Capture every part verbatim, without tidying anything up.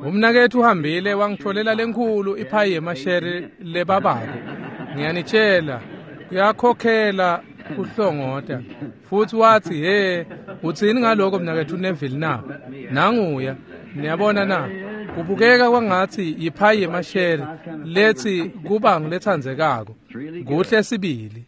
Umnaketfu uhambile wangitfolela lenkhulu iphayi yemasheri lebabako. Ngiyanitshela, kuyakhokhela kuhlongota. Futsi watsi, "He, utsini ngaloko mnaketfu Neville na?" Nanguya, niyabona na? Kubukeka kwangatsi yiphayi yemasheri letsi kuba nguletsandzekako. Kuhle sibili.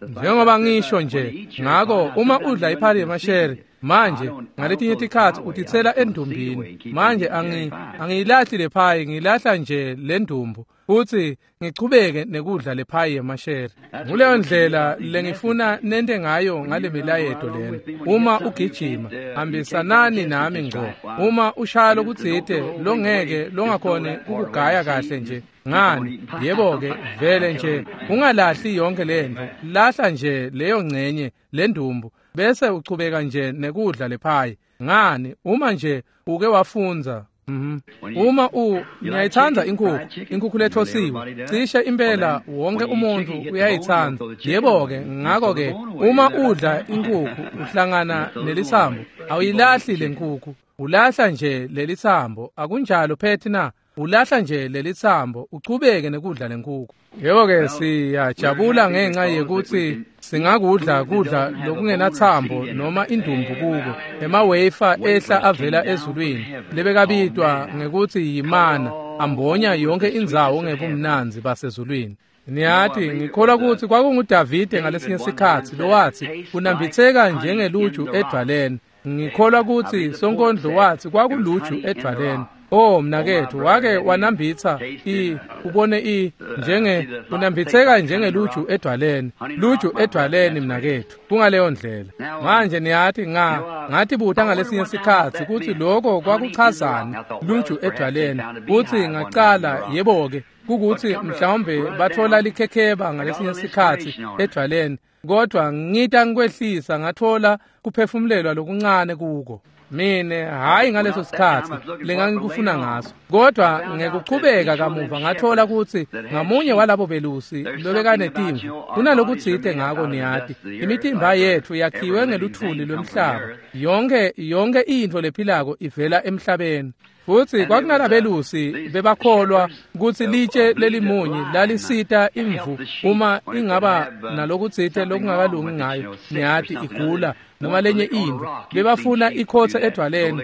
Njengoba ngisho nje, ngako uma udla iphayi yemasheri manje ngaletinye tikhatsi utitsela endumbini. Manje angi angiyilahli le phayi, ngilahla nje le ndumbu futsi ngichubeke nekudla le phayi yemasheri. Nguleyo ndlela lengifuna nente ngayo ngale milayeto lena. Uma ugijima, hambisanani nami ngco. Uma ushaya lokutsite longeke longakhoni kukugaya kahle nje, ngani, yebo-ke, vele nje ungalahli yonke lentfo, lahla nje leyo ngcenye lendumbu bese uchubeka nje nekudla lephayi. Ngani, uma nje uke wafundza. Mhm. Uma u ngiyayithanda inkukhu, inkukhu lethosiwe, cishe impela wonke umuntu uyayithanda. Yebo-ke, ngako-ke uma udla inkukhu uhlangana nelitsambo, awuyilahli lenkukhu, ulahla nje lelitsambo. Akunjalo Phethi na? Ulahla nje lelitsambo uchubeke nekudla lenkukhu. Yebo-ke, siyajabula ngenxa yekutsi singakudla kudla lokungenatsambo noma indumbu kuko. Emawefa ehla avela ezulwini lebekabitwa ngekutsi yimana, ambonya yonke indzawo ngebumnandzi basezulwini. Niyati, ngikholwa kutsi kwakunguDavide ngalesinye sikhatsi lowatsi kunambitseka njengeluju edvwaleni. Ngikholwa kutsi sonkondlo watsi kwakuluju edvwaleni. Oh mnaketfu, wake wanambitsa i ubone i njenge unambitseka njengeluju edvwaleni, luju edvwaleni mnaketfu, kungaleyo ndlela. Manje niyati, nga ngatibuta ngalesinye sikhatsi kutsi loko kwakuchazani luju edvwaleni, kutsi ngacala yebo-ke kukutsi mhlawumbe batfola likhekheba ngalesinye sikhatsi edvwaleni, kodwa ngita ngikwehlisa ngatfola kuphefumulelwa lokuncane kuko. Mine hayi ngaleso sikhatsi lengangikufuna ngaso, kodwa ngekuchubeka kamuva ngathola kutsi ngamunye walabo belusi lobekanetimvu kunalokutsite ngako. Niyati, imitimba yetfu yakhiwe ngeluthuli lwemhlaba, yonke yonke intfo lephilako ivela emhlabeni. Futsi kwakunalabelusi bebakholwa kutsi litshe lelimunye lalisita imvu uma ingaba nalokutsite lokungakalungi ngayo, niyati, igula noma lenye intfo, bebafuna ikhotse edvwaleni.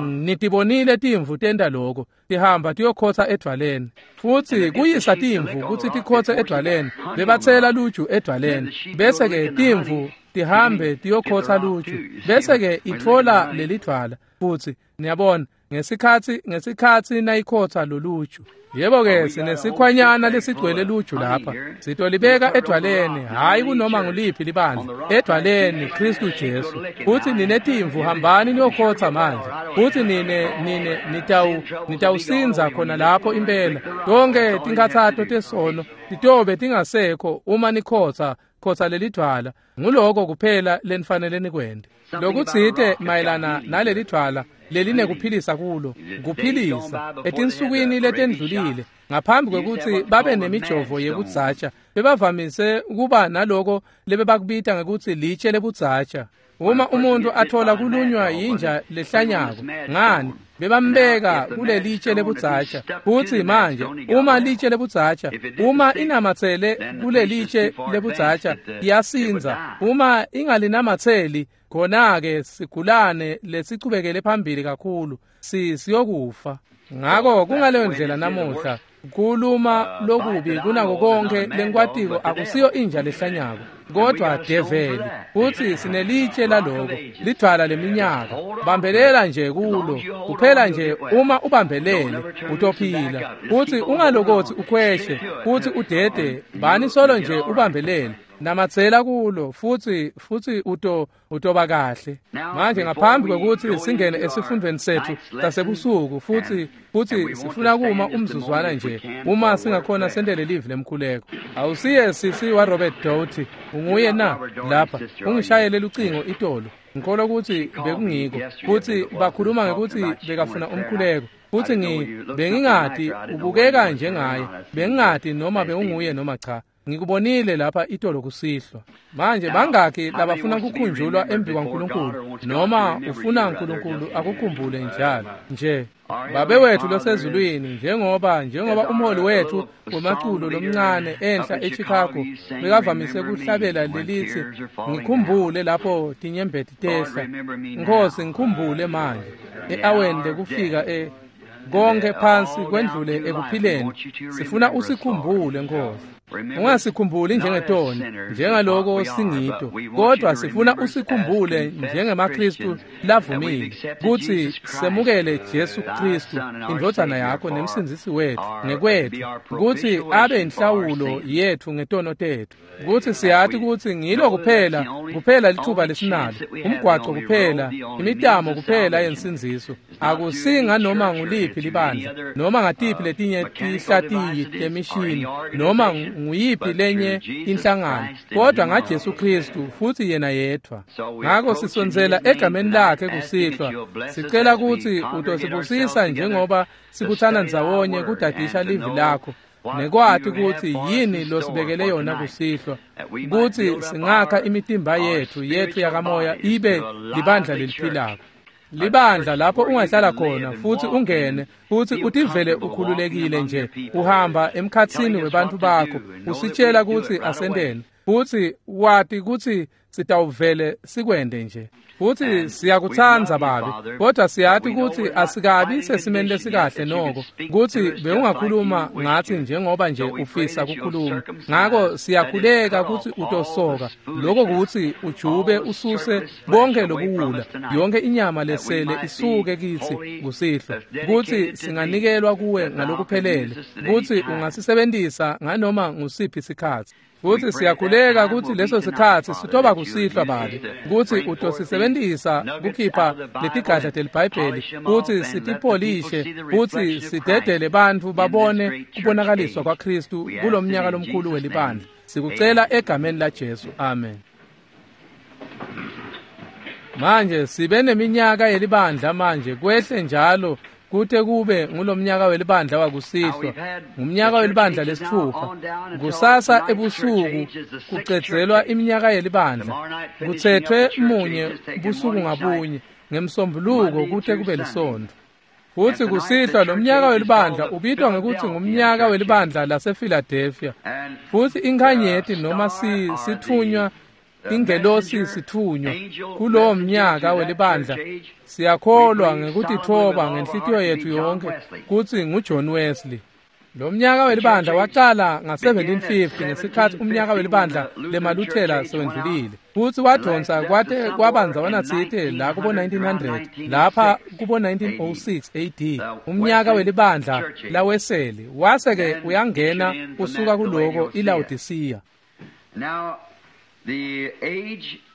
Nitibonile timvu tenta loko, tihamba tiyokhotsa edvwaleni. Futsi kuyisa timvu kutsi tikhotse edvwaleni, bebatsela luju edvwaleni, bese-ke timvu tihambe tiyokhotsa luju, bese-ke itfola lelidvwala. Futsi niyabona, ngesikhatsi ngesikhatsi nayikhotsa loluju, yebo-ke, sinesikhwanyana lesigcwele luju lapha, sitolibeka edvwaleni, hhayi kunoma nguliphi libandla, edvwaleni Khristu Jesu. Futsi ninetimvu, hambani niyokhotsa manje. Futsi nine nine nitawu nitawusindza khona lapho impela. Tonke tinkhatsato tesono titobe tingasekho uma nikhotsa khotsa lelidvwala. Nguloko kuphela lenifanele nikwente. Lokutsite mayelana nalelidvwala lelinekuphilisa kulo, kuphilisa etinsukwini letendlulile ngaphambi kwekutsi babe nemijovo yebudzatsha, bebavamise kuba naloko lebebakubita ngekutsi litshe lebudzatsha. Uma umuntu athola kulunywa yinja lehlanyako, ngani, bebambeka kulelitshe lebudzatsha. Futsi manje uma litshe lebudzatsha, uma inamatsele kulelitshe lebudzatsha, iyasindza. Uma ingalinamatseli, khona-ke sigulane lesichubekele phambili kakhulu si siyokufa. Ngako kungaleyo ndlela namuhla, kuluma lokubi kunako konke lengikwatiko akusiyo inja lehlanyako, kodwa develi. Futsi sinelitshe laloko, lidvwala leminyaka. Bambelela nje kulo kuphela nje, uma ubambelele utophila. Futsi ungalokotsi ukhweshe futsi udede, bani solo nje ubambelele, namatsela kulo, futsi futsi uto utoba kahle. Manje ngaphambi kwekutsi singene esifundweni setfu sasebusuku, futsi futsi sifuna kuma umzuzwana nje, uma singakhona sentele livi lemkhuleko. Awusiye sisi wa Robert Doughty, unguye na? Lapha ungishayele lucingo itolo, ngikholwa kutsi bekungiko, futsi bakhuluma ngekutsi bekafuna umkhuleko. Futsi ngi bengingati ubukeka njengaye, bengingati noma bewunguye noma cha. Ngikubonile lapha itolo kusihlwa. Manje bangaki labafuna kukhunjulwa embi kwaNkulunkulu, noma ufuna uNkulunkulu akukhumbule njalo nje? Babe wethu losezulwini, njengoba njengoba umholi wethu wemaculo lomncane enhla eChicago bekavamise kuhlabela lelithi, ngikhumbule lapho tinyembeti tehla. Nkosi, ngikhumbule manje e-aweni lekufika e konke phansi kwendlule ekuphileni. Sifuna usikhumbule, Nkosi. Ungasikhumbuli njengetoni, njengaloko singito, kodwa sifuna usikhumbule njengemaKristu lavumile kutsi semukele Jesu Kristu, indvodzana yakho nemsindzisi wetfu ngekwetfu, kutsi abe inhlawulo yetfu ngetono tetfu, kutsi siyati kutsi ngilo kuphela kuphela lithuba lesinalo, umgwaco kuphela, imitamo kuphela yensindziso. Akusinga noma nguliphi libandla, noma ngatiphi letinye tihlatiyi temishini, noma nguyiphi lenye inhlangano, kodwa ngaJesu Kristu futsi yena yedvwa. Ngako sisondzela egameni lakhe kusihlwa, sicela kutsi utosibusisa njengoba sibutsana ndzawonye kudadisha livi lakho, nekwati kutsi yini losibekele yona kusihlwa, kutsi singakha imitimba yetfu yetfu yakamoya ibe libandla leliphilako. Libandla lapho ungahlala khona futsi ungene futsi utivele ukhululekile nje, uhamba emkhatsini webantfu bakho, usitshela kutsi asenteni, futsi wati kutsi sitawuvele sikwente nje. Futsi siyakutsandza Babe, kodwa siyati kutsi asikabi sesimeni lesikahle noko, kutsi bewungakhuluma ngatsi njengoba nje ufisa kukhuluma. Ngako siyakhuleka kutsi utosoka, lokho kutsi ujube ususe bonke lobuwula, yonke inyama lesele isuke kitsi kusihlwa, kutsi singanikelwa kuwe ngalokuphelele, kutsi ungasisebentisa nganoma ngusiphi sikhatsi. Futsi siyakhuleka kutsi leso sikhatsi sitoba kusihlwa Babe, kutsi utosisebentisa kukhipha letigadla teliBhayibheli, kutsi sitipolishe, kutsi sidedele bantfu babone kubonakaliswa kwaKristu kulomnyaka lomkhulu welibandla. Sikucela egameni laJesu, amen. Manje sibe neminyaka yelibandla manje kwehle njalo kute kube ngulomnyaka welibandla wakusihlwa, ngumnyaka welibandla lesitfupha. Kusasa ebusuku kucedzelwa iminyaka yelibandla, kutsetfwe munye busuku ngabunye ngemsombuluko kute kube lisontfo. Futsi kusihlwa lomnyaka welibandla ubitwa ngekutsi ngumnyaka welibandla lasePhiladelphia. Futsi inkhanyeti noma si sitfunywa, ingelosi sitfunywa kulowo mnyaka welibandla, siyakholwa ngekutitfoba ngenhlitiyo yetfu yonke kutsi nguJohn Wesley. Lo mnyaka welibandla wacala nga-seventeen fifty ngesikhatsi umnyaka welibandla lemaLuthela sewendlulile, futsi wadonsa kwate kwabandzawana tsite la kubo nineteen hundred, lapha kubo nineteen oh six A D, umnyaka welibandla laWeseli wase-ke uyangena usuka kuloko iLaodicea.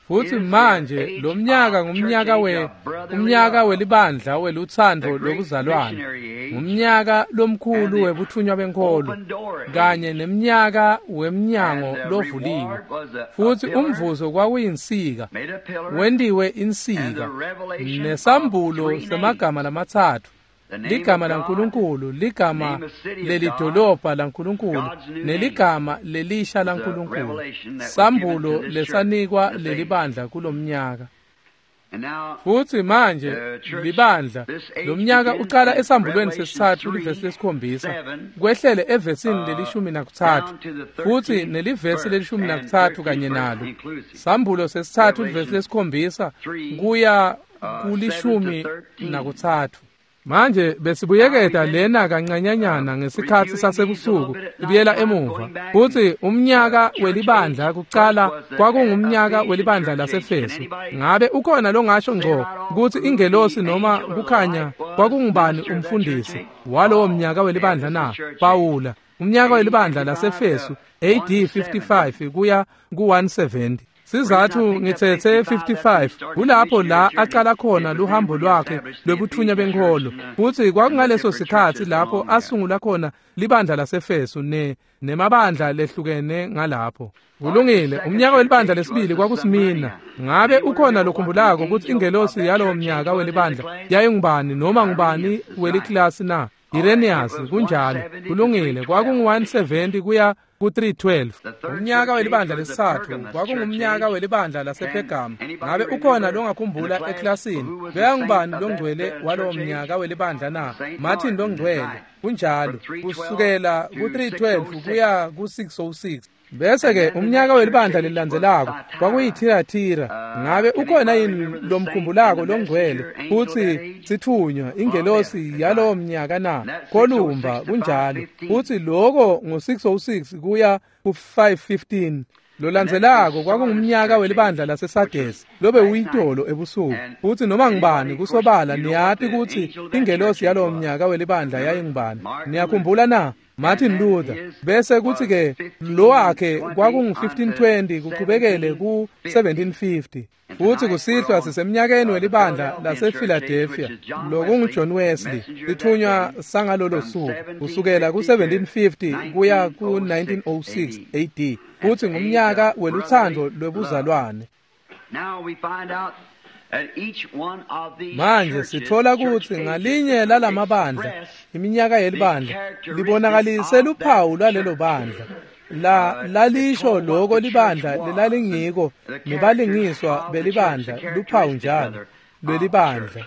Futsi manje lo mnyaka ngumnyaka we umnyaka welibandla welutsandvo lokuzalwana, ngumnyaka lomkhulu webuthunywa benkholo, kanye nemnyaka wemnyango lovuliwe. Futsi umvuzo kwakuyinsika, wentiwe insika, nesambulo semagama lamatsatfu, ligama laNkulunkulu, ligama lelidolobha laNkulunkulu, neligama lelisha laNkulunkulu, sambulo lesanikwa lelibandla kulomnyaka. Futsi manje libandla lomnyaka ucala esambulweni sesitsatfu livesi lesikhombisa kwehlele evesini lelishumi nakutsatfu, futsi nelivesi lelishumi nakutsatfu kanye nalo. Sambulo sesitsatfu livesi lesikhombisa kuya kulishumi nakutsatfu. Manje besibuyeketa lena kancanyanyana ngesikhatsi sasebusuku ibuyela emuva. Futsi umnyaka welibandla kucala kwakungumnyaka welibandla laseFesu. Ngabe ukhona longasho ngco kutsi ingelosi noma kukhanya kwakungubani umfundisi walowo mnyaka welibandla na? Pawula. Umnyaka welibandla laseFesu A D fifty-five kuya ku one seventy. Sizathu ngithethe fifty-five kulapho la aqala khona luhambo lwakhe lwebuthunya benkholo, futsi kwakungaleso sikhatsi lapho asungula khona libandla laseFesu ne nemabandla lehlukene ngalapho. Kulungile, umnyaka welibandla lesibili kwakusimina. Ngabe ukhona lokhumbulako kutsi ingelosi yalowo mnyaka welibandla yayingubani noma ngubani weliklasi na? Irenaeus, kunjalo. Kulungile, kwakungu one seventy kuya ku three twelve. Umnyaka welibandla lesithathu kwakungumnyaka welibandla lasePhergamu. Ngabe ukhona longakhumbula eklasini bekangubani longcwele walowo mnyaka welibandla na? Martin longcwele. Kunjalo, kusukela ku three twelve kuya ku six oh six. Bese ke umnyaka welibandla lelilandzelako kwakuyithiratira. Ngabe ukhona yini lomkhumbulako longcwele futhi sithunywa ingelosi yalowo mnyaka na? Kolumba. Kunjalo, futhi lokho ngo six oh six kuya ku five fifteen. Lolandzelako kwakungumnyaka welibandla laseSardesi lobe uyitolo ebusuku. Futhi noma ngibani kusobala niyati ukuthi ingelosi yalowo mnyaka welibandla yayingubani. Niyakhumbula na? Martin Luther. Bese kuthi ke lo wakhe kwakungu fifteen twenty kuqhubekele ku seventeen fifty. Futhi kusihlwa sisemnyakeni welibandla lasePhiladelphia lokunguJohn Wesley, lithunywa sangalolo suku kusukela ku seventeen fifty kuya ku nineteen oh six A D. Futhi ngumnyaka weluthando lwebuzalwane. Manje sithola ukuthi ngalinye lalamabandla iminyaka yelibandla libonakalise luphawu lwalelo bandla. La lalisho lokho libandla lelalingiko nebalingiswa belibandla luphawu njalo lwelibandla.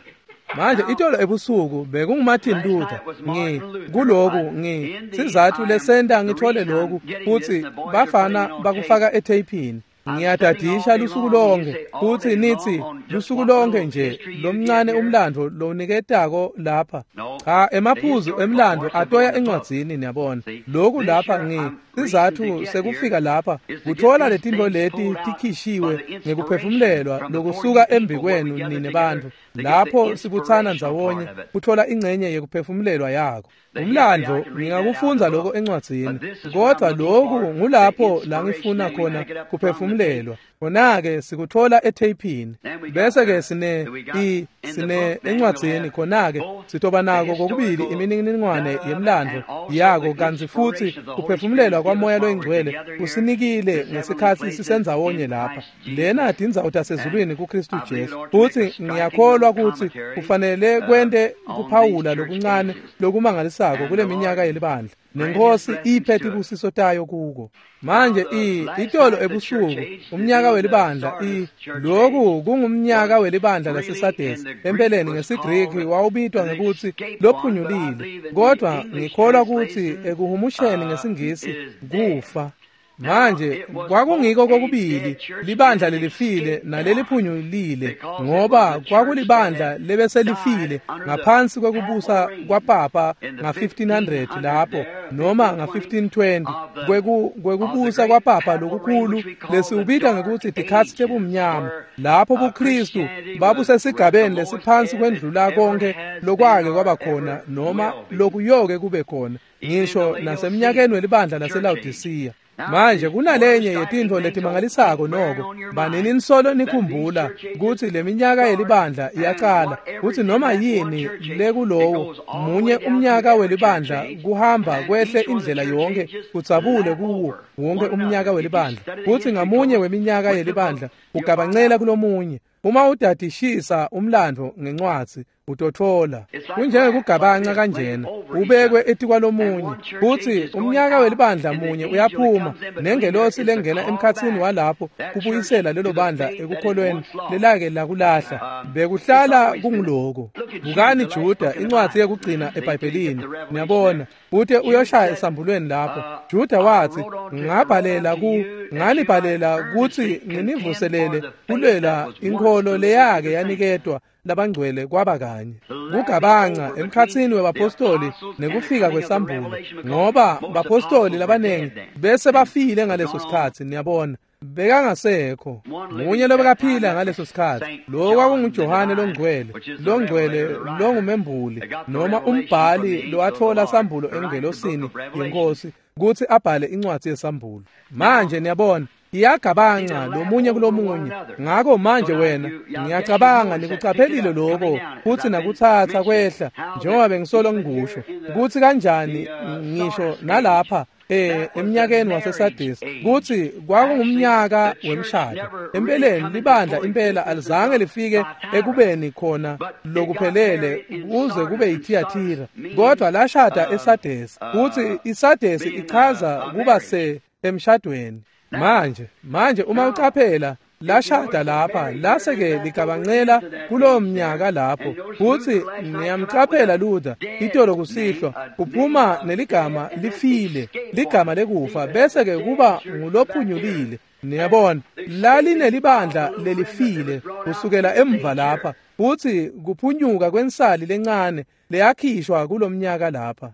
Manje itolo ebusuku bekunguMartin Luther. Ngi kuloku ngi sizathu lesenta ngithole lokhu futhi bafana bakufaka etheyphini. Ngiyadadisha lusuku lonke futhi nithi lusuku lonke nje lomncane umlando loniketako lapha. Cha, emaphuzu emlando atoya encwadzini niyabona. Lokhu lapha ngi sizathu sekufika lapha kuthola letinto leti tikhishiwe ngekuphefumulelwa lokusuka embikwenu nine bantfu lapho sibuthana ndzawonye kuthola ingcenye yekuphefumulelwa yako. Umlando ngingakufundza lokho encwadzini, kodwa lokhu ngulapho la ngifuna khona kuphefumulelwa. Khona-ke sikuthola etheyphini. Bese ke sine i sine encwadzini khona-ke sitoba nako kokubili imininingwane yemlando yako kantsi futhi kuphefumulelwa kwaMoya loyiNgcwele kusinikile ngesikhatsi sisendzawonye lapha. Lena tindzawo tasezulwini kuKristu Jesu. Futhi ngiyakholwa ukuthi kufanele kwente kuphawula lokuncane lokumangalisako kule minyaka yelibandla. Nenkosi iphe tibusiso tayo kuko. Manje i itolo ebusuku umnyaka welibandla i lokhu kungumnyaka welibandla laseSardesi. Empeleni ngesiGreki wawubitwa ngekuthi lophunyulile, kodwa ngikholwa ukuthi ekuhumusheni ngesiNgisi kufa. Manje kwakungiko kokubili libandla lelifile naleliphunyulile, ngoba kwakulibandla lebeselifile ngaphansi kwekubusa kwapapa nga fifteen hundred lapho noma nga fifteen twenty kweku kwekubusa kwapapa lokukhulu lesiubita ngekuthi tikhatsi tebumnyama, lapho buKristu babusesigabeni lesiphansi kwendlula konke lokwake kwaba khona noma lokuyoke kube khona ngisho nasemnyakeni welibandla laseLaodicea. Manje kunalenye yetintfo letimangalisako noko banini nisolo nikhumbula kutsi leminyaka yelibandla iyacala kutsi noma yini lekulowo munye umnyaka welibandla kuhamba kwehle indlela yonke kudzabule kuwo wonke umnyaka welibandla kutsi ngamunye weminyaka yelibandla ugabancela kulomunye. Uma udadishisa umlando ngencwadzi utothola kunjengekugabanca kanjena ubekwe etikwalomunye kutsi umnyaka welibandla munye uyaphuma nengelosi lengena emkhatsini walapho kubuyisela lelo bandla ekukholweni lelake lakulahla. Bekuhlala kunguloko. Bukani Juda, incwadzi yekugcina eBhayibhelini, niyabona ute uyoshaya esambulweni lapho. Juda wathi ngabhalela ku nganibhalela kutsi nginivuselele kulwela inkholo leyake yaniketwa labangcwele kwaba kanye. Kugabanca emkhatsini webapostoli nekufika kwesambulo, ngoba bapostoli labanengi bese bafile ngaleso sikhatsi, niyabona bekangasekho munye lobekaphila ngaleso sikhatsi. Lo kwakunguJohane longcwele, longcwele longumembuli noma umbhali lowathola sambulo engelosini yenkosi kutsi abhale incwadzi yesambulo. Manje niyabona iyagabanca lomunye kulomunye. Ngako manje wena ngiyacabanga nikucaphelile lokho futhi nakutsatsa kwehla njengoba bengisolo ngikusho kutsi kanjani ngisho nalapha eh eminyakeni waseSardis kutsi kwakungumnyaka wemshado. Empeleni libandla impela alizange lifike ekubeni khona lokuphelele kuze kube yiThiatira, kodwa lashada eSardis. Kutsi iSardis ichaza kuba se emshadweni. Manje manje uma ucaphela lashada lapha lase-ke ligabancela kulowo mnyaka lapho. Futsi niyamcaphela Luther itolo kusihlwa uphuma neligama lifile, ligama lekufa, bese-ke kuba ngulophunyulile. Niyabona lalinelibandla lelifile kusukela emva lapha, futsi kuphunyuka kwensali lencane leyakhishwa kulomnyaka lapha.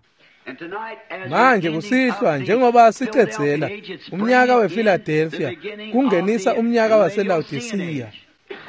Manje kusihlwa njengoba sicedzela umnyaka wePhiladelphia kungenisa umnyaka waseLaodicea.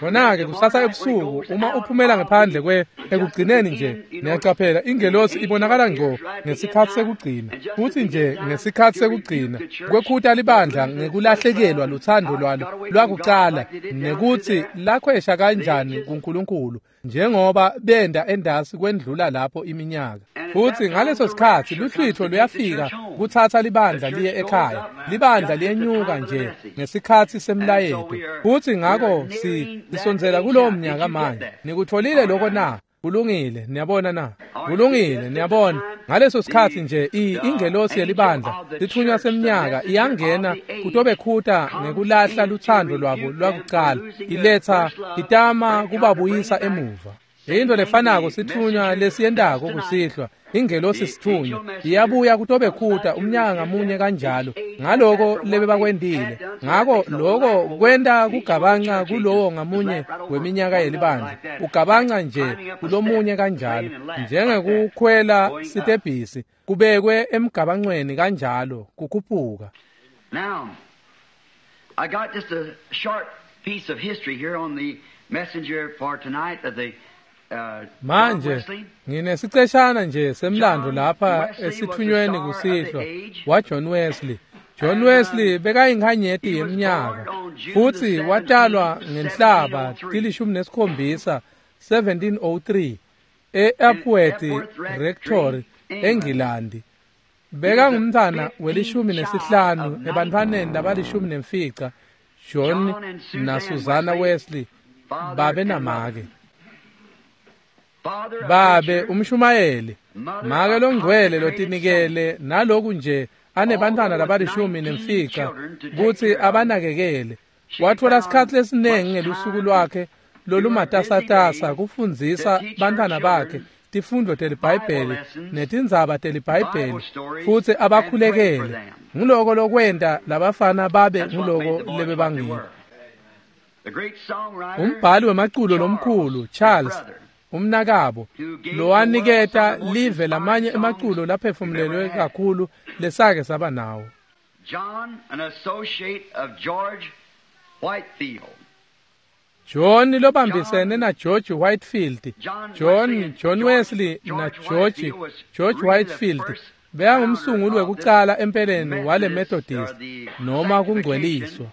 Khona-ke kusasa ebusuku uma uphumela ngephandle kwe ekugcineni nje niyacaphela ingelosi ibonakala ngco ngesikhathi sekugcina, futhi nje ngesikhathi sekugcina kwekhuta libandla ngekulahlekelwa luthando lwalo lwakucala nekutsi lakhwesha kanjani kuNkulunkulu njengoba benda endasi kwendlula lapho iminyaka. Futhi ngaleso sikhathi luhlwitho luyafika kuthatha libandla liye ekhaya, libandla liyenyuka nje ngesikhathi semlayeto. Futhi ngakho si sisondzela kulowo mnyaka manje. Nikutholile lokho na? Kulungile, niyabona na? Kulungile, niyabona. Ngaleso sikhathi nje ingelosi yelibandla lithunywa semnyaka iyangena kutobekhuta ngekulahla luthando lwabo lwakucala, iletha itama kubabuyisa emuva. Into lefanako sithunywa lesiyendako kusihlwa, ingelosi sithunywa iyabuya kutobekhuta umnyaka ngamunye kanjalo ngaloko lebebakwendile. Ngako loko kwenta kugabanca kulowo ngamunye weminyaka yelibandla, ugabanca nje kulomunye kanjalo njengekukhwela sitebhisi kubekwe emgabancweni kanjalo kukhuphuka. Now I got just a short piece of history here on the messenger for tonight of the Manje nginesiceshana nje semlando lapha esithunyweni kusihlwa wa John Wesley. John Wesley bekayinkhanyeti yeminyaka futsi watalwa ngenhlaba tilishumi nesikhombisa seventeen oh three e-Epworth Rectory eNgilandi. Bekangumntfwana welishumi nesihlanu ebantfwaneni labalishumi nemfica John na Susanna Wesley babe namake. Babe umshumayeli, make longcwele lotinikele naloku nje anebantwana labalishumi nemfica kutsi abanakekele. Watfola sikhatsi lesiningi ngelusuku lwakhe lolumatasatasa kufundzisa bantwana bakhe tifundvo teliBhayibheli netindzaba teliBhayibheli futsi abakhulekele. Nguloko lokwenta labafana babe nguloko lebebangiko. Umbhali wemaculo lomkhulu Charles umnakabo lowaniketa live lamanye emaculo laphefumulelwe kakhulu lesake saba nawo. John, an associate of George Whitefield. John lobambisene na George Whitefield. John John Wesley na George George Whitefield bekangumsunguli wekucala empeleni wale Methodist noma kungcweliswa.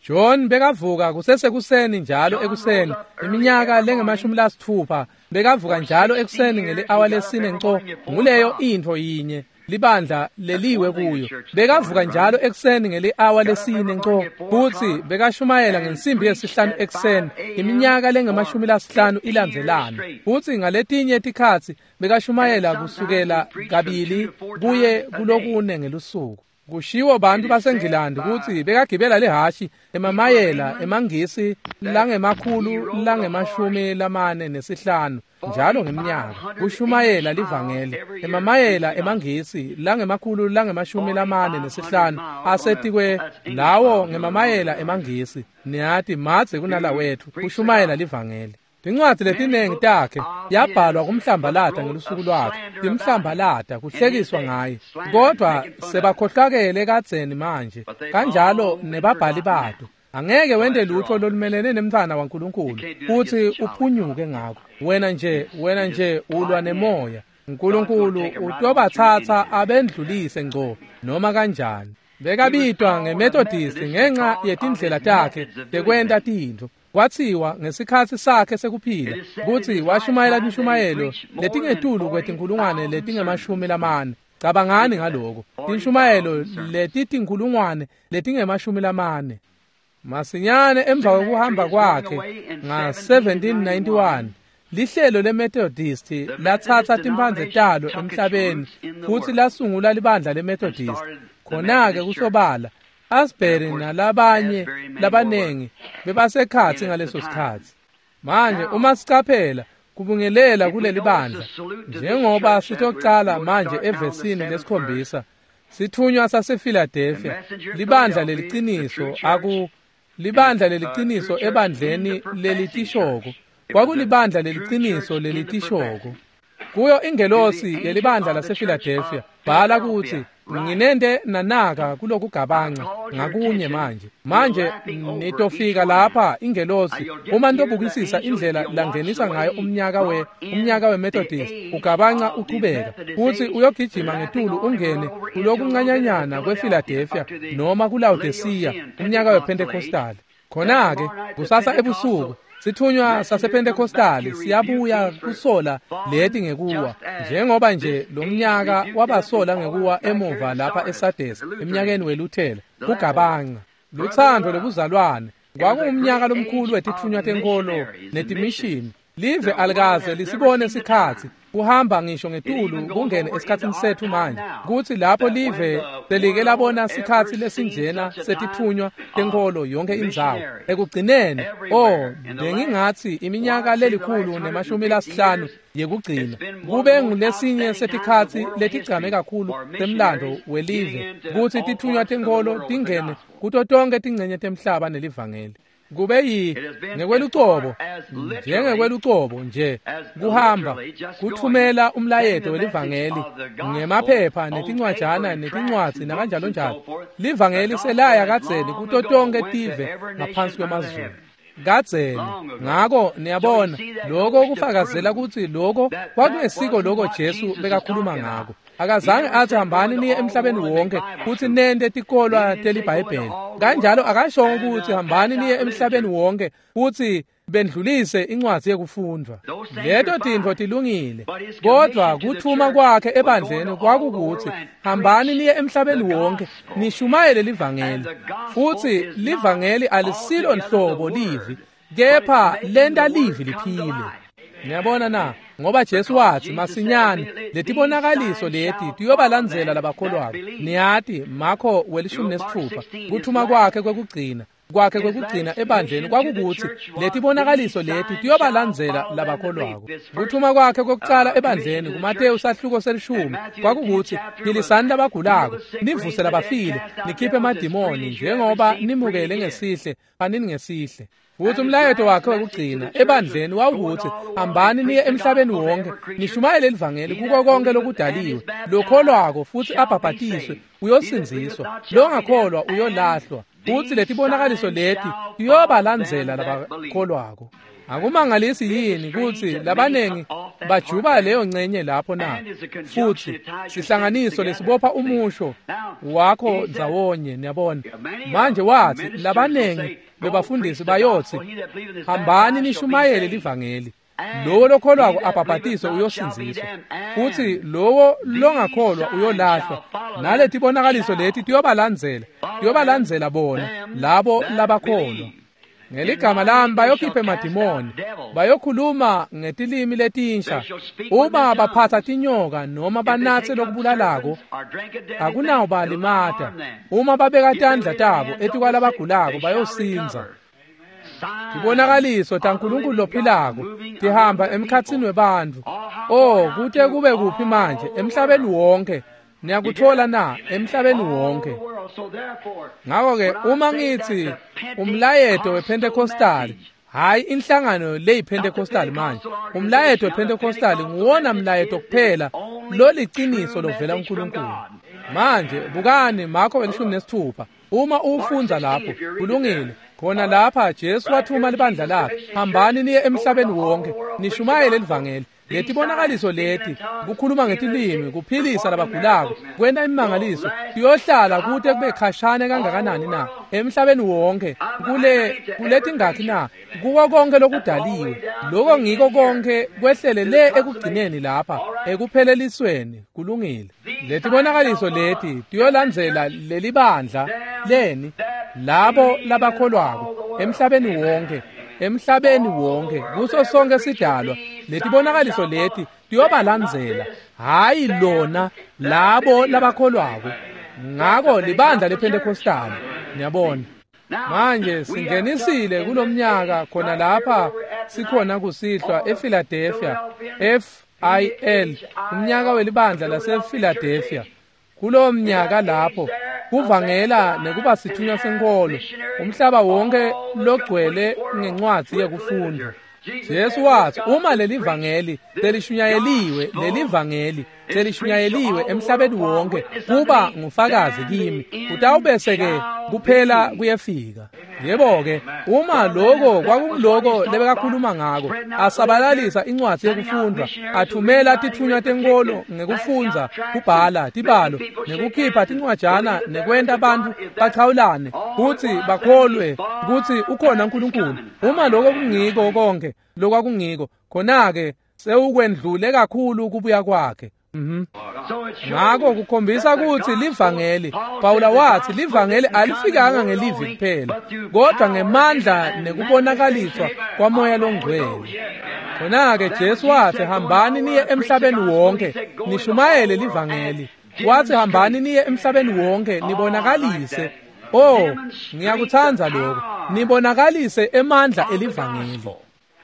John bekavuka kusesekuseni njalo ekuseni iminyaka lengemashumi lasitfupha bekavuka njalo ekuseni ngeli-awa lesine nco. Nguleyo intfo yinye libandla leliwe kuyo. Bekavuka njalo ekuseni ngeli-awa lesine nco futsi bekashumayela ngensimbi yesihlanu ekuseni iminyaka lengemashumi lasihlanu ilandzelana. Futsi ngaletinye tikhatsi bekashumayela kusukela kabili kuye kulokune ngelusuku. Kushiwo bantu baseNgilandi kutsi bekagibela lihhashi emamayela emaNgisi langemakhulu langemashumi lamane nesihlanu njalo ngeminyaka kushumayela livangeli. Emamayela emaNgisi langemakhulu langemashumi lamane nesihlanu asetikwe lawo ngemamayela emaNgisi, niyati madze kunalawethu kushumayela livangeli. Tincwadzi letinengi takhe yabhalwa kumhlambalata ngelusuku lwakhe, timhlambalata kuhlekiswa ngaye, kodwa sebakhohlakele kadzeni manje kanjalo nebabhali bato. Angeke wente lutho lolumelene nemntfwana waNkulunkulu futsi uphunyuke ngako. Wena nje wena nje ulwa nemoya. Nkulunkulu utobatsatsa abendlulise ngco noma kanjani. Bekabitwa ngeMethodist ngenxa yetindlela takhe tekwenta tintfo. Kwatsiwa ngesikhatsi sakhe sekuphila kutsi washumayela tinshumayelo letingetulu kwetinkulungwane letingemashumi lamane. Cabangani ngaloko. Tinshumayelo letitinkhulungwane letingemashumi lamane. Masinyane emva kwekuhamba kwakhe nga seventeen ninety-one lihlelo leMethodist latsatsa timphandze talo emhlabeni futsi lasungula libandla leMethodist. Khona-ke kusobala Asbury nalabanye labanengi bebasekhatsi ngaleso sikhatsi. Manje uma sicaphela kubungelela kuleli bandla njengoba sitocala manje evesini lesikhombisa, sithunywa sasePhiladelphia, libandla leliciniso aku libandla leliciniso ebandleni lelitishoko. Kwakulibandla leliciniso lelitishoko. Kuyo ingelosi yelibandla lasePhiladelphia bhala kutsi nginente nanaka kulokugabanca ngakunye manje. Manje nitofika lapha ingelosi uma nitobukisisa indlela langenisa ngayo umnyaka we umnyaka weMethodist ugabanca uchubeka futsi uyogijima ngetulu ungene kulokuncanyanyana kwePhiladelphia noma kuLaodicea umnyaka wePentecostal. Khona-ke kusasa ebusuku sithunywa sasePentecostal siyabuya kusola leti ngekuwa njengoba nje lo mnyaka wabasola ngekuwa emuva lapha eSades eminyakeni weLuthela kugabanca luthando lobuzalwane. Kwakungumnyaka lomkhulu wetithunywa tenkolo netimishini. Live alikaze lisibone sikhatsi kuhamba ngisho ngetulu kungene esikhatsini sethu manje kutsi lapho live selike labona sikhatsi lesinjena setithunywa tenkolo yonke indzawo ekugcineni. Oh, bengingatsi iminyaka lelikhulu nemashumi lasihlanu yekugcina kube ngulesinye setikhatsi letigcame kakhulu temlando welive kutsi tithunywa tenkolo tingene kuto tonke tincenye temhlaba nelivangeli. Kube yi ngekwelucobo njengekwelucobo nje kuhamba kuthumela umlayeto welivangeli ngemaphepha netincwajana netincwadzi nakanjalo njalo. Livangeli selaya kadzeni kuto tonke tive ngaphansi kwemazulu kadzeni. Ngako niyabona lokho kufakazela kutsi lokho kwakungesiko lokho Jesu bekakhuluma ngako. Akazange athi hambani niye emhlabeni wonke futhi nente tikolwa teliBhayibheli. Kanjalo akashongo ukuthi hambani niye emhlabeni wonke futhi bendlulise incwadzi yekufundwa. Leto tintfo tilungile, kodwa kuthuma kwakhe ebandleni kwakukuthi hambani niye emhlabeni wonke nishumayele livangeli. Futhi livangeli alisilo nhlobo livi, kepha lenta livi liphile. Niyabona na? Ngoba Jesu wathi masinyane letibonakaliso leti tiyobalandzela labakholwako. Niyati Marko welishumi nesitfupha kuthuma kwakhe kwekugcina kwakhe kwekugcina ebandleni kwakukuthi letibonakaliso leti tiyobalandzela labakholwako. Kuthuma kwakhe kokucala ebandleni kuMateyu sahluko selishumi kwakukuthi philisani labagulako, nivuse labafile, nikhiphe emadimoni njengoba nimukele ngesihle phanini ngesihle. Futhi umlayeto wakhe wekugcina ebandleni wawukuthi hambani niye emhlabeni wonke nishumayele livangeli kuko konke lokudaliwe. Lokholwako futhi abhabhatiswe uyosindziswa, longakholwa uyolahlwa. Futhi letibonakaliso leti tiyobalandzela labakholwako. Akumangalisi yini kutsi labanengi bajuba leyo ncenye lapho na? Futhi sihlanganiso lesibopha umusho wakho ndzawonye. Niyabona manje wathi labanengi bebafundisi bayothi hambani nishumayele livangeli, lowo lokholwako abhabhatiswe uyosindziswa, futhi lowo longakholwa uyolahlwa. Naletibonakaliso leti tiyobalandzela tiyobalandzela bona labo labakholwa. Ngeligama lami bayokhipha emadimoni, bayokhuluma ngetilimi letinsha. Uma baphatha tinyoka noma banatse lokubulalako akunawubalimata. Uma babeka tandla tabo etikwalabagulako bayosindza. Tibonakaliso taNkulunkulu lophilako tihamba emkhatsini webantfu. Oh, kute kube kuphi manje emhlabeni wonke. Niyakuthola na? Emhlabeni wonke. Ngakho-ke uma ngithi umlayeto wePentecostal, hayi inhlangano leyiPentecostal manje, umlayeto wePentecostal nguwona mlayeto kuphela loliciniso lovela kuNkulunkulu. Manje bukani Marko welishumi nesitfupha uma ufundza lapho kulungile. Khona lapha Jesu wathuma libandla lakhe, hambani niye emhlabeni wonke nishumayele livangeli. Letibonakaliso leti kukhuluma ngetilimi, kuphilisa labagulako, kwenta imimangaliso tiyohlala kute kube khashane kangakanani na emhlabeni wonke kule kuletingakhi na kuko konke lokudaliwe. Lokho ngiko konke kwehlele le ekugcineni lapha ekuphelelisweni. Kulungile. Letibonakaliso leti tiyolandzela lelibandla leni labo labakholwako emhlabeni wonke, emhlabeni wonke, kuso sonke sidalwa. Letibonakaliso leti tiyobalandzela, hayi lona, labo labakholwako. Ngako libandla lePentecostal, niyabona. Manje singenisile kulomnyaka khona lapha sikhona kusihlwa ePhiladelphia, F I L, umnyaka welibandla lasePhiladelphia. Kulowo mnyaka lapho kuvangela nekuba sithunywa senkolo, umhlaba wonke logcwele ngencwadzi yekufunda. Jesu wathi uma lelivangeli selishunyayeliwe, lelivangeli selishunyayeliwe emhlabeni wonke kuba ngufakazi kimi, kutawubese ke kuphela kuyefika. Yebo ke, uma lokho kwakungiloko lebekakhuluma ngako, asabalalisa incwadzi yekufundwa, athumela tithunywa tenkolo ngekufundza, kubhala tibalo, nekukhipha tincwajana, nekwenta abantu bachawulane kutsi bakholwe kutsi ukhona uNkulunkulu. Uma lokho kungiko konke lokwakungiko, khona-ke sewukwendlule kakhulu kubuya kwakhe. Mhm. Ngako kukhombisa kutsi livangeli, Pawula wathi livangeli alifikanga ngelivi kuphela, kodwa ngemandla nekubonakaliswa kwaMoya loNgcwele. Khona-ke Jesu wathi hambani niye emhlabeni wonke nishumayele livangeli. Wathi hambani niye emhlabeni wonke nibonakalise. Oh, ngiyakuthanda lokho. Nibonakalise emandla elivangeli.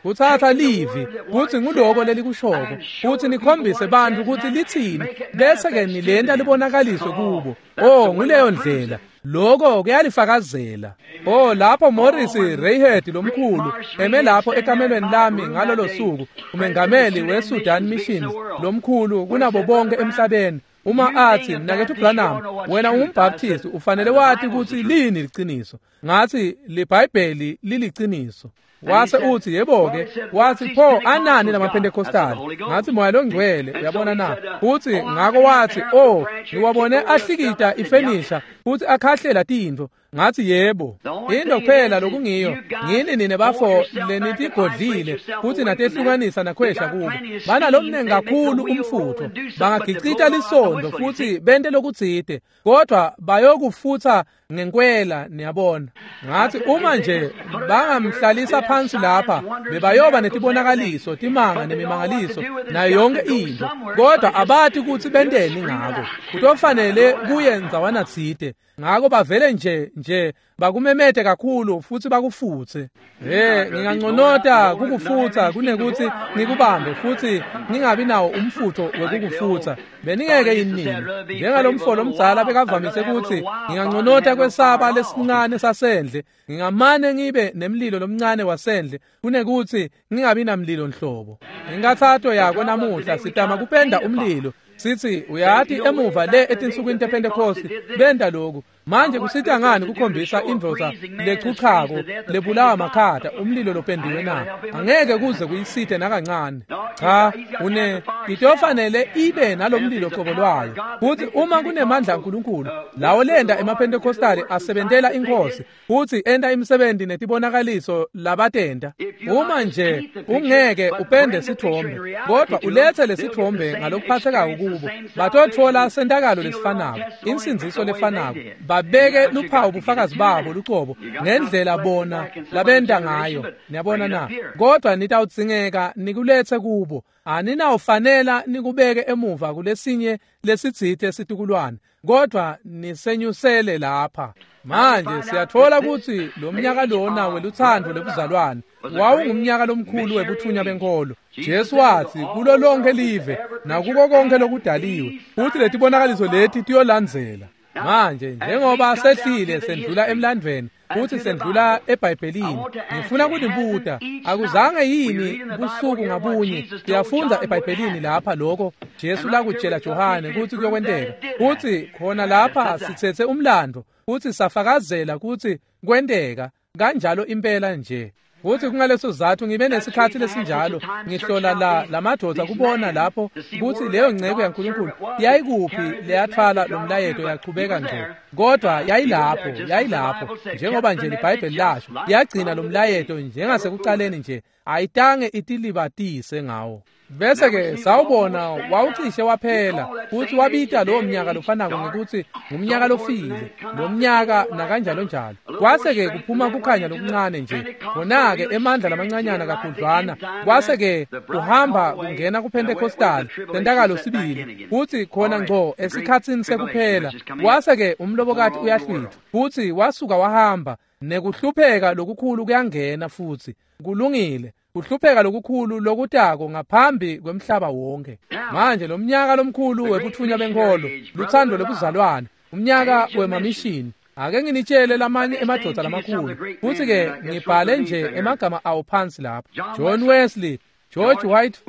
Kuthatha livi kutsi nguloko lelikushoko, kutsi nikhombise bantfu kutsi litsini, bese ke nilenta libonakaliswe kubo. Oh, nguleyo ndlela. Lokho kuyalifakazela. Oh, lapho Morris Rayhead lomkhulu eme lapho ekamelweni lami ngalolo suku, umengameli weSudan Missions lomkhulu kunabo bonke emhlabeni. Uma athi mnaketfu Branham, wena ungumbaptist, ufanele wati kutsi lini liciniso. Ngathi liBhayibheli liliciniso. Wase uthi yebo ke, wathi pho anani lamaPentecostal? Ngathi Moya loNgcwele, uyabona na? Uthi ngako wathi oh, ngiwabone ahlikita ifenisha futhi akhahlela tintfo. Ngathi yebo. Into kuphela lokungiyo, ngini nine bafo lenitigodlile futhi natehlukanisa nakhwesha kubo. Banalomnengi kakhulu umfutho, bangagicita lisondo futhi bente lokutsite, kodwa bayokufutha ngenkwela, niyabona. Ngathi uma nje bangamhlalisa phansi lapha, bebayoba netibonakaliso, timanga nemimangaliso nayo yonke into, kodwa abati kutsi benteni ngako. Kutofanele kuye ndzawana tsite. Ngako bavele nje nje bakumemete kakhulu futhi bakufutse. Eh, nginganconota kukufutsa kunekuthi ngikubambe futhi ngingabi nawo umfutho wekukufutsa. Beningeke yini? Njengalomfo lomdzala bekavamise ukuthi nginganconota kwesaba lesincane sasendle, ngingamane ngibe nemlilo lomncane wasendle kunekuthi ngingabi namlilo nhlobo. Inkathato yako namuhla sitama kupenda umlilo. Sithi uyati emuva le etinsukwini tePentecost benta lokhu. Manje kusita ngani kukhombisa indvodza lechuchako lebulawa makhata umlilo lopendiwe na? Angeke kuze kuyisite nakancane. Cha, une itofanele ibe nalomlilo qobo lwayo. Futhi uma kunemandla kaNkulunkulu lawo lenda emaPentecostal asebentela inkosi futhi enta imisebenzi netibonakaliso labatenta. Uma nje ungeke upende sithombe, kodwa ulethe lesithombe ngalokuphathekako kubo, batotfola sentakalo lesifanako, insindziso lefanako, babeke luphawu bufakazi babo lucobo ngendlela bona labenta ngayo. Niyabona na? Kodwa nitawudzingeka nikulethe kubo. Aninawufanela nikubeke emuva kulesinye lesitsite situkulwane, kodwa nisenyusele lapha. Manje siyatfola kutsi lo mnyaka lona welutsandvo lobuzalwane wawungumnyaka lomkhulu webuthunya benkolo. Jesu wathi kulo lonke live nakuko konke lokudaliwe, futhi letibonakaliso leti tiyolandzela. Manje njengoba sehlile sendlula emlandvweni futhi sendlula eBhayibhelini, ngifuna kunibuta, akuzange yini busuku ngabunye siyafundza eBhayibhelini lapha lokho Jesu lakutshela Johane kutsi kuyokwenteka, futhi khona lapha sithethe umlando futhi safakazela kutsi kwenteka kanjalo impela nje. Futhi kungaleso sizathu ngibe nesikhathi lesinjalo ngihlola la lamadvodza kubona lapho kutsi leyo nceko yaNkulunkulu yayikuphi leyathwala lo mlayeto yachubeka ngco, kodwa yayilapho yayilapho njengoba nje liBhayibheli lasho, yagcina lo mlayeto njengasekucaleni nje, ayitange itilibatise ngawo. Bese ke sawubona wawucishe waphela futhi wabita lowo mnyaka lofanako ngekuthi ngumnyaka lofile lo mnyaka nakanjalo njalo. Kwase ke kuphuma kukhanya lokuncane nje khona ke emandla lamancanyana kakhudlwana kwase ke kuhamba kungena kuPentecostal lentakalo sibili futhi khona ngco esikhatsini sekuphela kwase ke umlobokati uyahlwitha futhi wasuka wahamba nekuhlupheka lokukhulu kuyangena futhi kulungile kuhlupheka lokukhulu lokutako ngaphambi kwemhlaba wonke. Manje lo mnyaka lomkhulu webuthunywa benkolo luthando lobuzalwane umnyaka wemamishini. Ake nginitshele lamanye emadvodza lamakhulu futhi ke ngibhale nje emagama awo phansi lapha. John Wesley, George White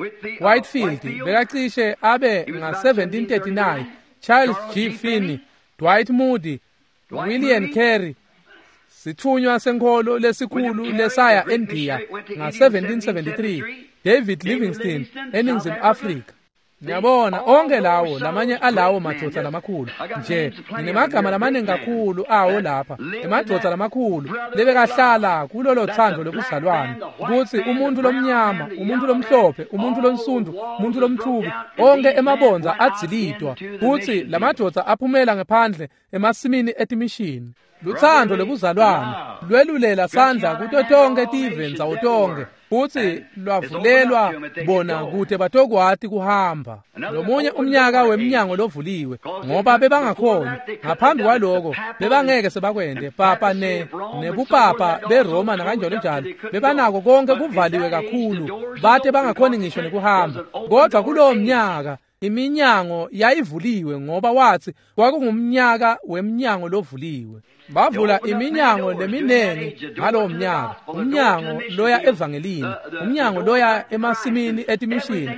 Whitefield bekacishe abe nga seventeen thirty-nine, Charles G. Finney, Dwight Moody, William Carey, sithunywa senkolo lesikhulu lesaya eNdiya nga seventeen seventy-three, David Livingstone eNingizimu Afrika. Ngiyabona onke lawo lamanye alawo madvodza lamakhulu nje nginemagama lamaningi kakhulu awo lapha emadvodza lamakhulu lebekahlala kulolo thando lobuzalwane ukuthi umuntu lomnyama umuntu lomhlophe umuntu lonsundu umuntu lomthubi onke emabonza adzilidwa futhi lamadvodza aphumela ngephandle emasimini etimishini. Luthando lobuzalwane lwelulela sandla kuto tonke tive ndzawo tonke futhi lwavulelwa bona kude batokwati kuhamba. Lomunye umnyaka wemnyango lovuliwe ngoba bebangakhona ngaphambi kwaloko bebangeke sebakwende papa ne nebupapa beRoma nakanjalo njalo bebanako konke kuvaliwe kakhulu bate bangakhoni ngisho nekuhamba. Kodwa kulowo mnyaka iminyango yayivuliwe ngoba wathi kwakungumnyaka wemnyango lovuliwe. Bavula iminyango leminengi ngalowo mnyaka, umnyango loya evangelini, umnyango loya emasimini etimishini,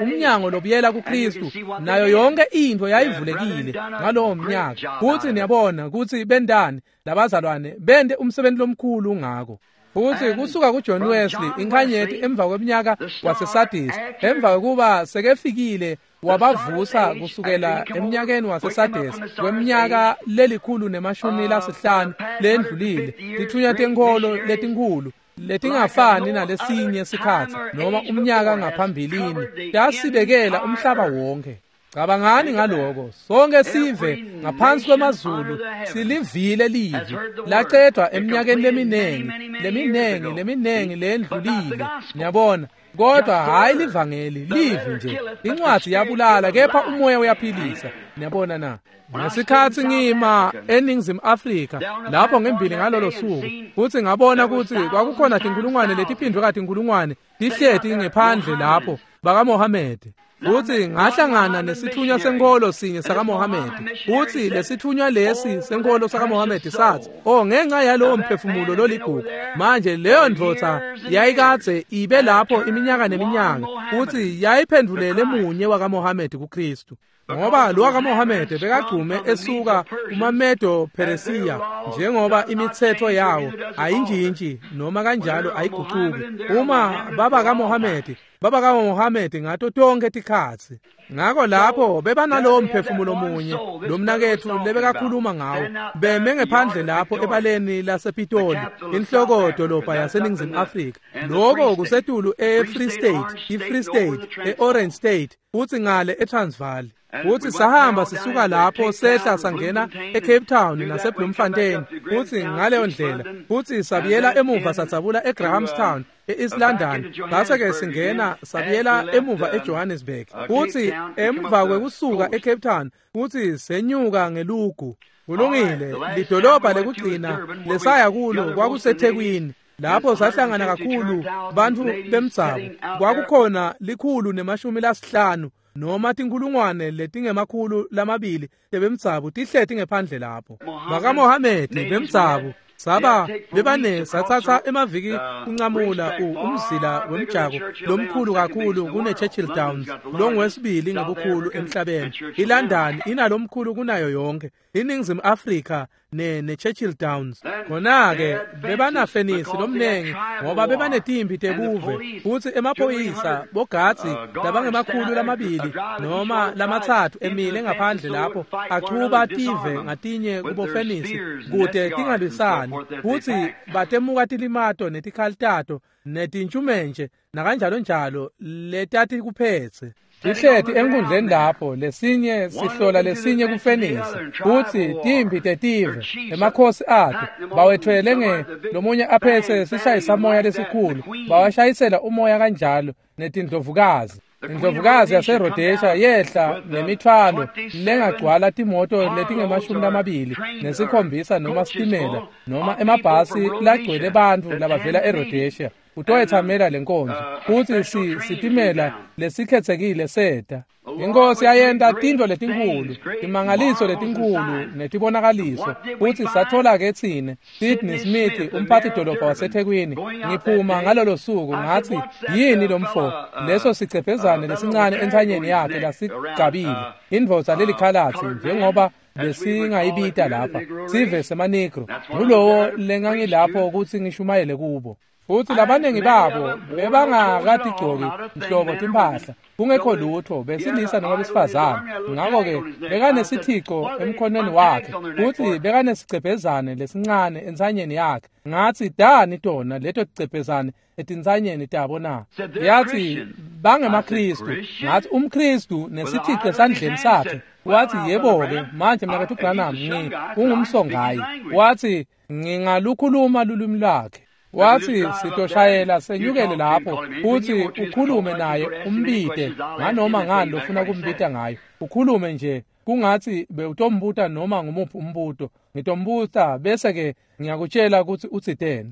umnyango lobuyela kuKristu, nayo yonke into yayivulekile ngalowo mnyaka. Futhi niyabona ukuthi bendani labazalwane bende umsebenzi lomkhulu ngako. Futhi kusuka kuJohn Wesley inkhanyeti emva kweminyaka waseSardis emva kokuba sekefikile wabavusa kusukela eminyakeni waseSardis kweminyaka lelikhulu nemashumi lasihlanu lendlulile tithunywa tenkolo letinkhulu letingafani nalesinye sikhatsi noma umnyaka ngaphambilini tasibekela umhlaba wonke. Cabangani ngaloko sonke sive ngaphansi kwemazulu silivile livi lacedwa eminyakeni leminengi leminengi leminengi lendlulile niyabona. Kodwa hayi livangeli livi nje incwadi yabulala kepha umoya uyaphilisa niyabona na. Ngesikhathi ngima eNingizimu Afrika lapho ngembili ngalolo suku futhi ngabona ukuthi kwakukhona tinkulungwane letiphindwe katinkulungwane tihleti ngephandle lapho bakaMohammed. Futhi ngahlangana nesithunywa senkolo sinye sakaMohammed futhi lesithunywa lesi senkolo sakaMohammed sathi oh ngenxa yalowo mphefumulo loligugu manje leyo ndvodza yayikadze ibe lapho iminyaka neminyaka futhi yayiphendulele munye wakaMohammed kuKristu ngoba lo wakaMohammed bekagcume esuka kumaMedo Persia njengoba imithetho yawo ayinjintshi noma kanjalo ayiguquki uma baba kaMohammed baba kaMohammed ngato tonke tikhatsi. Ngakho lapho bebanalowo mphefumulo munye lo mnakethu lebekakhuluma ngawo beme ngephandle lapho ebaleni lasePitoli inhloko dolobha yaseNingizimu Afrika lokho kusetulu eFree State iFree State eOrange State futhi ngale eTransvaal. Futhi sahamba sisuka lapho sehla sangena eCape Town naseBloemfontein futhi ngaleyo ndlela futhi sabiyela emuva satsabula eGrahamstown e-East London base ke singena sabiyela emuva eJohannesburg futhi emva kwekusuka eCape Town futhi senyuka ngelugu. Kulungile lidolobha lekugcina lesaya kulo kwakuseThekwini lapho sahlangana kakhulu bantu bemdzabu kwakukhona likhulu nemashumi lasihlanu noma tinkulungwane letingemakhulu lamabili tebemdzabu tihleti ngephandle lapho bakaMohammed bemdzabu saba bebane sathatha emaviki kunqamula umzila wemjako lomkhulu kakhulu kune Churchill Downs longwesibili ngebukhulu emhlabeni. iLondon inalomkhulu kunayo yonke iNingizimu Afrika ne ne-Churchill Downs. Khona-ke bebanafenisi lomnengi ngoba bebanetimpi tebuve, futsi emaphoyisa bogadzi labangemakhulu lamabili noma lamatsatfu emile ngaphandle lapho achuba tive ngatinye kubofenisi kute tingalwisani, futsi batemuka tilimato netikhali tato netintshumenje nakanjalo njalo letati kuphetse. Tihleti enkundleni lapho lesinye sihlola lesinye kufenisi, futsi timpi tetive emakhosi ato bawethwele nge lomunye aphetse sishayisamoya lesikhulu, bawashayisela umoya kanjalo netindlovukazi. Indlovukazi yaseRhodesia yehla nemithwalo lengagcwala timoto letingemashumi lamabili nesikhombisa noma sitimela noma emabhasi lagcwele bantfu labavela eRhodesia kutoyethamela lenkonzo, futsi si sitimela lesikhetsekile seta. Inkosi yayenta tintfo letinkhulu, timangaliso letinkhulu netibonakaliso, futsi sathola-ke tsine Sidney Smith umphathi-dolobha waseThekwini. Ngiphuma ngalolo suku ngatsi, yini lo mfo leso sicephezane lesincane entsanyeni yakhe lasigabile, indvodza lelikhalatsi njengoba besingayibita lapha sive semaNegro, ngulowo lengangilapho kutsi ngishumayele kubo. Futsi labaningi babo bebangakatigcoki nhlobo timphahla, kungekho lutho, besilisa noma besifazane. Ngakho-ke bekanesithico emkhonweni wakhe, futsi bekanesicebhezane lesincane entsanyeni yakhe. Ngatsi, dani tona leto ticephezane etintsanyeni tabo na? Yathi, bangemaKhristu. Ngatsi, umKhristu nesithico esandleni sakhe. Wathi, yebo-ke manje mnaketfu Branham, ngi ungumsongayi. Wathi, ngingalukhuluma lulwimi lwakhe. Wathi, sitoshayela senyukele lapho futsi ukhulume naye umbite nganoma ngani lofuna kumbita ngayo, ukhulume nje kungatsi bewutombuta noma ngumuphi umbuto, ngitombuta bese-ke ngiyakutshela kutsi utsiteni.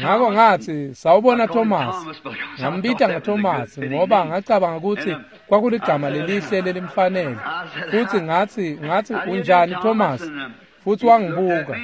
Ngako ngatsi, sawubona Thomas. Ngambita ngaThomas ngoba ngacabanga kutsi kwakuligama lelihle lelimfanele. Futsi ngatsi ngatsi unjani Thomas? Futsi wangibuka.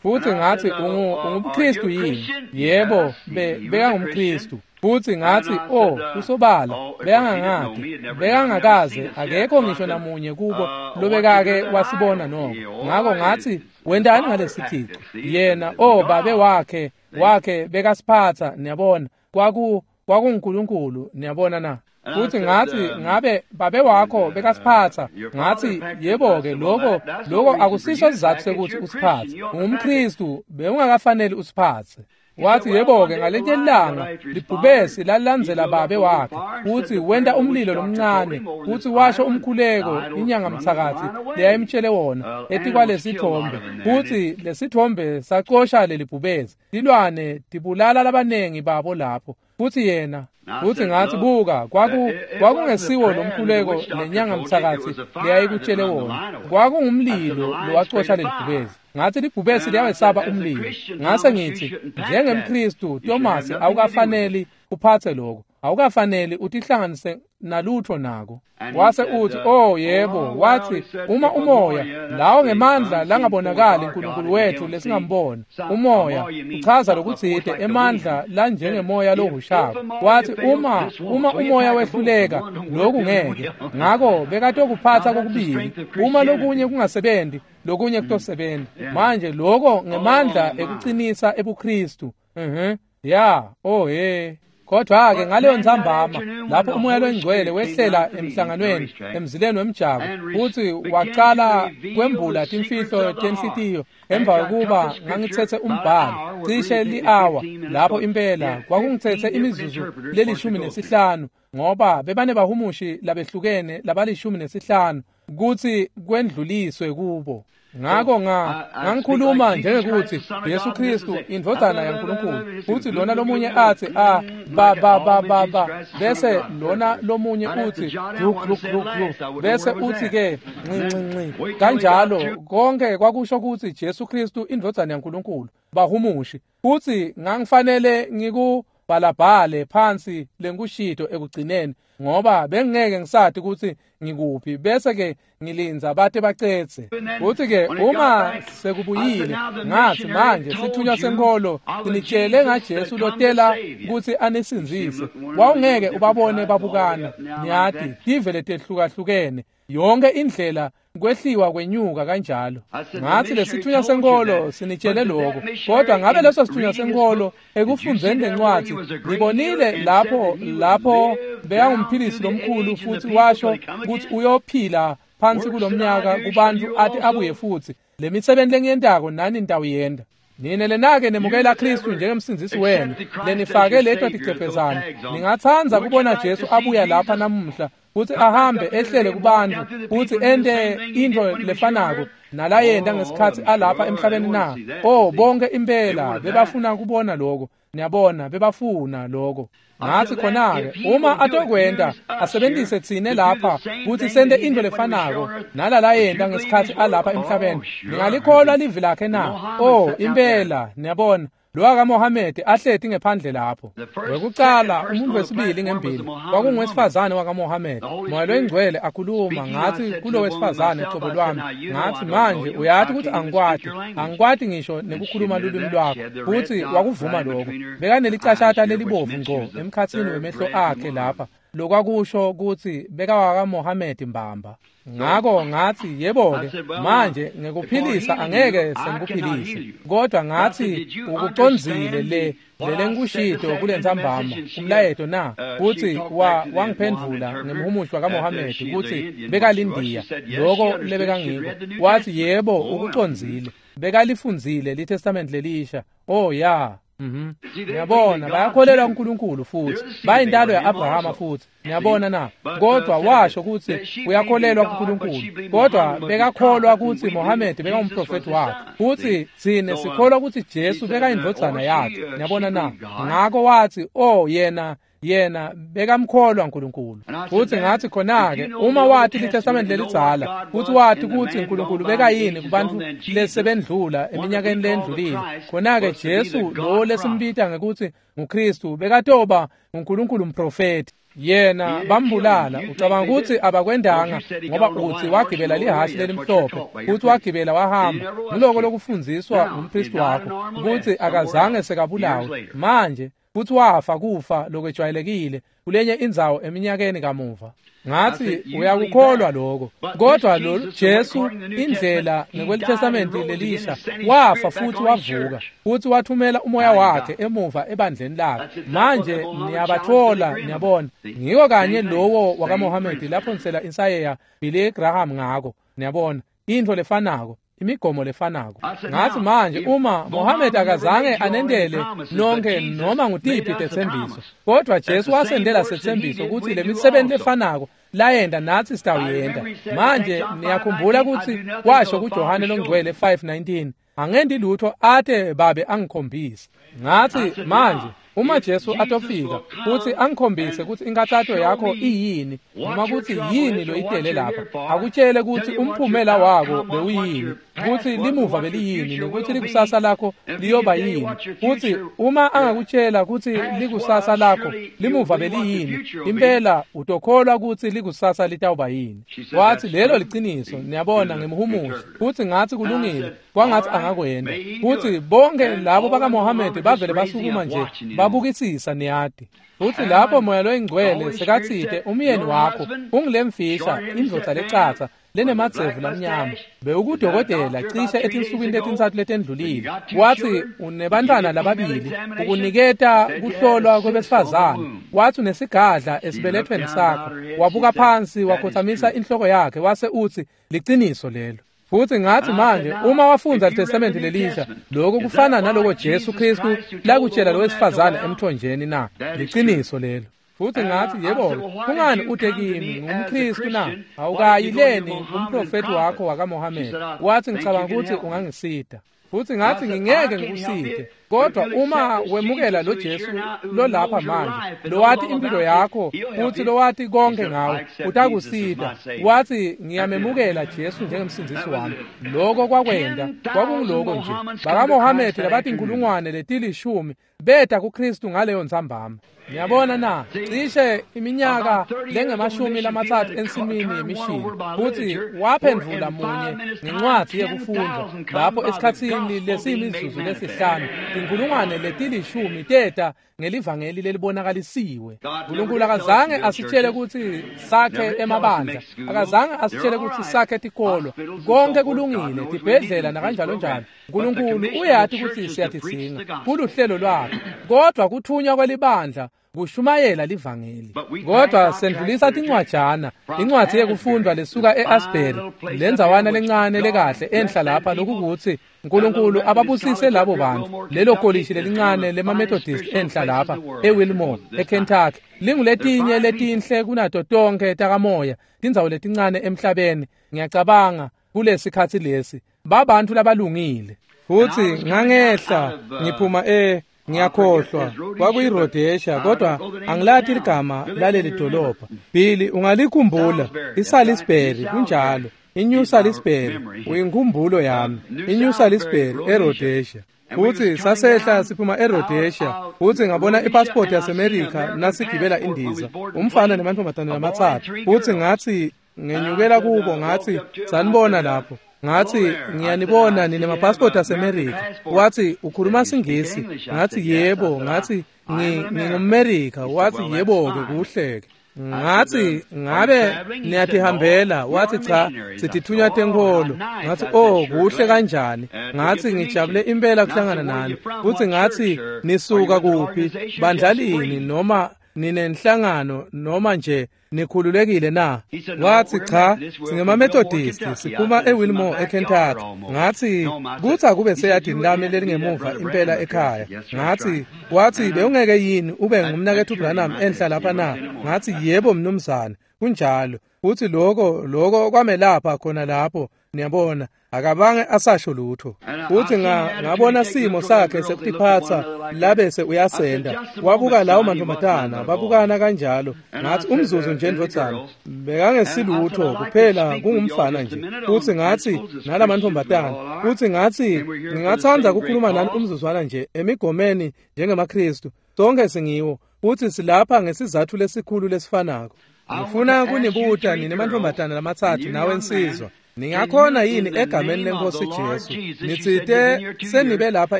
Futsi ngatsi, ungu ungumKhristu yini? Yebo, bekangumKhristu. Futsi ngatsi, oh, kusobala, bekangangati, bekangakaze, akekho ngisho namunye kubo lobekake wasibona noko. Ngako ngatsi, wentani ngalesithico? Yena, oh, babe wakhe, wakhe bekasiphatsa, niyabona, kwaku kwakunguNkulunkulu, niyabona na? Futsi ngatsi, ngabe babe wakho bekasiphatsa? Ngatsi, yebo-ke, lokho lokho akusiso sizatfu sekutsi usiphatse. UngumKhristu, bewungakafaneli usiphatse. Wathi, yebo-ke, ngalenye ilanga libhubesi lalilandzela babe wakhe, futsi wenta umlilo lomncane, futsi washo umkhuleko inyanga mthakathi leyayimtshele wona etikwalesithombe, futsi lesithombe sacosha lelibhubesi. Tilwane tibulala labanengi babo lapho. Futsi yena, futsi ngatsi, buka, kwaku kwakungesiwo lomkhuleko lenyanga mthakathi leyayikutshele wona, kwakungumlilo lowacosha lelibhubesi. Ngatsi libhubesi liyawesaba umlilo. Ngase ngitsi, njengemKhristu Thomas, awukafaneli uphatse lokho, awukafaneli utihlanganise nalutho nako. Wase uthi, oh yebo, wathi, uma umoya lawo ngemandla langabonakali uNkulunkulu wethu lesingambona, umoya uchaza lokutsite emandla lanjengemoya lohushako. Wathi, uma uma umoya wehluleka lokhu ngeke. Ngako bekatokuphatsa kokubili, uma lokunye kungasebenzi lokunye kutosebenza. Manje lokho ngemandla ekucinisa ebuKhristu. Mhm. Ya, oh he. Kodwa-ke ngaleyo ntsambama lapho umoya longcwele wehlela emhlanganweni emzileni wemjako, futsi wacala kwembula timfihlo tenhlitiyo emva kokuba ngangitsetse umbhalo cishe li-awa lapho impela kwakungitsetse imizuzu lelishumi nesihlanu, ngoba bebanebahumushi labehlukene labalishumi nesihlanu kutsi kwendluliswe kubo. Ngako nga ngangikhuluma njengekuthi Jesu Kristu indvodzana yaNkulunkulu, futsi lona lomunye atsi a ba ba ba ba ba, bese lona lomunye utsi glu glu glu glu, bese utsi ke nci nci nci kanjalo. Konke kwakusho kutsi Jesu Kristu indvodzana yaNkulunkulu, bahumushi. Futsi ngangifanele ngikubhalabhale phansi lenkushito ekugcineni ngoba bengeke ngisati kutsi ngikuphi, bese ke ngilinza bate bacetse. Futhi ke uma sekubuyile ngathi manje sithunywa senkolo sinitshele ngaJesu lotela kutsi anisindzise. Wawungeke ubabone babukana, niyati, tive letehlukahlukene yonke indlela kwehliwa kwenyuka kanjalo. Ngathi lesithunywa senkolo sinitshele lokho, kodwa ngabe leso sithunywa senkolo ekufundzeni lencwadi ngibonile lapho lapho bekangumphilisi lomkhulu futhi washo kutsi uyophila phansi kulomnyaka kubantu athi abuye futhi le misebenzi lengiyentako nani nitawuyenta. Nine lenake nemukela Kristu njengemsindzisi wenu, lenifake leto ticepezana, ningatsandza kubona Jesu abuya lapha namuhla kutsi ahambe ehlele kubantu kutsi ente intfo lefanako nalayenta ngesikhatsi alapha emhlabeni na? Oh, bonke impela bebafuna kubona lokho. Niyabona, bebafuna lokho. Ngathi khona-ke uma atokwenta asebentise tsine lapha kutsi sente intfo lefanako nalalayenta ngesikhatsi alapha emhlabeni, ningalikholwa livi lakhe na? Oh, impela. Niyabona, lo wakaMohamedi ahleti ngephandle lapho. Wekucala umuntu wesibili ngembili kwakungowesifazane wakaMohamedi. Moya loyingcwele akhuluma ngathi kulo wesifazane cobo lwami, ngathi manje uyati kutsi angikwati, angikwati ngisho nekukhuluma lulwimi lwakho. Futsi wakuvuma lokho. Bekanelicashata lelibovu ngco emkhatsini wemehlo akhe lapha, lokwakusho kutsi bekawakaMohamedi mbamba. Ngako ngathi yebo-ke manje ngekuphilisa angeke sengikuphilise, kodwa ngathi ukucondzile le lelengikushito kulentsambama umlayeto na? Kutsi wa wangiphendvula ngemhumushi wakaMohamedi kutsi bekalindiya loko lebekangiko. Wathi yebo ukucondzile, bekalifundzile liTestament lelisha. Oh ya. Mhm. Niyabona, bayakholelwa kuNkulunkulu futhi bayintalo ya-Abrahama futhi. Niyabona na? Kodwa washo kutsi uyakholelwa kuNkulunkulu, kodwa bekakholwa kutsi Mohamedi bekangumprofethi wakhe, futsi tsine sikholwa kutsi Jesu bekayindvodzana yakhe. Niyabona na? Ngako wathi oh yena yena bekamkholwa uNkulunkulu. Futhi ngathi khona-ke uma wati liTestament lelidzala futhi wati kutsi uNkulunkulu bekayini kubantu lesebendlula eminyakeni lendlulile, khona-ke Jesu lo lesimbita ngekutsi nguKristu bekatoba uNkulunkulu umprofethi. Yena bambulala. Ucabanga kutsi abakwendanga ngoba utsi wagibela lihhashi lelimhlophe futhi wagibela wahamba. Ngiloko lokufundziswa ngumpristi wakho kutsi akazange sekabulawe. Manje futhi wafa kufa lokwejwayelekile kulenye indzawo eminyakeni kamuva. Ngathi uyakukholwa lokho, kodwa lo Jesu indlela ngekweTestament lelisha wafa futhi wavuka futhi wathumela umoya wakhe emuva ebandleni lakhe. Manje niyabathola, niyabona, ngiko kanye lowo wakaMohamedi lapho nisela insayeya Billy Graham ngako. Niyabona, intfo lefanako, imigomo lefanako. Ngathi manje uma Mohammed akazange anendele nonke noma ngutiphi tetsembiso, kodwa Jesu wasendela setsembiso kutsi le misebenzi lefanako layenta natsi sitawuyenta. Manje niyakhumbula kutsi washo kuJohane longcwele five nineteen, angendi lutho ate babe angikhombise. Ngathi manje uma Jesu atofika kutsi angikhombise kutsi inkathato yakho iyini noma kutsi yini loyitele lapha, akutshele kutsi umphumela wako bewuyini, kutsi limuva beliyini, nokuthi likusasa lakho liyoba yini. Kutsi uma angakutshela kutsi likusasa lakho limuva beliyini, impela utokholwa kutsi likusasa litawuba yini. Wathi lelo liciniso. Niyabona, ngemhumushi. Futhi ngathi kulungile, kwangathi angakwenda. Futhi bonke labo bakaMohamedi bavele basukuma nje babukisisa, niyati. Futhi lapho moya loyingcwele sekatsite umyeni wakho ungilemfisha indvodza lecatsa lenemadzevu lamnyama, bewukudokotela cishe etinsukwini letintsatfu letendlulile. Wathi unebantwana lababili, ukuniketa kuhlolwa kwebesifazane. Wathi unesigadla esibelethweni sakho. Wabuka phansi wakhothamisa inhloko yakhe wase utsi liciniso lelo. Futhi ngathi manje uma wafundza iTestament lelisha, lokho kufana naloko Jesu Kristu lakutshela lo wesifazane emthonjeni na? Liciniso lelo. Futhi ngathi yebo, kungani ute kimi ngumKristu na? Awukayileni kumprofethi wakho wakaMohamedi? Wathi ngicabanga ukuthi ungangisita. Futhi ngathi ngingeke ngikusite, kodwa uma wemukela lo Jesu lo lapha manje, lowati impilo yakho futhi lowati konke ngawe, utakusita. Wathi ngiyamemukela Jesu njengemsindisi wami. Lokho kwakwenda kwakungiloko nje. BakaMohamedi labathi inkulungwane letilishumi beta kuKristu ngaleyo ntsambama. Ngiyabona na, cishe iminyaka lengemashumi lamatsatfu ensimini yemishini, futhi waphendvula munye ngencwadzi yekufundza lapho esikhatsini lesiyimizuzu lesihlanu tinkulungwane letilishumi teta ngelivangeli lelibonakalisiwe. Nkulunkulu akazange asitshele kutsi sakhe emabandla, akazange asitshele kutsi sakhe tikolo, konke kulungile, tibhedlela nakanjalo njalo. Nkulunkulu uyati kutsi siyatidzinga, kuluhlelo lwakhe, kodwa kuthunywa kwelibandla kushumayela livangeli. Kodwa sendlulisa tincwajana, incwadzi yekufundwa lesuka e-Asbury, lendzawana lencane lekahle enhla lapha, lokukuthi Nkulunkulu ababusise labo bantu, lelo kolishi lelincane lema-Methodist enhla lapha eWilmore, eKentucky, linguletinye letinhle kunato tonke takamoya, tindzawo letincane emhlabeni, ngiyacabanga kulesikhatsi lesi, babantu labalungile. Futhi ngangehla ngiphuma e ngiyakhohlwa kwakuyiRhodesia, kodwa angilati ligama laleli dolobha. Billy, ungalikhumbula? iSalisbury, kunjalo, iNew Salisbury, uyinkhumbulo yami, iNew Salisbury eRhodesia. Futhi sasehla siphuma eRhodesia, futhi ngabona ipassport yaseMerica nasigibela indiza, umfana nemantombazane lamatsatfu. Futhi ngathi ngenyukela kubo, ngathi sanibona lapho. Ngathi ngiyanibona nine mapassport aseMerica. Wathi ukhuluma siNgisi. Ngathi yebo, ngathi ngingumMerica. Wathi yebo ke, kuhleke. Ngathi ngabe niyatihambela? Wathi cha, sitithunywa tenkholo. Ngathi oh, kuhle kanjani. Ngathi ngijabule impela kuhlangana nani. Futhi ngathi nisuka kuphi, bandla lini, noma ninenhlangano noma nje nikhululekile na? Wathi cha, singema-Methodist, siphuma eWilmore eKentucky. Ngathi kuthi akube seyadini lami lelingemuva impela ekhaya. Ngathi wathi bewungeke yini ube ngumnaketfu Branham enhla lapha na? Ngathi yebo mnumzane, kunjalo. Futhi lokho lokho kwamelapha khona lapho, niyabona, akabange asasho lutho. Futhi ngabona simo sakhe sekutiphatsa labese uyasenda. Wabuka lawo mantombazana, babukana kanjalo. Ngathi umzuzu nje ndvodzana, bekangesilutho kuphela kungumfana nje. Futhi ngathi nalamantombazana, futhi ngathi ngingathanda ukukhuluma nani umzuzwana nje emigomeni njengemaKristu. Sonke singiwo, futhi silapha ngesizathu lesikhulu lesifanako. Ngifuna kunibuta nine mantombazana lamatsatfu nawe nsizwa, ningakhona yini egameni lenkosi Jesu, nitsite senibe lapha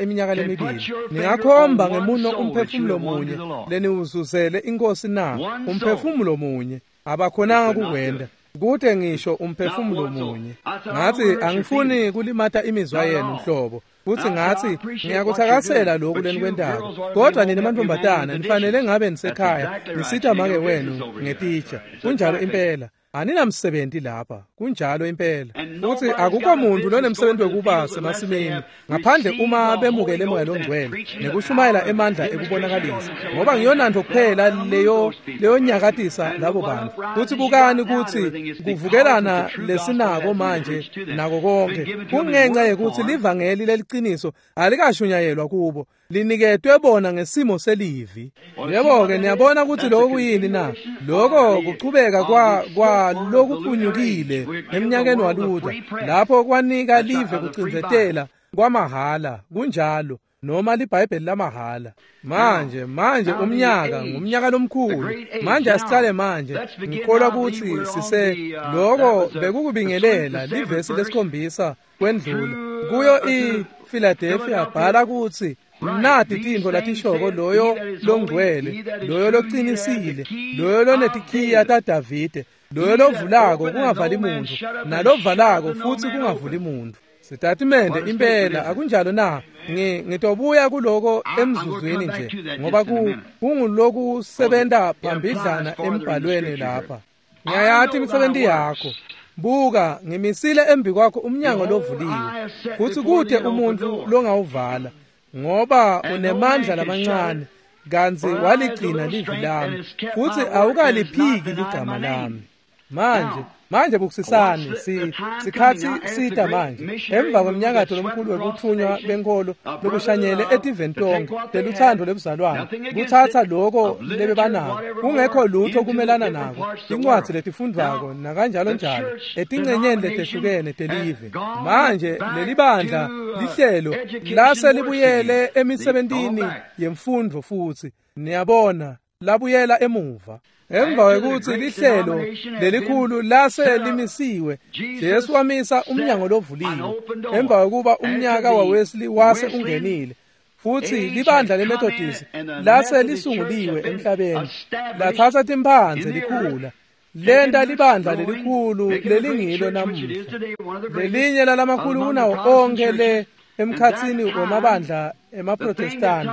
iminyaka lemibili, ningakhomba ngemuno umphefumulo munye leniwuzuzele inkosi na? Umphefumulo munye abakhonanga kukwenda, kute ngisho umphefumulo munye. Ngathi angifuni kulimata imizwa yenu nhlobo. Futhi ngathi ngiyakuthakasela lokhu lenikwentako, kodwa nina mantombazana nifanele ngabe nisekhaya nisita make wenu ngetitsha. Kunjalo impela, aninamsebenzi lapha, kunjalo impela. Futhi akukho muntu lonemsebenzi wekuba semasimini ngaphandle uma bemukele Moya loNgcwele nekushumayela emandla ekubonakalisa, ngoba ngiyonanto kuphela leyo leyo nyakatisa labo bantu. Futhi bukani ukuthi kuvukelana lesinako manje nako konke kungenxa yekuthi livangeli leliciniso alikashunyayelwa kubo, liniketwe bona ngesimo selivi. Yebo-ke, niyabona ukuthi lokho kuyini na? Lokho kuchubeka kwa kwa lokuphunyukile eminyakeni waLuther, lapho kwanika live kucindzetela kwamahala, kunjalo, noma liBhayibheli lamahhala. Manje manje umnyaka ngumnyaka lomkhulu. Manje asicale manje, ngikholwa ukuthi sise lokho bekukubingelela livesi lesikhombisa kwendlula kuyo iPhiladelphia. Bhala ukuthi nati tintfo latishoko loyo longcwele, loyo locinisile, loyo lonetikhiya taDavide, loyo lovulako kungavali muntu, nalovalako futsi kungavuli muntu. Sitatimende impela, akunjalo na? Ngitobuya kuloko emzuzwini nje, ngoba kungulokusebenta phambidlana embhalweni lapha. Ngiyayati imisebenti yakho. Buka, ngimisile embi kwakho umnyango lovuliwe, futsi kute umuntfu longawuvala, ngoba unemandla lamancane, kantsi waligcina livi lami, futsi awukaliphiki ligama lami. Manje manje bukusisani si sikhatsi sita manje emva kweminyakato lomkhulu wekuthunywa benkolo lokushanyele etiveni tonke teluthando lwebuzalwane kutsatsa loko lebebanako kungekho lutho kumelana nako tincwadzi letifundvwako nakanjalo njalo etincenyeni letehlukene telive. Manje lelibandla lihlelo lase libuyele emisebentini yemfundvo futsi niyabona labuyela emuva. Emva kwekutsi lihlelo lelikhulu lase limisiwe, Jesu wamisa umnyango lovuliwe. Emva kwekuba umnyaka waWesley wase ungenile futsi libandla leMethodist lase lisunguliwe emhlabeni, latsatsa timphandze likhula lenta libandla lelikhulu lelingilo namuhla, lelinye lalamakhulu kunawo onkhe le emkhatsini wemabandla emaProtestani.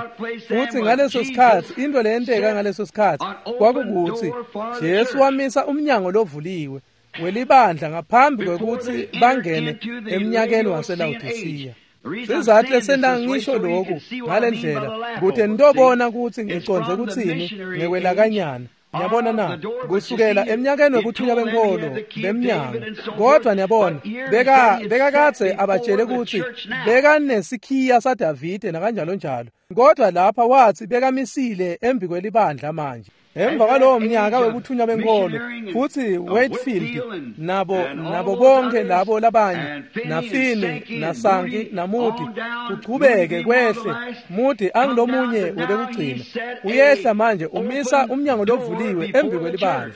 Futsi ngaleso sikhatsi into leyenteka ngaleso sikhatsi kwakukutsi Jesu wamisa umnyango lovuliwe welibandla ngaphambi kwekutsi bangene emnyakeni waseLawodisiya. Sizathu lesenta ngisho lokhu ngalendlela kute nitobona kutsi ngicondze kutsini ngekwelakanyana. Niyabona na kusukela eminyakeni wekuthunywa benkolo bemnyango. Kodwa niyabona beka bekakadze abatshele kutsi bekanesikhiya saDavide nakanjalo njalo. Kodwa lapha wathi bekamisile embi kwelibandla manje. Emva kwalowo mnyaka wekuthunywa benkolo futsi Wakefield nabo nabo bonke labo labanye naFini naSanki naMoody kuchubeke kwehle. Moody angilomunye webekugcina uyehla manje umisa umnyango lovuliwe embi kwelibandla.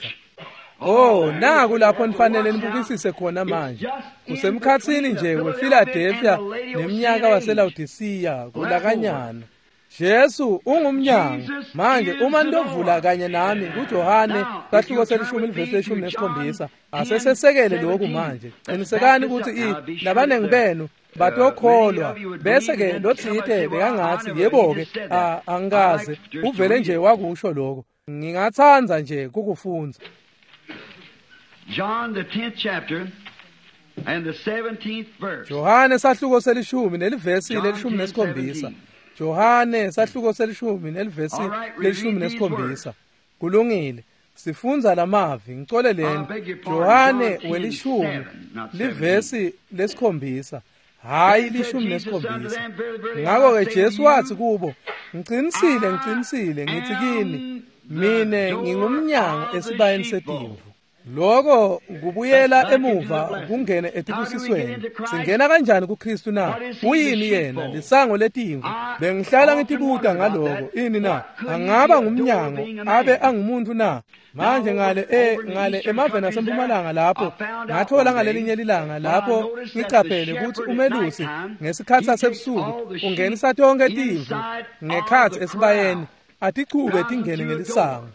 Oh, naku lapho nifanele nibukisise khona manje. Kusemkhatsini nje wePhiladelphia neminyaka waseLaodicea kulakanyana. Jesu ungumnyango. Manje uma nitovula kanye nami kuJohane sahluko selishumi livesi leshumi nesikhombisa, asesesekele lokhu manje. Qinisekani ukuthi i labanengi benu batokholwa bese ke lotsite bekangathi yebo-ke angikaze uvele nje wakusho lokho. Ngingatsandza nje kukufundza. John the tenth chapter and the seventeenth verse. Johane sahluko selishumi nelivesi lelishumi nesikhombisa. Johane sahluko selishumi nelivesi lelishumi nesikhombisa. Kulungile. Sifundza lamavi ngicoleleni. Johane welishumi livesi lesikhombisa, hayi lishumi nesikhombisa. Ngakho-ke Jesu wathi kubo, ngicinisile ngicinisile ngithi kini, mine ngingumnyango esibayeni setimvu. Lokho kubuyela emuva kungene etibusisweni. Singena kanjani kuKristu na? Uyini yena? Lisango letimvu. Bengihlala ngitibuta ngaloko. Ini na? Angaba ngumnyango abe angumuntu na? Manje ngale e ngale emaveni asempumalanga lapho ngathola ngalelinye lilanga lapho ngicaphele ukuthi umelusi ngesikhatsi sasebusuku ungenisa tonke timvu ngekhatsi esibayeni atichube tingene ngelisango.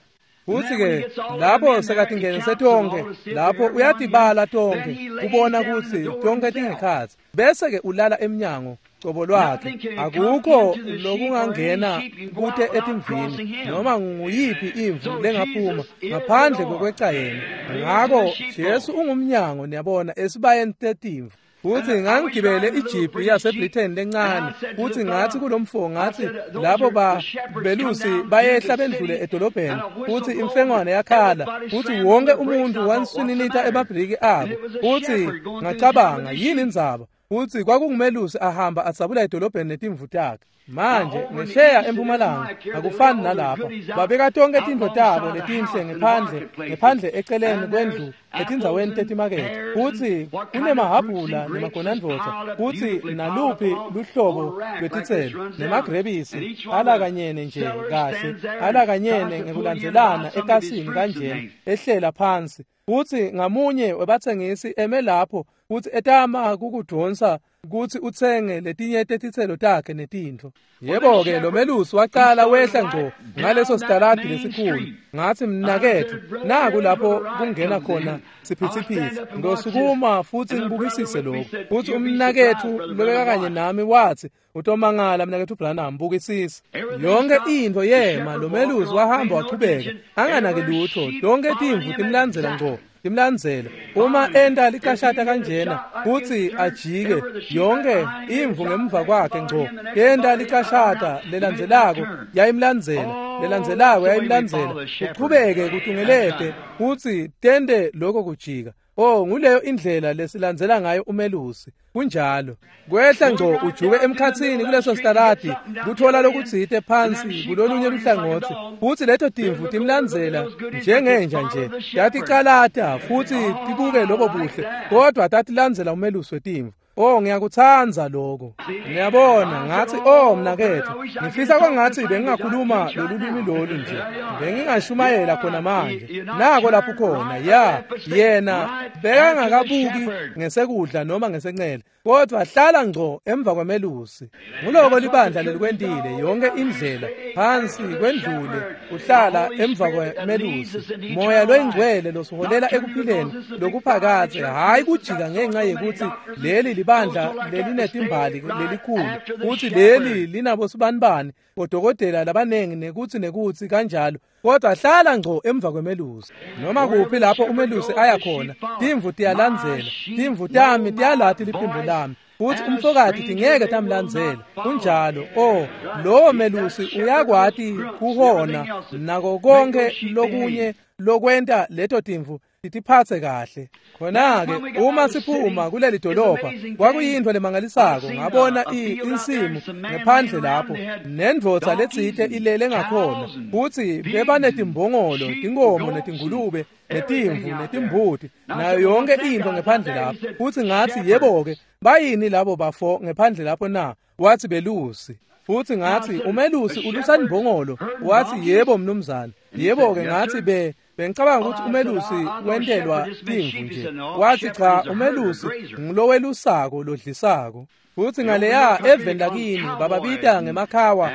Futsi-ke lapho sekatingenise tonke lapho uyatibala tonke kubona kutsi tonke tingekhatsi bese-ke ulala emnyango cobo lwakhe. Akukho lokungangena kute etimvini noma nguyiphi imvu lengaphuma ngaphandle kwekweca yena. Ngako Jesu ungumnyango niyabona esibayeni tetimvu. Futsi ngangigibele ijipi yaseBritain lencane futsi ngathi kulomfo ngathi lapho ba belusi bayehla bendlule edolobheni futsi imfengwane yakhala futsi wonke umuntu wanswininita emabhriki abo futsi ngacabanga yini indzaba. Futsi kwakungumelusi ahamba adzabula edolobheni netimvu takhe. Manje ngesheya empumalanga akufani nalapha babeka tonke tintfo tabo letinhle ngephandle ngephandle eceleni kwendlu etindzaweni tetimakethe futsi kunemahabhula nemagonandvodza futsi naluphi luhlobo lwetitselo nemagrebisi alakanyene nje kahle alakanyene ngekulandzelana ekasini kanjena ehlela phansi. Futsi ngamunye webatsengisi eme lapho futsi etama kukudvonsa kutsi utsenge letinye tetitselo takhe netintfo. Yebo-ke lo melusi wacala wehla ngco ngaleso sitaladi lesikhulu. Ngathi mnaketfu naku lapho kungena khona siphithiphithi. Ngosukuma futsi ngibukisise lokhu. Futsi umnaketfu lobekakanye nami wathi utomangala mnaketfu Branham bukisisa. Yonke intfo yema lo melusi wahamba wachubeka anganaki lutho. Tonke timvu timlandzela ngco. Timlandzela uma enta licashata kanjena futsi ajike yonke imvu ngemva kwakhe ngco yenta licashata lelandzelako yayimlandzela Lelandzelako yayimlandzela, kuchubeke kutungelete kutsi tente lokho kujika. Oh, nguleyo indlela lesilandzela ngayo umelusi. Kunjalo. Kwehla ngco ujuke emkhatsini kuleso sitaladi, kuthola lokutsite phansi kulolunye luhlangotsi, futsi leto timvu timlandzela njengenja nje. Taticalata futsi tibuke lobo buhle, kodwa tatilandzela umelusi wetimvu. Oh, ngiyakutsandza lokho. Ngiyabona ngathi, oh mnaketfu, ngifisa kwangathi bengingakhuluma lolu lwimi lolu nje. Bengingashumayela khona manje. Nako lapho khona, ya, yena bekangakabuki ngesekudla noma ngesencele, kodwa hlala ngco emva kwemelusi. Nguloko libandla lelikwentile yonke indlela phansi kwendlule, uhlala emva kwemelusi. Moya loyingcwele losiholela ekuphileni lokuphakadze, hayi kujika ngenxa yekuthi leli libandla lelinetimbali lelikhulu, futhi leli linabo sibanibani bodokotela labanengi nekutsi nekutsi kanjalo, kodwa hlala ngco emva kwemelusi. Noma kuphi lapho umelusi aya khona, timvu tiyalandzela. Timvu tami tiyalati liphimbo lami, futhi umfokati tingeke tamlandzela. Kunjalo. Oh, lowo melusi uyakwati kuhona nako konke lokunye lokwenta leto timvu titiphatse kahle. Khona-ke uma siphuma kuleli dolobha, kwakuyintfo lemangalisako. Ngabona insimu ngephandle lapho, nendvodza letsite ilele ngakhona, futsi bebanetimbongolo, tinkomo, netingulube, netimvu, netimbuti, nayo yonke intfo ngephandle lapho. Futsi ngatsi, yebo-ke, bayini labo bafo ngephandle lapho na? Watsi belusi. Futsi ngatsi, umelusi ulusa imbongolo? Watsi, yebo mnumzane. Yebo-ke, ngatsi, be bengicabanga ukuthi umelusi wentelwa timvu nje. Wathi cha, umelusi ngulowelusako lodlisako. Futsi ngaleya eveni lakini bababita ngemakhawa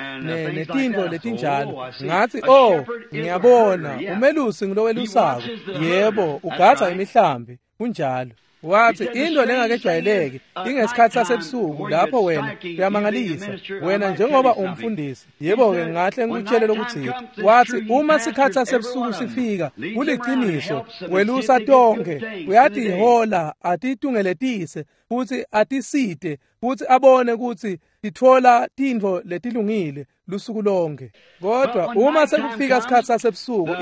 netintfo letinjalo. Ngathi, oh, ngiyabona, umelusi ngulowelusako. Yebo, ugadza imihlambi. Kunjalo. Wathi into lengakejwayeleki ingesikhathi sasebusuku lapho wena uyamangalisa wena njengoba umfundisi. Yebo-ke, ngahle ngikutshele lokutsite. Wathi uma sikhathi sasebusuku sifika, kuliciniso, welusa tonke, uyatihola atitungeletise futsi atisite futsi abone kutsi titfola tintfo letilungile lusuku lonke. Kodwa uma sekufika sikhathi sasebusuku,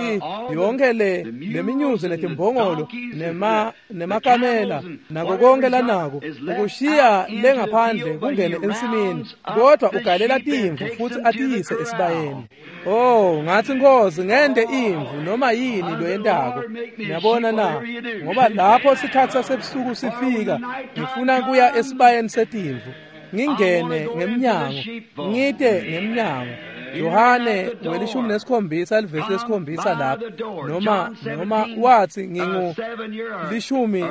yonke le leminyuzi netimbongolo nema nemakamela nako konke lanako ukushiya lengaphandle kungene ensimini, kodwa ugalela timvu futsi atiyise esibayeni. Oh, ngathi, Nkosi, ngente imvu noma yini loyentako. Ngiyabona na, ngoba lapho sikhathi sasebusuku sifika, ngifuna kuya esibayeni setimvu, ngingene ngemnyango, ngite ngemnyango. Yohane welishumi nesikhombisa livesi lesikhombisa lapho, noma noma wathi ngingu lishumi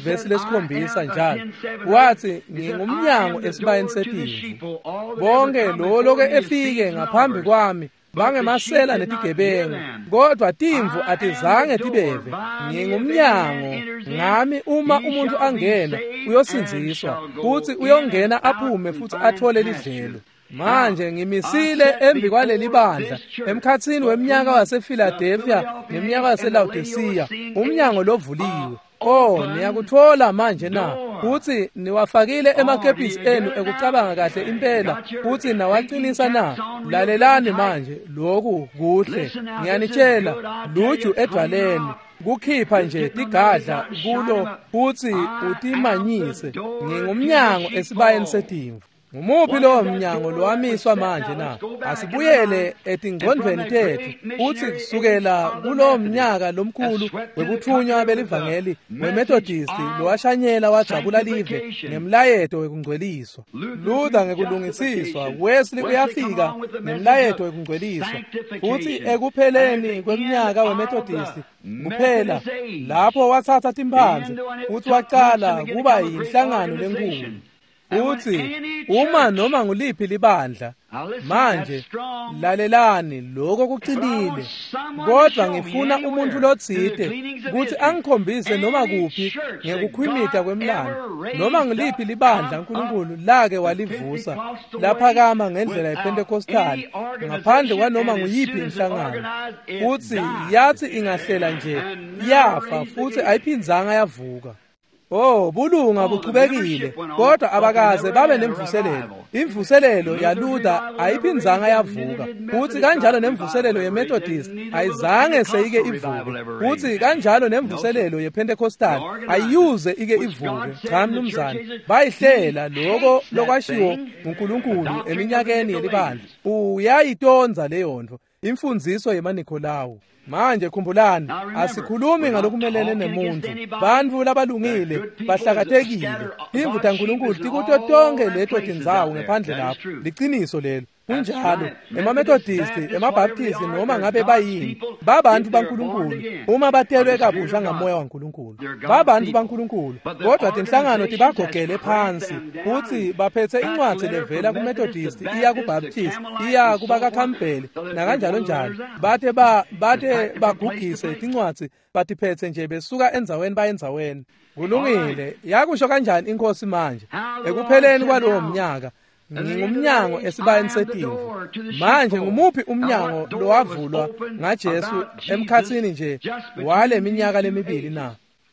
vesi lesikhombisa njalo, wathi ngingumnyango esibayeni setimvu. Bonke lo loke efike ngaphambi kwami bangemasela netigebengu, kodwa timvu atizange tibeve. Ngingumnyango, ngami uma umuntu angena uyosindziswa, futhi uyongena aphume futhi athole lidlelo. Manje ngimisile embi kwaleli bandla emkhatsini weminyaka wasePhiladelphia neminyaka waseLaodicea, umnyango lovuliwe. Oh, niyakuthola manje na? Futhi niwafakile emakepisi enu ekucabanga kahle impela, futhi nawacinisa na? Lalelani manje, lokhu kuhle. Ngiyanitshela, luju edwaleni kukhipha nje tigadla kulo futhi utimanyise. Ngingumnyango esibayeni setimvu. Ngumuphi lowo mnyango lowamiswa manje na? Asibuyele etingcondvweni tetfu futhi kusukela kulowo mnyaka lomkhulu wekuthunywa belivangeli weMethodist lowashanyela wajabula live ngemlayeto wekungcweliswa. Luther ngekulungisiswa, Wesley uyafika nemlayeto wekungcweliswa, futhi ekupheleni kweminyaka weMethodist kuphela lapho watsatsa timphandze futhi wacala kuba yinhlangano lenkulu. Uthi uma noma nguliphi libandla manje, lalelani, lokho kucinile, kodwa ngifuna umuntu lotsite kutsi angikhombise noma kuphi ngekukhwimita kwemlando, noma ngiliphi libandla uNkulunkulu lake walivusa laphakama ngendlela yePentecostal ngaphandle kwanoma nguyiphi inhlangano, futsi yathi ingahlela nje yafa futhi ayiphindzanga yavuka. Oh, bulunga buchubekile, kodwa abakaze babe nemvuselelo. Imvuselelo yaLuther ayiphinzanga yavuka, futhi kanjalo nemvuselelo yeMethodist ayizange seyike ivuke, futhi kanjalo nemvuselelo yePentecostal ayiyuze ike ivuke. Cha mnumzane, bayihlela lokho lokwashiwo uNkulunkulu eminyakeni yelibandla. Uyayitonza leyo nto, imfundiso yemaNikolawu. Manje khumbulani, asikhulumi ngalokumelene nemuntu. Bantfu labalungile bahlakatekile. Timvu taNkulunkulu tikuto tonke leto tindzawo ngephandle lapho. Liciniso lelo. Kunjalo, emaMethodisti, emaBaptisti noma ngabe bayini, babantu baNkulunkulu uma batelwe kabusha ngamoya waNkulunkulu. Babantu baNkulunkulu, kodwa tinhlangano tibagogele phansi futhi baphethe incwadi levela kuMethodist iya kuBaptist, iya kubakaCampbell nakanjalo njalo. Bathe ba bathe bagugise tincwadzi batiphethe nje besuka endzaweni bayendzaweni. Kulungile, yakusho kanjani inkosi manje ekupheleni kwalowo mnyaka? Ngingumnyango esibayeni setimvu. Manje ngumuphi umnyango lowavulwa ngaJesu emkhathini nje wale minyaka lemibili na?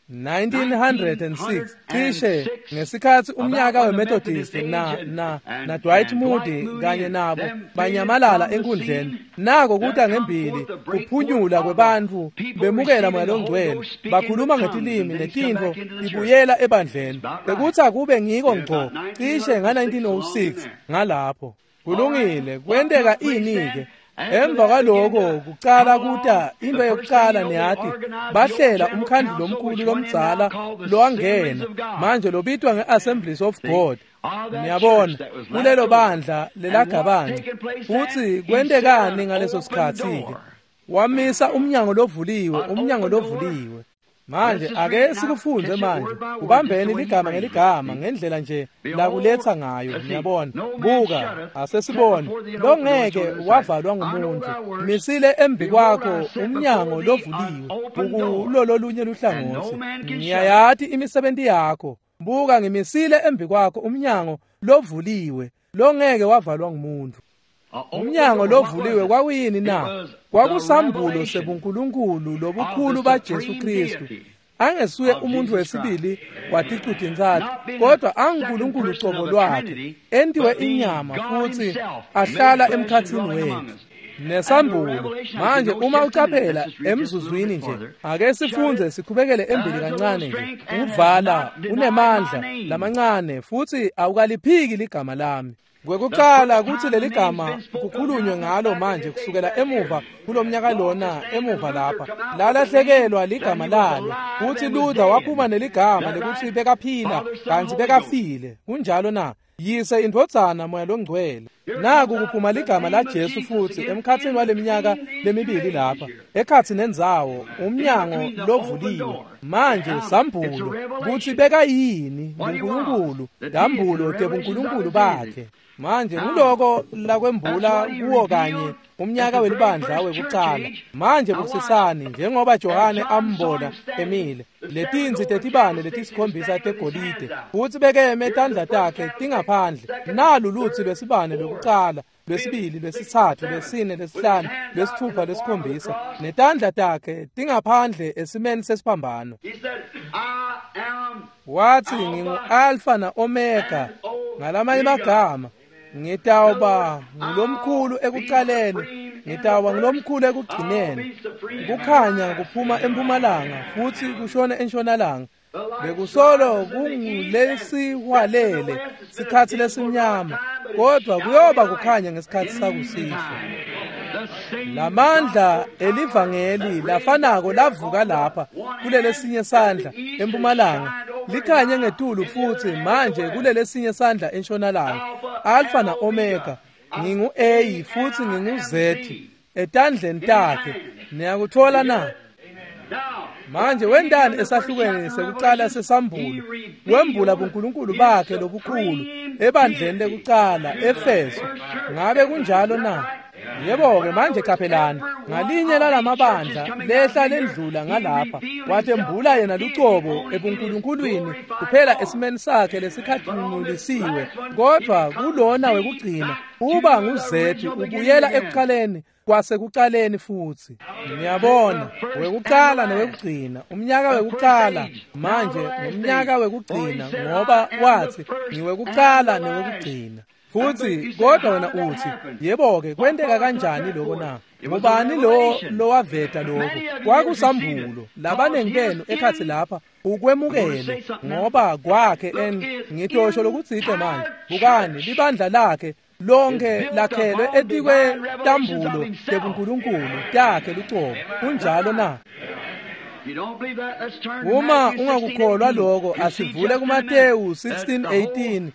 nineteen oh six cishe ngesikhathi umnyaka weMethodist na na na Dwight Moody kanye nabo banyamalala enkundleni. Nako kuta ngembili kuphunyula kwebantu bemukela moya longcwele, bakhuluma ngetilimi netintfo tibuyela ebandleni. Bekuthi akube ngiko ngco cishe nga nineteen oh six ngalapho. Kulungile, kwenteka ini ke? Emva kwaloko kucala kuta into yokucala niyati bahlela umkhandlu lomkhulu lomdzala lowangena manje lobitwa ngeAssemblies of God. Niyabona kulelo bandla lelagabane. Futhi kwentekani ngaleso sikhathi ke? Wamisa umnyango lovuliwe, umnyango lovuliwe. Manje ake sikufunze manje, ubambeni ligama ngeligama ngendlela nje lakuletha ngayo. Niyabona, buka, asesibone longeke wavalwa ngumuntu. Misile embi kwakho umnyango lovuliwe ukulololunye luhlangothi. Ngiyayati imisebenzi yakho. Buka, ngimisile embi kwakho umnyango lovuliwe longeke wavalwa ngumuntu. Umnyango lovuliwe kwakuyini na? Kwakusambulo sebuNkulunkulu lobukhulu baJesu Kristu. Angesuye umuntu wesibili waticutintsatfu, kodwa anguNkulunkulu cobo lwakhe entiwe inyama futhi ahlala emkhathini wethu. Nesambulo manje uma ucaphela emzuzwini nje, ake sifunze sikhubekele embili kancane nje. Uvala unemandla lamancane futhi awukaliphiki ligama lami. Kwekuqala kuthi leli gama kukhulunywe ngalo manje kusukela emuva kulomnyaka lona emuva lapha lalahlekelwa ligama lalo. Kuthi Luther waphuma neligama lekuthi bekaphila kanti bekafile. Kunjalo na? Yise indvodzana moya longcwele. Naku kuphuma ligama la Jesu futhi emkhathini waleminyaka lemibili lapha ekhathi nendzawo umnyango lovuliwe. Manje sambulo kuthi bekayini uNkulunkulu, dambulo tebuNkulunkulu bakhe. Manje nguloko lakwembula kuwo kanye umnyaka welibandla wekucala. Manje bukusisani njengoba Johane ambona emile letinzi tetibane letisikhombisa tegolide futhi bekeme tandla takhe tingaphandle. Nalu lutsi lwesibane lwekucala, lwesibili, lwesitsatfu, lwesine, lwesihlanu, lwesithupha, lwesikhombisa, netandla takhe tingaphandle esimeni sesiphambano. Wathi ngingu-Alpha na-Omega, ngalamanye amagama ngitawuba ngulomkhulu ekucaleni, ngitawuba ngulomkhulu ekugcineni. Kukhanya kuphuma empumalanga futhi kushone entshonalanga. Bekusolo kungulesiwalele sikhathi lesimnyama, kodwa kuyoba kukhanya ngesikhathi sakusihlwa. Lamandla elivangeli lafanako lavuka lapha kulelesinye sandla empumalanga likhanye ngetulu futhi manje kulelesinye sandla entshonalanga. Alpha na Omega, ngingu A futhi ngingu Z etandleni takhe. Niyakuthola na? Manje wendani esahlukweni sekucala sesambulo wembula buNkulunkulu bakhe lobukhulu ebandleni lekucala eFeso. Ngabe kunjalo na? Yebo-ke manje qaphelani, ngalinye lalamabandla lehla lendlula ngalapha, watembula yena lucobo ebuNkulunkulwini kuphela esimeni sakhe lesikhatimulisiwe, kodwa kulona wekugcina uba nguZethi ubuyela ekuqaleni kwasekuqaleni futhi. Niyabona, wekuqala newekugcina, umnyaka wekuqala manje ngumnyaka wekugcina, ngoba wathi ngiwekuqala newekugcina. Futhi kodwa wena uthi, yebo-ke kwenteka kanjani lokho na? Ngubani lo lowaveta lokho? Kwakusambulo. Labanengi benu ekhathi lapha ukwemukele ngoba kwakhe en ngitosho lokutsite manje. Bukani libandla lakhe lonke lakhelwe etikwe tambulo tebuNkulunkulu takhe lucobo. Kunjalo na? Uma ungakukholwa lokho, asivule kuMateyu sixteen eighteen.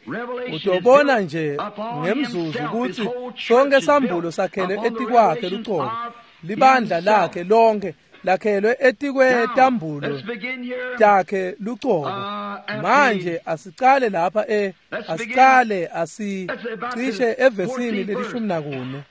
Utobona nje ngemzuzu ukuthi sonke sambulo sakhelwe etikwakhe lucobo. Libandla lakhe lonke lakhelwe etikwe tambulo takhe lucobo. Manje asicale lapha e asicale asicishe evesini lelishumi nakune.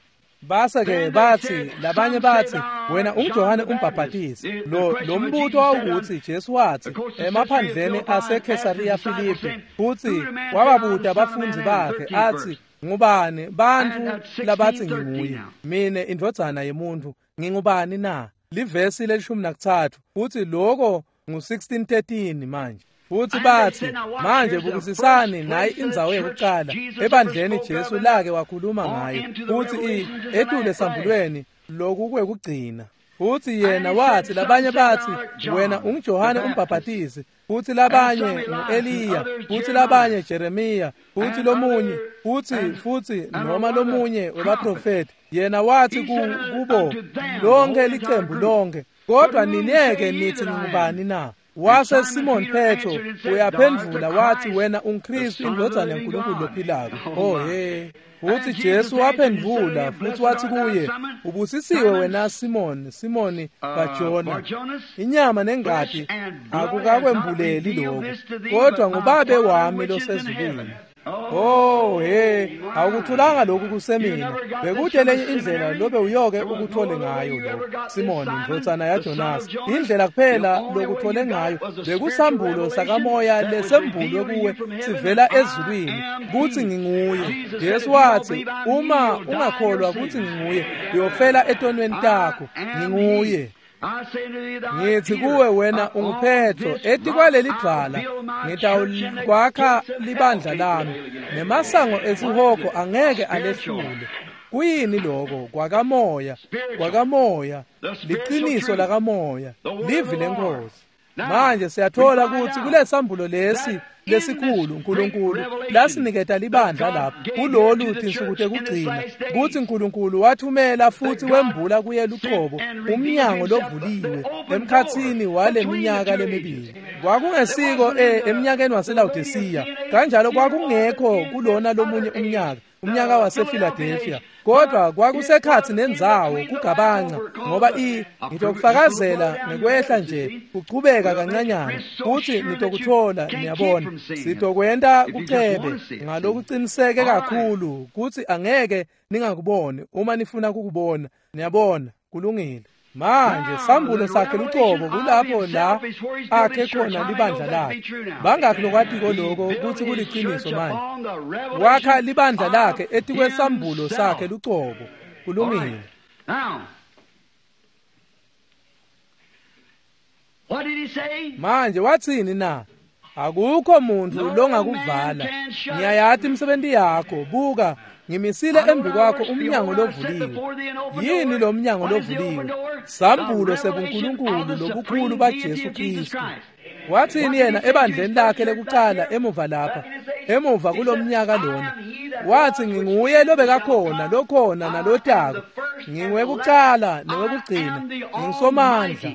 Base ke bathi labanye bathi wena unguJohane umbhaphatisi. Lo lo mbuto wawukuthi Jesu wathi emaphandleni aseKhesariya Filipi, futhi wababuta abafundi bakhe athi, ngubani bantu labathi nginguye? Mine indvodzana yemuntu ngingubani na? Livesi lelishumi nakuthathu futhi lokho ngu sixteen thirteen manje. Futhi bathi manje bukisisani nayi indzawo yokuqala ebandleni Jesu lake wakhuluma ngayo, futhi etule sambulweni lokhu kwekugcina. Futhi yena wathi labanye bathi wena unguJohane umbhaphatisi, futhi labanye ngu-Eliya, futhi labanye Jeremiya, futhi lomunye futhi futhi noma lomunye webaprofeti. Yena wathi kubo lonke licembu lonke, kodwa nineke nithi ngubani na? Wase Simon Petro uyaphendvula wathi wena unguKristu indvodzana yaNkulunkulu lophilako. Oh he. Futhi Jesu waphendvula futhi wathi kuye, ubusisiwe wena Simon, Simoni kaJona, inyama nengati akukakwembuleli lokho, kodwa nguBabe wami losezulwini. Oh he, awukuthulanga lokhu kusemina. Bekude lenye indlela lobe uyoke ukuthole ngayo lokho, Simon indvodzana yaJonas. Indlela kuphela lokuthole ngayo bekusambulo sakamoya lesembulwe kuwe sivela ezulwini kuthi nginguye. Jesu wathi uma ungakholwa kuthi nginguye uyofela etonweni takho. Nginguye. Ngithi kuwe wena unguPetro, etikwaleli dvwala ngitawukwakha libandla lami, nemasango esihogo angeke alehlule. Kuyini lokho? Kwakamoya, kwakamoya, liqiniso lakamoya, livi lenkosi. Manje siyathola ukuthi kulesambulo lesi lesikhulu uNkulunkulu lasiniketa libandla lapho kulolu tinsuku tekugcina, kuthi uNkulunkulu wathumela futhi wembula kuye luqobo umnyango lovuliwe emkhathini wale minyaka lemibili. Kwakungesiko eminyakeni waseLaodicea, kanjalo kwakungekho kulona lomunye umnyaka, umnyaka wasePhiladelphia, kodwa kwakusekhathi nendzawo kugabanca, ngoba i ngitokufakazela ngekwehla nje kuchubeka kancanyana futhi nitokuthola. Niyabona, sitokwenta kucebe ngalokuqiniseke kakhulu kuthi angeke ningakuboni uma nifuna kukubona. Niyabona, kulungile. Manje sambulo sakhe lucobo kulapho la akhe khona libandla lakhe. Bangakhi lokwatiko lokho kuthi kuliqiniso manje? Wakha libandla lakhe etikwesambulo sakhe lucobo. Kulungile. Manje wathini na? Akukho muntu longakuvala. Ngiyayathi imisebenzi yakho. Buka, ngimisile embi kwakho umnyango lovuliwe. Yini lo mnyango lovuliwe? Sambulo sebuNkulunkulu lobukhulu baJesu Kristu. Wathini yena ebandleni lakhe lekuqala emuva lapha, emuva kulomnyaka lona? Wathi nginguye lobekakhona, lokhona nalotako, nginguwekuqala newekugcina, ngingisomandla.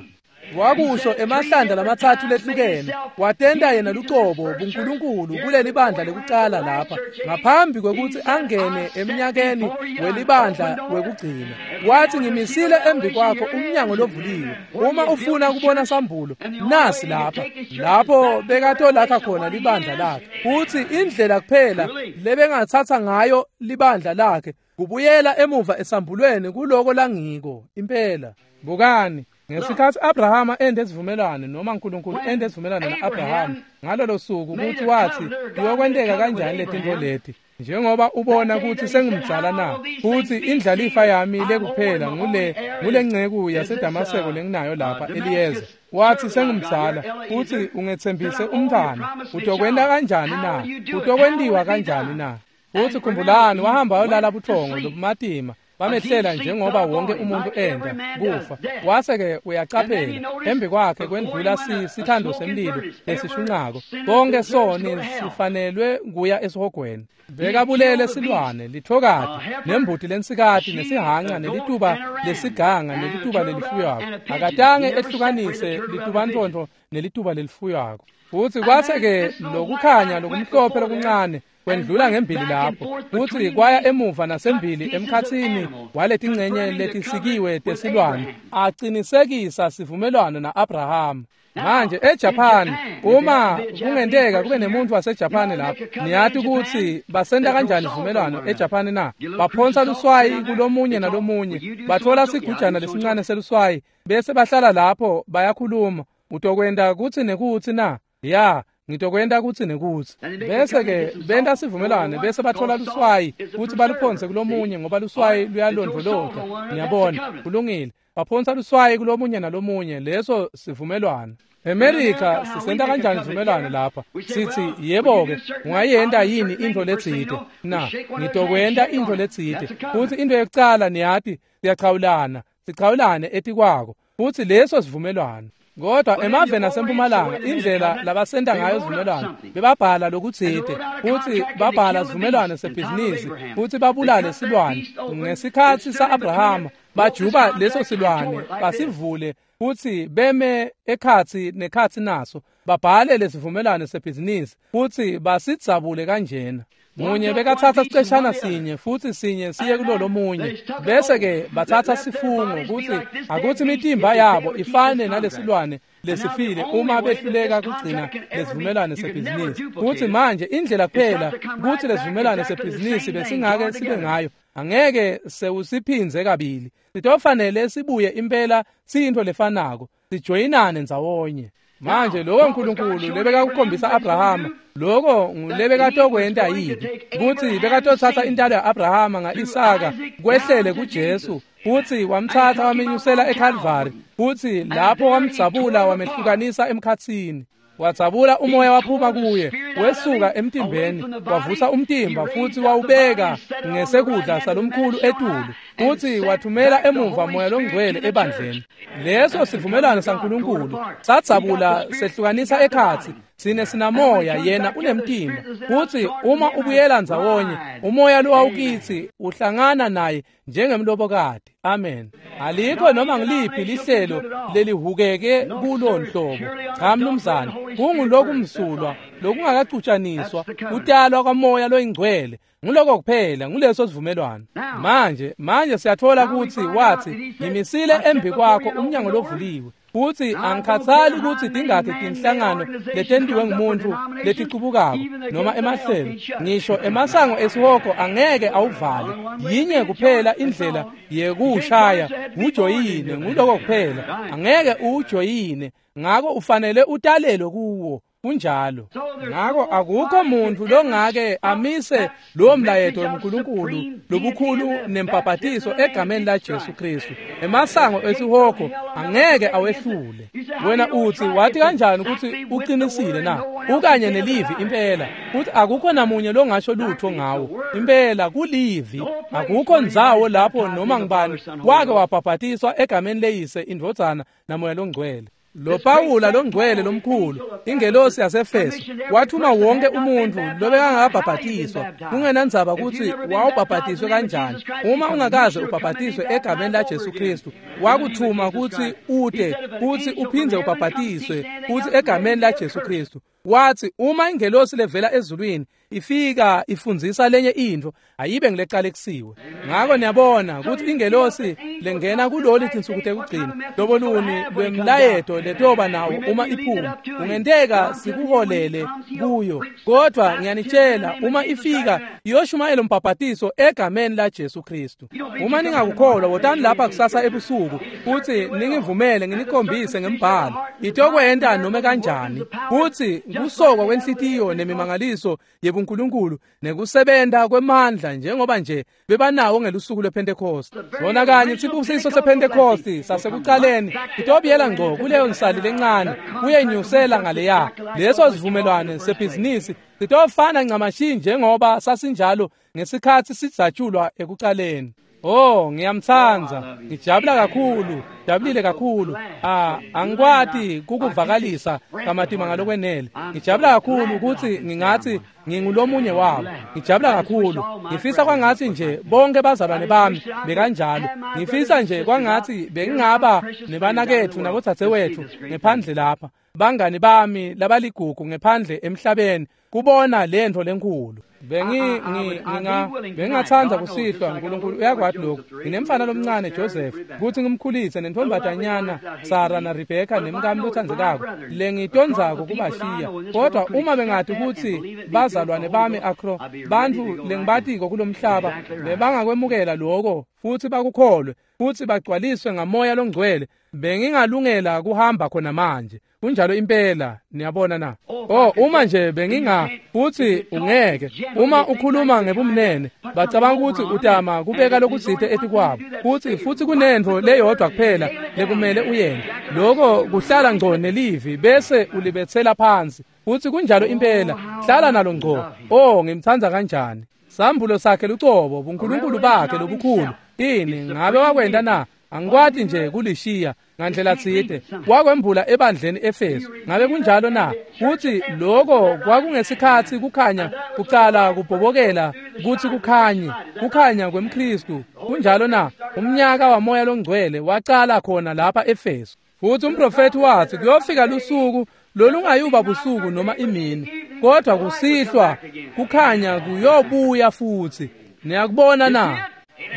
Wakusho emahlanda lamatsatfu lehlukene, watenta yena lucobo buNkulunkulu kuleli bandla lekucala lapha ngaphambi kwekutsi angene eminyakeni welibandla wekugcina. Wathi ngimisile embi kwakho umnyango lovuliwe, uma ufuna kubona sambulo nasi lapha, lapho bekatolakha khona libandla lakhe. Futhi indlela kuphela lebengatsatsa ngayo libandla lakhe kubuyela emuva esambulweni kuloko langiko impela. Bukani ngesikhathi Abrahama ende esivumelwano noma uNkulunkulu ende esivumelwano na-Abrahama ngalolo suku ukuthi wathi kuyokwenteka kanjani letintfo leti, njengoba ubona ukuthi sengimdzala na, futhi indlalifa yami lekuphela ngule ngulenceku yaseDamaseko lenginayo lapha Eliyeza. Wathi sengimdzala futhi ungetsembise umntwana, utokwenta kanjani na? Utokwentiwa kanjani na? Futhi khumbulani wahamba wayolala buthongo lobumatima bamehlela njengoba wonke umuntu enda kufa. Wase-ke uyacaphela embi kwakhe kwendlula sithando semlilo lesishunqako, konke soni sifanelwe kuya esihogweni. Bekabulele silwane lithokati nembuti lensikati nesihanca nelituba lesiganga nelituba lelifuywako, akatange ehlukanise litubantontfo nelituba lelifuywako. Futhi kwase-ke lokukhanya lokumhlophe lokuncane kwendlula ngembili lapho, futhi kwaya emuva nasembili emkhatsini waletingcenye letisikiwe tesilwane, acinisekisa sivumelwano na-Abrahama. Manje eJapan, uma kungenteka kube nemuntu waseJapan lapho, niyati ukuthi basenta kanjani sivumelwano eJapan na? Baphonsa luswayi kulomunye nalomunye, bathola sigujana lesincane seluswayi, bese bahlala lapho bayakhuluma, utokwenta kutsi nekutsi na? Ya, ngitokwenta kutsi nekutsi. Bese ke benta sivumelwano, bese bathola luswayi futhi baluphonse kulomunye ngoba luswayi luyalondvolota. Niyabona, kulungile. Baphonsa luswayi kulomunye nalomunye, leso sivumelwano. America sisenta kanjani sivumelwano lapha? Sithi yebo ke, ungayenta yini intfo letsite? Na, ngitokwenta intfo letsite. Futhi into yokucala niyati siyachawulana, sichawulane etikwako. Futhi leso sivumelwano. Kodwa emaveni asempumalanga indlela labasenta ngayo sivumelwano, bebabhala lokutsite futhi babhala sivumelwano sebhizinisi futhi babulale silwane. Ngesikhatsi sa-Abrahama bajuba leso silwane basivule futhi beme ekhatsi nekhatsi naso, babhale lesivumelwano sebhizinisi futhi basidzabule kanjena. Munye bekatsatsa siceshana sinye futhi sinye siye kulolo munye, bese ke batsatsa sifungo kutsi akutsi imitimba yabo ifane nalesilwane lesifile uma behluleka kugcina lesivumelwano sebhizinisi. Futhi manje indlela kuphela kutsi lesivumelwano sebhizinisi besingake sibe ngayo angeke sewusiphindze kabili, sitofanele sibuye impela siyintfo lefanako, sijoyinane ndzawonye. Manje lokho uNkulunkulu lebekakukhombisa Abrahama, lokho ngulebekatokwenta yini? Kutsi bekatotsatsa intalo ya-Abrahama nga-Isaka kwehlele kuJesu, futhi wamtsatsa wamenyusela eKalvari, futhi lapho wamdzabula wamehlukanisa emkhatsini. Wadzabula umoya waphuma kuye, wesuka emtimbeni, wavusa umtimba futhi wawubeka ngesekudla salomkhulu etulu, futhi wathumela emuva moya longcwele ebandleni. Leso sivumelwano saNkulunkulu sadzabula sehlukanisa ekhatsi, sine sinamoya yena unemtimba. Futhi uma ubuyela ndzawonye, umoya lowawukitsi uhlangana naye njengemlobokati. Amen. Alikho noma ngiliphi lihlelo lelihukeke kulo nhlobo. Cha mnumzane, kungulokumsulwa lokungakacutshaniswa, kutalwa kwamoya loyingcwele. Nguloko kuphela, nguleso sivumelwano. Manje, manje siyathola ukuthi wathi ngimisile embi kwakho umnyango lovuliwe. Futhi angikhathali ukuthi tingakhi tinhlangano letentiwe ngumuntu leticubukako noma emahlelo, ngisho emasango esihogo angeke awuvale. Yinye kuphela indlela yekuwushaya, ujoyine, nguloko kuphela. Angeke ujoyine, ngako ufanele utalelwe kuwo. Kunjalo. Ngako akukho muntu longake amise lowo mlayeto weNkulunkulu lobukhulu nempapatiso egameni la Jesu Kristu. Emasango esihogo angeke awehlule. Wena uthi wathi kanjani ukuthi uqinisile na? Ukanye nelivi impela. Uthi akukho namunye longasho lutho ngawo. Impela kulivi. Akukho ndzawo lapho noma ngibani wake wabhabhatiswa egameni leyise indvodzana namoya longcwele. Lo Pawula longcwele lomkhulu, ingelosi yaseEfeso, wathuma wonke umuntu lobekangabhabhatiswa, kungenandzaba kutsi wawubhabhatiswe kanjani. Uma ungakaze ubhabhatiswe egameni laJesu Kristu, wakuthuma kutsi ute kutsi uphindze ubhabhatiswe kutsi egameni laJesu Kristu. Wathi uma ingelosi levela ezulwini ifika ifundzisa lenye intfo, ayibe ngilecalekisiwe. Ngako niyabona kutsi ingelosi lengena kulolu tinsuku tekugcina, loboluni lwemlayeto letoba nawo uma iphuma, kungenteka sikuholele kuyo. Kodwa ngiyanitshela, uma ifika iyoshumayela umbhabhatiso egameni laJesu Kristu. Uma ningakukholwa, wotani lapha kusasa ebusuku kutsi ningivumele nginikhombise ngembhalo. Itokwenta noma kanjani kutsi kusokwa kwenhlitiyo nemimangaliso yebuNkulunkulu nekusebenta kwemandla njengoba nje bebanawo ngelusuku lwePhentekoste. Sona kanye sibusiso sePhentekoste sasekucaleni itobuyela ngco kuleyo nsali lencane kuyenyusela ngaleya. Leso sivumelwano sebhizinisi sitofana ncamashi njengoba sasinjalo ngesikhatsi sidzatshulwa ekucaleni. Oh, ngiyamtsandza, ngijabula kakhulu, jabulile kakhulu. Ah, angikwati kukuvakalisa kamatima ngalokwenele. Ngijabula kakhulu ukuthi ngingathi ngingulomunye wabo. Ngijabula kakhulu. Ngifisa kwangathi nje bonke bazalwane bami bekanjalo. Ngifisa nje kwangathi bengingaba nebanakethu nabodzadzewethu ngephandle lapha. Bangani bami labaligugu ngephandle emhlabeni kubona lentfo lenkulu. Bengi nginga bengathanda kusihlwa, uNkulunkulu uyakwati lokhu. Nginemfana lomncane Joseph kuthi ngimkhulise nentombazanyana Sarah na Rebecca nemkami lothandzekako lengitondzako kubashiya. Kodwa uma bengathi ukuthi bazalwane bami akro bantfu lengibatiko kulomhlaba bebangakwemukela lokho futhi bakukholwe futhi bagcwaliswe ngamoya longcwele, bengingalungela kuhamba khona manje. Kunjalo impela, niyabona na? Oh, uma nje benginga futhi ungeke uma ukhuluma ngebumnene bacabanga ukuthi utama kubeka lokutsite etikwabo, futhi futhi kunentfo leyodwa kuphela lekumele uyente, lokho kuhlala ngco nelivi bese ulibetsela phansi. Futhi kunjalo impela, hlala nalo ngco. Oh, ngimtsandza kanjani. Sambulo sakhe lucobo, buNkulunkulu bakhe lobukhulu. Ini ngabe wakwenta na? Angikwati nje kulishiya ngandlela tsite. Wakwembula ebandleni Efeso. Ngabe kunjalo na? Kuthi lokho kwakungesikhatsi kukhanya kucala kubhobokela kuthi kukhanye, kukhanya kwemKristu. Kunjalo na? Umnyaka wamoya longcwele wacala khona lapha Efeso. Futhi umprofeti wathi kuyofika lusuku lolungayuba busuku noma imini, kodwa kusihlwa kukhanya kuyobuya futhi. Niyakubona na?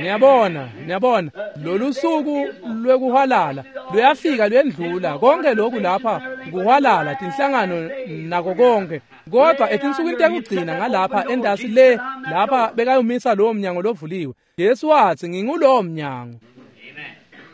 Niyabona, niyabona, lolu suku lwekuhwalala luyafika luyendlula. Konke lokhu lapha kuhwalala tinhlangano nako konke, kodwa etinsukwini tekugcina ngalapha endasi le lapha bekayomisa lowo mnyango lovuliwe. Jesu wathi ngingulowo mnyango.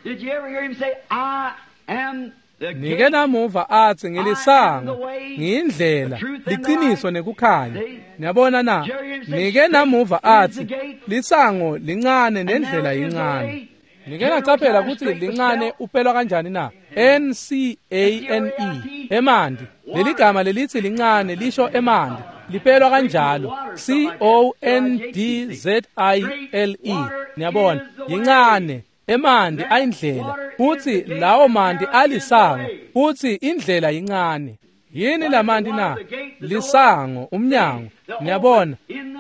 Did you ever hear him say, I am the Nike gate? namuva athi ngilisango, ngiyindlela, liqiniso nekukhanya. Niyabona na? Nike namuva athi lisango lincane nendlela yincane. Nike nacaphela ukuthi lincane upelwa kanjani na? N C A N E, emanti. Leli gama lelithi lincane lisho emanti, lipelwa kanjalo C O N D Z I L E. Niyabona, yincane, emanti ayindlela, futhi lawo manti alisango, futhi indlela yincane. Yini lamanti na? Lisango, umnyango. Niyabona,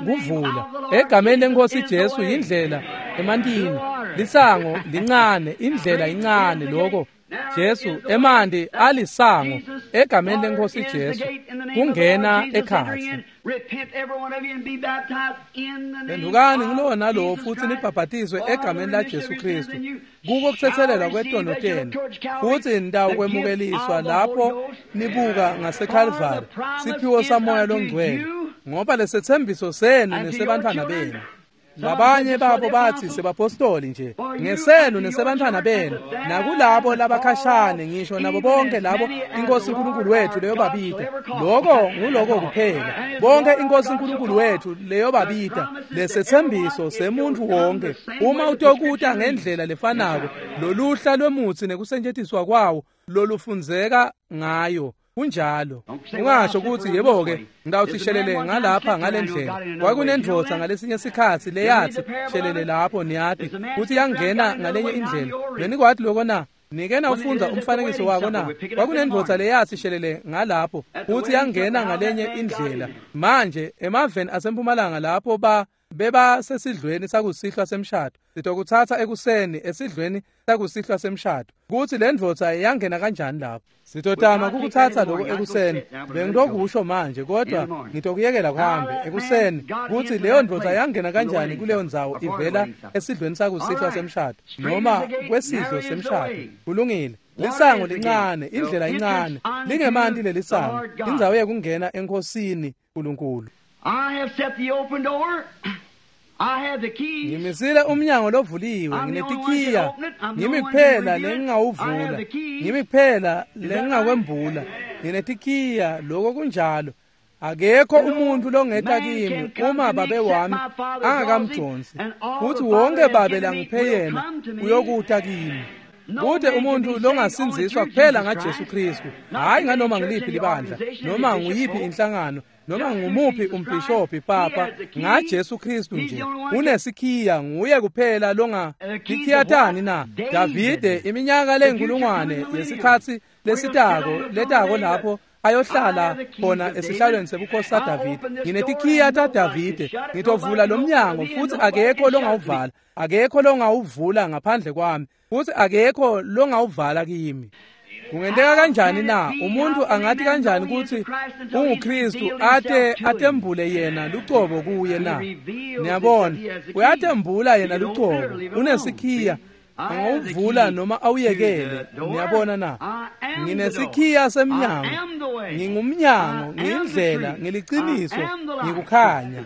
kuvula egameni lenkosi Jesu yindlela emantini. Lisango lincane, indlela incane. Lokho Jesu, emanti alisango egameni lenkosi Jesu kungena ekhatsi. Phendukani ngulowo nalowo futhi nibhabhatiswe egameni laJesu Kristu kuko kuthethelelwa kwetono tenu, futhi nitawukwemukeliswa lapho nibuka ngaseKalvari siphiwo samoya longcwele, ngoba lesethembiso senu nesebantfwana benu. Labanye babo bathi sebapostoli nje, ngesenu nesebantfwana benu, nakulabo labakhashane, ngisho nabo bonke labo iNkosi uNkulunkulu wethu leyobabita. Lokho nguloko kuphela, bonke iNkosi uNkulunkulu wethu leyobabita. Lesethembiso semuntu wonke, uma utokuta ngendlela lefanako loluhla lwemutsi nekusetjentiswa kwawo lolufundzeka ngayo. Kunjalo. Ungasho ukuthi yebo-ke ngitawuthi shelele ngalapha ngalendlela. Kwakunendvodza ngalesinye sikhatsi leyathi shelele lapho, niyati kutsi yangena ngalenye indlela. Benikwati lokho na? Nike nawufundza umfanekiso wako na? Kwakunendvodza leyathi shelele ngalapho futhi yangena ngalenye indlela. Manje emaveni asempumalanga lapho ba beba sesidlweni sakusihlwa semshado. Sitokuthatha ekuseni esidlweni sakusihlwa semshado. Kuthi le ndvodza yangena kanjani lapho? Sitotama kukuthatha lokho ekuseni. Bengitokusho manje kodwa ngitokuyekela kuhambe ekuseni kuthi leyo ndvodza yangena kanjani kuleyo ndzawo ivela esidlweni sakusihlwa semshado noma kwesidlo semshado. Kulungile. Lisango lincane, indlela incane, lingemanti lelisango, indzawo yekungena enkosini uNkulunkulu. I have set the open door. I have the keys. Ngimisile umnyango lovuliwe, nginetikhiya, ngimi kuphela lengingawuvula, ngimi kuphela lengingakwembula, nginetikhiya, lokho kunjalo. Akekho umuntu longeta kimi uma babe wami angakamjonsi, futhi wonke babe langiphe yena uyokuta kimi. Kude umuntu longasinziswa kuphela ngaJesu Kristu, hayi nganoma ngiliphi libandla, noma nguyiphi inhlangano, noma ngumuphi umbhishobhi papa, ngaJesu Kristu nje. Unesikhiya, nguye kuphela longa tikhiyatani na? Davide iminyaka leyinkulungwane yesikhatsi lesitako letako lapho ayohlala khona esihlalweni sebukhosi saDavide. Nginetikhiya taDavide, ngitovula lo mnyango futhi akekho longawuvala, akekho longawuvula ngaphandle kwami, futhi akekho longawuvala kimi. Kungenteka kanjani na? Umuntu angathi kanjani ukuthi unguKristu ate atembule yena lucobo kuye na? Niyabona, uyatembula yena lucobo, unesikhiya, angawuvula noma awuyekele. Niyabona na? Nginesikhiya semnyango, ngingumnyango, ngiyindlela, ngiliciniso, ngikukhanya.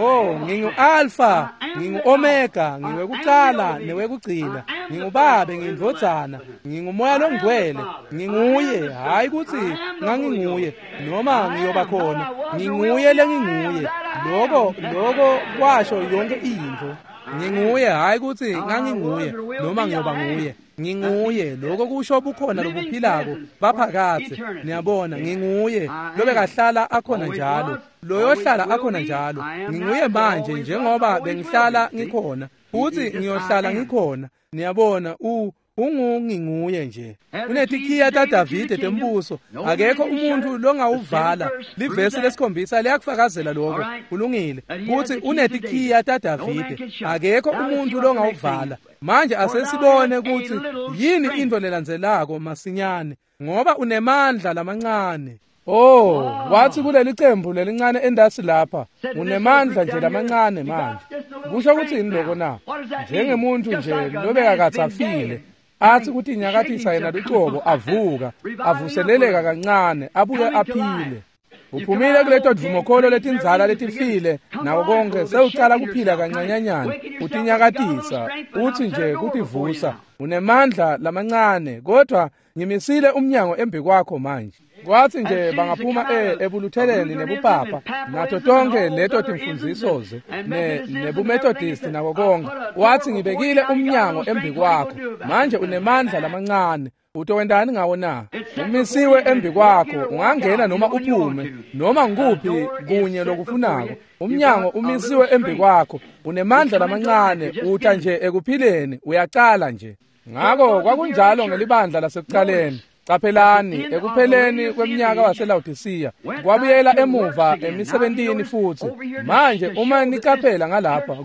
Oh, ngingu-Alpha, ngingu-Omega, ngiwekuqala newekugcina, ngingubabe, ngiyindvodzana, ngingumoya longcwele, nginguye, hayi kutsi nganginguye noma ngiyoba khona, nginguye lenginguye. Lokho lokho kwasho yonke intfo. Nginguye, hayi kutsi nganginguye noma ngiyoba nguye. Nginguye, lokho kusho bukhona lobuphilako baphakathe. Niyabona, nginguye lobekahlala akhona njalo, loyohlala akhona njalo. Nginguye manje njengoba bengihlala ngikhona, futhi ngiyohlala ngikhona. Niyabona, u ungunginguye nje. Unetikhiya taDavide tembuso, akekho umuntu longawuvala. Livesi lesikhombisa liyakufakazela lokho. Kulungile kuthi unetikhiya taDavide, akekho umuntu longawuvala. Manje asesibone ukuthi yini into lelandzelako masinyane, ngoba unemandla lamancane. Oh, wathi kuleli cembu lelincane endasi lapha, unemandla nje lamancane manje. Kusho ukuthi yini lokho na? Njengemuntu nje lobekakatsafile, athi ukuthi inyakathisa yena lucobo, avuka, avuseleleka kancane, abuye aphile. Uphumile kuleto dvumokholo letindzala letifile nako konke, sewucala kuphila kancanyanyana, utinyakatisa, uthi nje kutivusa. Unemandla lamancane, kodwa ngimisile umnyango embi kwakho manje. Kwathi nje bangaphuma e ebulutheleni nebupapa nato tonke leto timfundziso ze ne nebumethodist nako konke, wathi ngibekile umnyango embi kwakho manje, unemandla lamancane, utowendani ngawo na? Umisiwe embi kwakho, ungangena noma uphume noma ngikuphi kunye lokufunako. Umnyango umisiwe embi kwakho, unemandla lamancane, uta nje ekuphileni, uyacala nje. Ngako kwakunjalo ngelibandla lasekuqaleni. Qaphelani, ekupheleni kweminyaka waseLaodicea kwabuyela emuva emisebentini futhi. Manje uma niqaphela ngalapha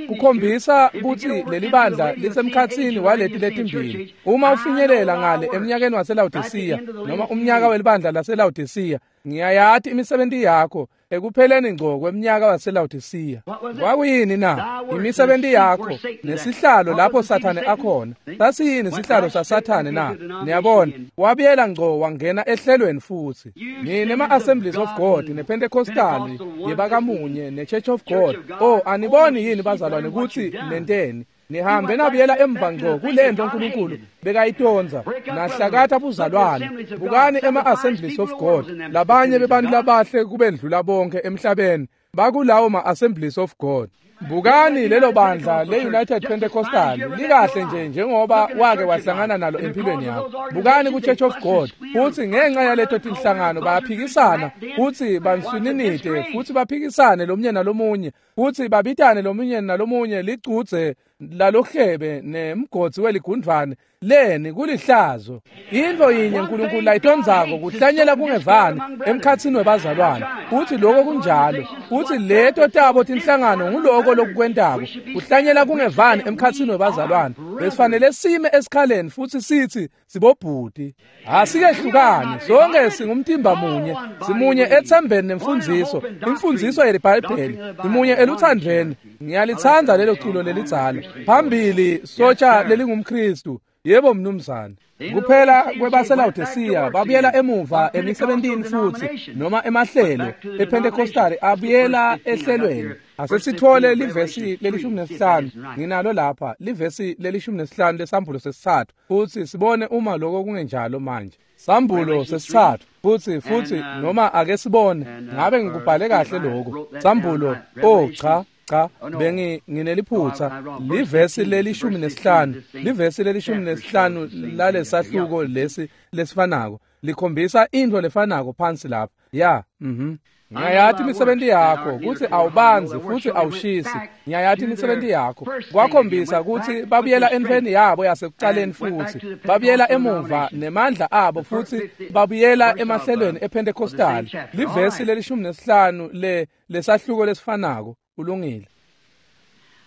kukhombisa ukuthi leli bandla lisemkhatsini waleti letimbili. Uma ufinyelela ngale eminyakeni waseLaodicea noma umnyaka welibandla laseLaodicea, ngiyayati imisebenti yakho ekupheleni ngco kweminyaka waseLaodicea. Kwakuyini na? Imisebenti yakho nesihlalo lapho Sathane akhona. Sasiyini isihlalo saSathane na? Niyabona, wabuyela ngco wangena ehlelweni futhi. Nine ma-Assemblies of God nePentecostal yebakamunye neChurch of God. Oh, aniboni yini bazalwane ukuthi nenteni? Nihambe nabuyela emva ngco kulento uNkulunkulu bekayitonza nahlakatha buzalwane. Bukani ema-Assemblies of God, labanye bebantu labahle kubendlula bonke emhlabeni bakulawo ma-Assemblies of God. Bukani lelo bandla le-United Pentecostal likahle nje njengoba wake wahlangana nalo empilweni yakho. Bukani ku-Church of God, futhi ngenxa yaleto tinhlangano bayaphikisana futhi banswininide futhi baphikisane lomunye nalomunye futhi babitane lomunye nalomunye licudze lalohlebe nemgodzi weligundvwane leni kulihlazo. Intfo yinye uNkulunkulu layitondzako kuhlanyela kungevani emkhatsini webazalwane. Futhi lokho kunjalo. Futhi leto tabo tinhlangano nguloko lokukwentako kuhlanyela kungevani emkhatsini webazalwane. Besifanele sime esikhaleni futhi sithi sibobhuti. Asikehlukani, sonke singumtimba munye, simunye ethembeni nemfundziso, imfundziso yeliBhayibheli, simunye eluthandweni. Ngiyalithanda lelo culo lelidzala. Phambili sotsha lelingumKristu. Yebo mnumzane. Kuphela kwebaseLawodisiya babuyela emuva emisebentini futhi noma emahlelo ePentecostal abuyela ehlelweni. Asesithole livesi lelishumi nesihlanu nginalo lapha livesi lelishumi nesihlanu lesambulo sesithathu futhi sibone uma lokho kungenjalo manje. Sambulo sesithathu futhi futhi noma ake sibone ngabe ngikubhale kahle lokho. Sambulo oh cha cha bengi ngineliphutha livesi lelishumi nesihlanu livesi lelishumi nesihlanu lalesahluko lesi lesifanako likhombisa into lefanako phansi lapha. Ya mhm Ngiyayati imisebenzi yakho kuthi awubanzi futhi awushisi. Ngiyayati imisebenzi yakho. Kwakhombisa ukuthi babuyela entweni yabo yasekuqaleni futhi babuyela emuva nemandla abo futhi babuyela emahlelweni ePentecostal. Livesi lelishumi nesihlanu le lesahluko lesifanako. Ulungile.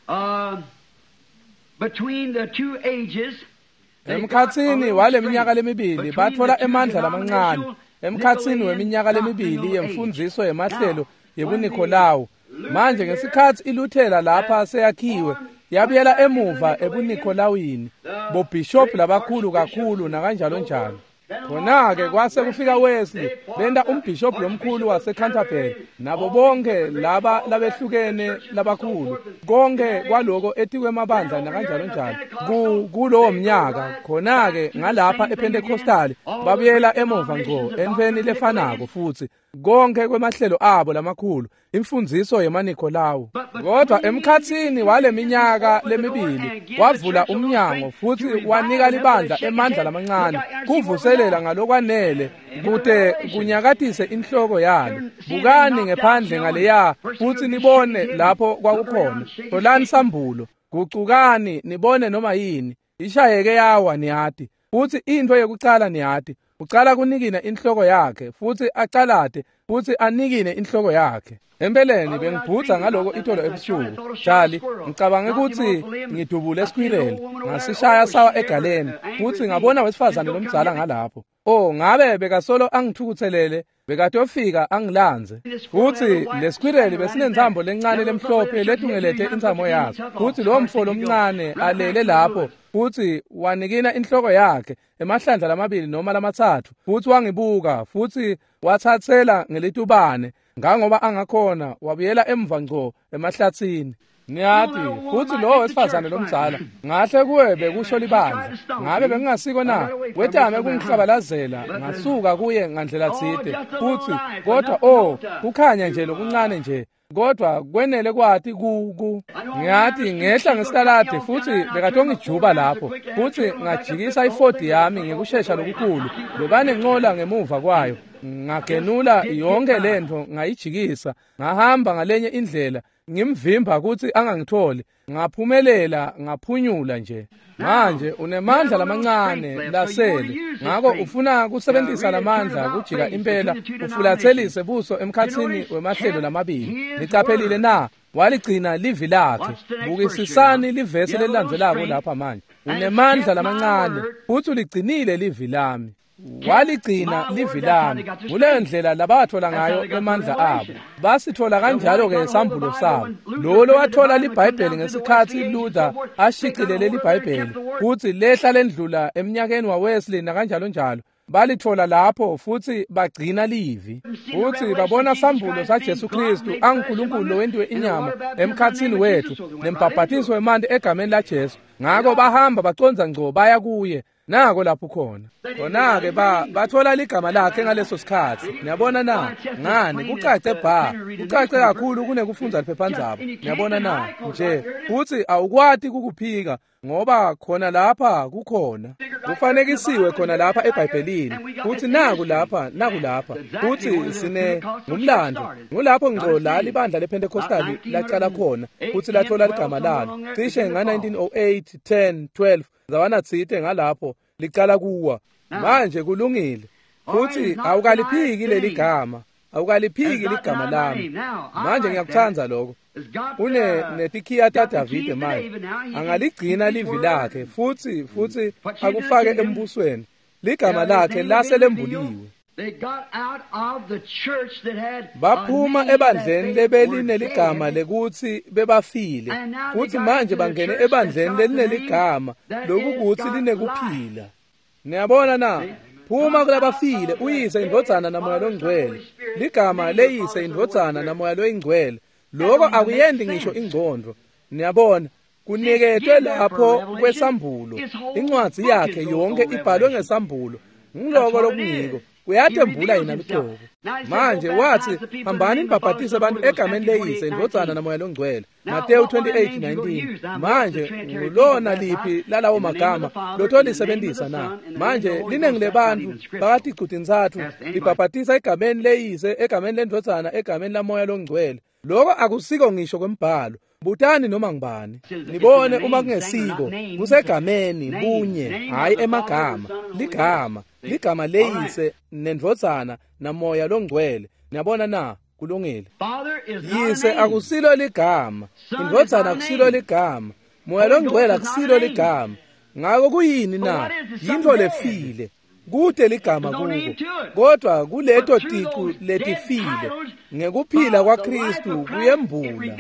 Uh, between the two ages emkhatsini wale minyaka lemibili bathola emandla lamancane. Emkhatsini weminyaka lemibili yemfundziso yemahlelo yebuNikolawu. Manje ngesikhathi iLuthela lapha seyakhiwe yabuyela emuva ebuNikolawini, bobishop labakhulu kakhulu nakanjalo njalo. Khona-ke kwase kufika Wesley, benta umbishop lomkhulu waseCanterbury nabo bonke laba labehlukene labakhulu, konke kwaloko etikwemabandla nakanjalo njalo kulowo mnyaka. Khona-ke ngalapha ePentecostal babuyela emuva ngco entweni lefanako futhi konke kwemahlelo abo lamakhulu, imfundziso yemaNikolawu. Kodwa emkhatsini wale minyaka lemibili wavula umnyango futhi wanika libandla emandla lamancane kuvuselela ngalokwanele kute kunyakatise inhloko yalo. Bukani ngephandle ngaleya futhi nibone lapho kwakukhona. Tholani sambulo, gucukani nibone noma yini. Ishayeke yawa niyati. Futhi into yekucala niyati, ucala kunikina inhloko yakhe futhi acalate futhi anikine inhloko yakhe. Empeleni bengibhutsa ngaloko itolo ebusuku. Charlie, ngicabange ukuthi ngidubule esquirrel ngasishaya sawa egaleni futhi ngabona wesifazane lomdzala ngalapho. Oh, ngabe bekasolo angithukuthelele, bekatofika angilanze. Futhi lesquirrel besinentsambo lencane lemhlophe letungelete intsamo yaso. Futhi lo mfo lomncane alele lapho futhi wanikina inhloko yakhe emahlandla lamabili noma lamatsatfu futhi wangibuka futhi wathathela ngelitubane ngangoba angakhona wabuyela emva ngco emahlatsini. Niyati futhi lo wesifazane lomdzala ngahle kuwe bekusho libandla ngabe bengingasiko na wetame kungihlabalazela ngasuka kuye ngandlela tsite futhi kodwa oh kukhanya nje lokuncane nje kodwa kwenele kwati ku ku ngiyathi ngehla ngesitaladi futhi bekatongijuba lapho futhi ngajikisa ifodi yami ngekushesha lokukhulu bebanenqola ngemuva kwayo ngagenula yonke lento ngayijikisa ngahamba ngalenye indlela ngimvimba ukuthi angangitholi ngaphumelela ngaphunyula nje. Manje unemandla lamancane lasele ngakho ufuna kusebenzisa lamandla kujika impela ufulathelise buso emkhatsini wemahlelo lamabili. Nicaphelile na? Waligcina livi lakhe. Bukisisani livesi lelilandzelako lapha manje. Unemandla lamancane futhi uligcinile livi lami. Waligcina livi lami. Kuleyo ndlela labathola ngayo emandla abo. Basithola kanjalo-ke isambulo sabo. Lo lowathola liBhayibheli ngesikhathi Luther ashicilele liBhayibheli futhi lehla lendlula eminyakeni waWesley nakanjalo njalo. Balithola lapho futhi bagcina livi. Futhi babona sambulo saJesu Kristu anguNkulunkulu lowentiwe inyama emkhatsini wethu nembhabhatiso wemanti egameni laJesu. Ngakho bahamba baconza ngco baya kuye. Nako lapho khona. Khona-ke ba bathola ligama lakhe ngaleso sikhathi. Niyabona na? Ngani kucace bha, kucace kakhulu kunekufundza liphephandzaba. Niyabona na? Nje futhi awukwati kukuphika ngoba khona lapha kukhona. Kufanekisiwe khona lapha eBhayibhelini. Futhi naku lapha, naku lapha. Futhi sine ngumlando. Ngulapho ngqo la libandla lePentecostal laqala khona. Futhi lathola ligama lalo. Cishe nga nineteen oh eight, ten, twelve zawana tsite ngalapho licala kuwa. Manje kulungile. Futhi awukaliphiki leli gama. Awukaliphiki ligama lami. Manje ngiyakuthanda lokho. Une netikhiya taDavide manje. Angaligcina livi lakhe futhi futhi akufake embusweni. Ligama lakhe lase lembuliwe. Baphuma ebandleni lebelineligama lekutsi bebafile, futhi manje bangene ebandleni lelineligama lokukuthi linekuphila. Niyabona na? Phuma kulabafile uyise indvodzana namoya longcwele. Ligama leyise indvodzana namoya loyingcwele. Lokho akuyendi ngisho ingcondvo. Niyabona? Kuniketwe lapho kwesambulo. Incwadzi yakhe yonke ibhalwe ngesambulo. Ngiloko lokungiko. Uyatembula yena luqobo. Manje wathi hambani nibhabhatise abantu egameni leyise indvodzana namoya longcwele. Mateyu twenty-eight nineteen. Manje ngulona liphi lalawo magama lotholisebenzisa na? Manje linengi lebantu phakathi icutintsatfu libhabhatisa egameni leyise, egameni lendvodzana, egameni lamoya longcwele. Lokho akusiko ngisho kwembhalo. Butani noma ngibani nibone uma kungesiko kusegameni bunye, hayi emagama. Ligama ligama leyise nendvodzana namoya longcwele. Niyabona na? Kulungile. Yise akusilo ligama, indvodzana akusilo ligama, moya longcwele akusilo ligama. Ngako kuyini na? Yintfo lefile. Kude ligama kuko, kodwa kuleto ticu letifile ngekuphila kwaKristu kuyembula.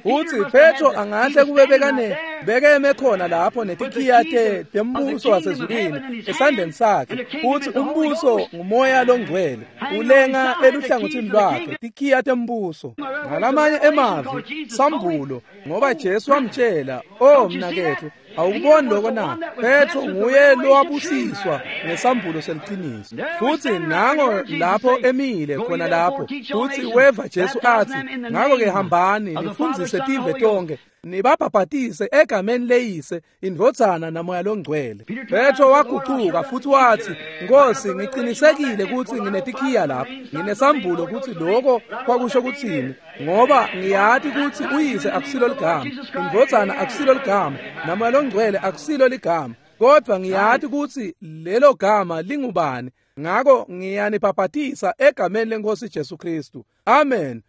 Futhi Petro angahle kube bekane bekeme khona lapho netikhiya tembuso wasezulwini esandleni sakhe. Futhi umbuso ngumoya longcwele ulenga eluhlangothini lwakhe, tikhiya tembuso. Ngalamanye emavi sambulo, ngoba Jesu wamtshela, "Oh mnakethu, awukuboni lokho na?" Petro nguye lowabusiswa ngesambulo seliqiniso. Futhi nango lapho emile khona lapho, futhi weva Jesu athi, "Ngakho-ke hambani nifundzise tive tonke, nibabhabhatise egameni leyise, indvodzana namoya longcwele." Petro wagucuka futhi wathi, "Nkosi, ngiqinisekile ukuthi nginetikhiya lapha, nginesambulo ukuthi lokho kwakusho kuthini, ngoba ngiyati ukuthi uyise akusilo ligama, indvodzana akusilo ligama, namoya longcwele akusilo ligama, kodwa ngiyati ukuthi lelo gama lingubani. Ngakho ngiyanibhabhatisa egameni lenkosi Jesu Kristu." Amen.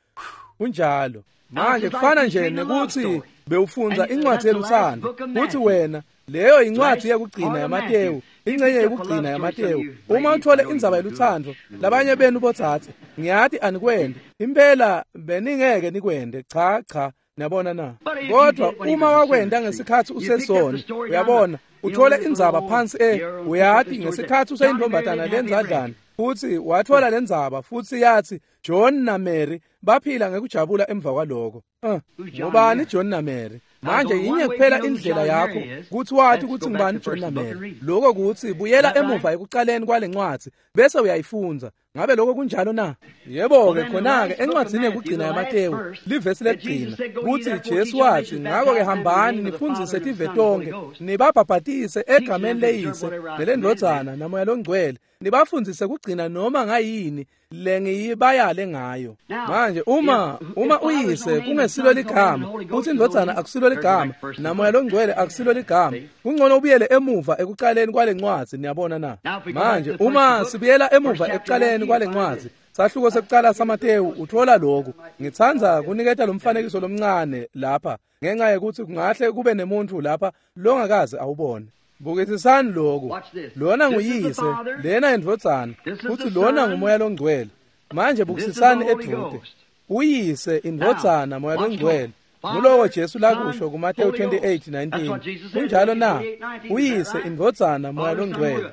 Kunjalo. Manje kufana nje nekuthi bewufundza incwadi yeluthando, kuthi wena leyo incwadi yekugcina yaMateyu, ingcenye yekugcina yaMateyu. Uma uthole indzaba yeluthando, labanye benu botsatse, ngiyati anikwende, impela beningeke nikwende. Cha cha, niyabona na? Kodwa uma wakwenda ngesikhathi usesona, uyabona, uthole indzaba phansi e uyati ngesikhathi useyintombatana lenzadlana. Futhi wathola lendzaba futhi yathi John na Mary baphila ngekujabula emva kwaloko. Uh, ngubani John na Mary? Manje yinye kuphela indlela yakho kuthi wathi ukuthi ngubani John na Mary. Lokho kuthi buyela emuva ekuqaleni kwalencwadi bese uyayifundza. Ngabe lokho kunjalo na? Yebo ke, khona ke encwadini yekugcina yaMateyu, livesi lekugcina, kuthi Jesu wathi, "Ngakho ke hambani nifundzise tive tonke, nibabhabhatise egameni leyise nelendvodzana namoya longcwele, nibafundzise kugcina noma ngayini lengiyibayale ngayo." Manje uma uma uyise kungesilo ligama, uthi indvodzana akusilo ligama, namoya longcwele akusilo ligama, kungcono ubuyele emuva ekuqaleni kwalencwadzi. Niyabona na? Manje uma sibuyela emuva ekuqaleni kwalencwadzi, sahluko sekuqala saMateyu, uthola lokhu. Ngitsandza kuniketa lo mfanekiso lomncane lapha ngenxa yokuthi kungahle kube nemuntu lapha longakaze awubone. Bukisisani lokhu. Lona nguyise, lena indvodzana, futhi lona ngumoya longcwele. Manje bukisisani edude. Uyise, indvodzana, moya longcwele. Nguloko Jesu lakusho kuMateyu twenty-eight nineteen. Kunjalo na? Uyise, indvodzana, moya longcwele.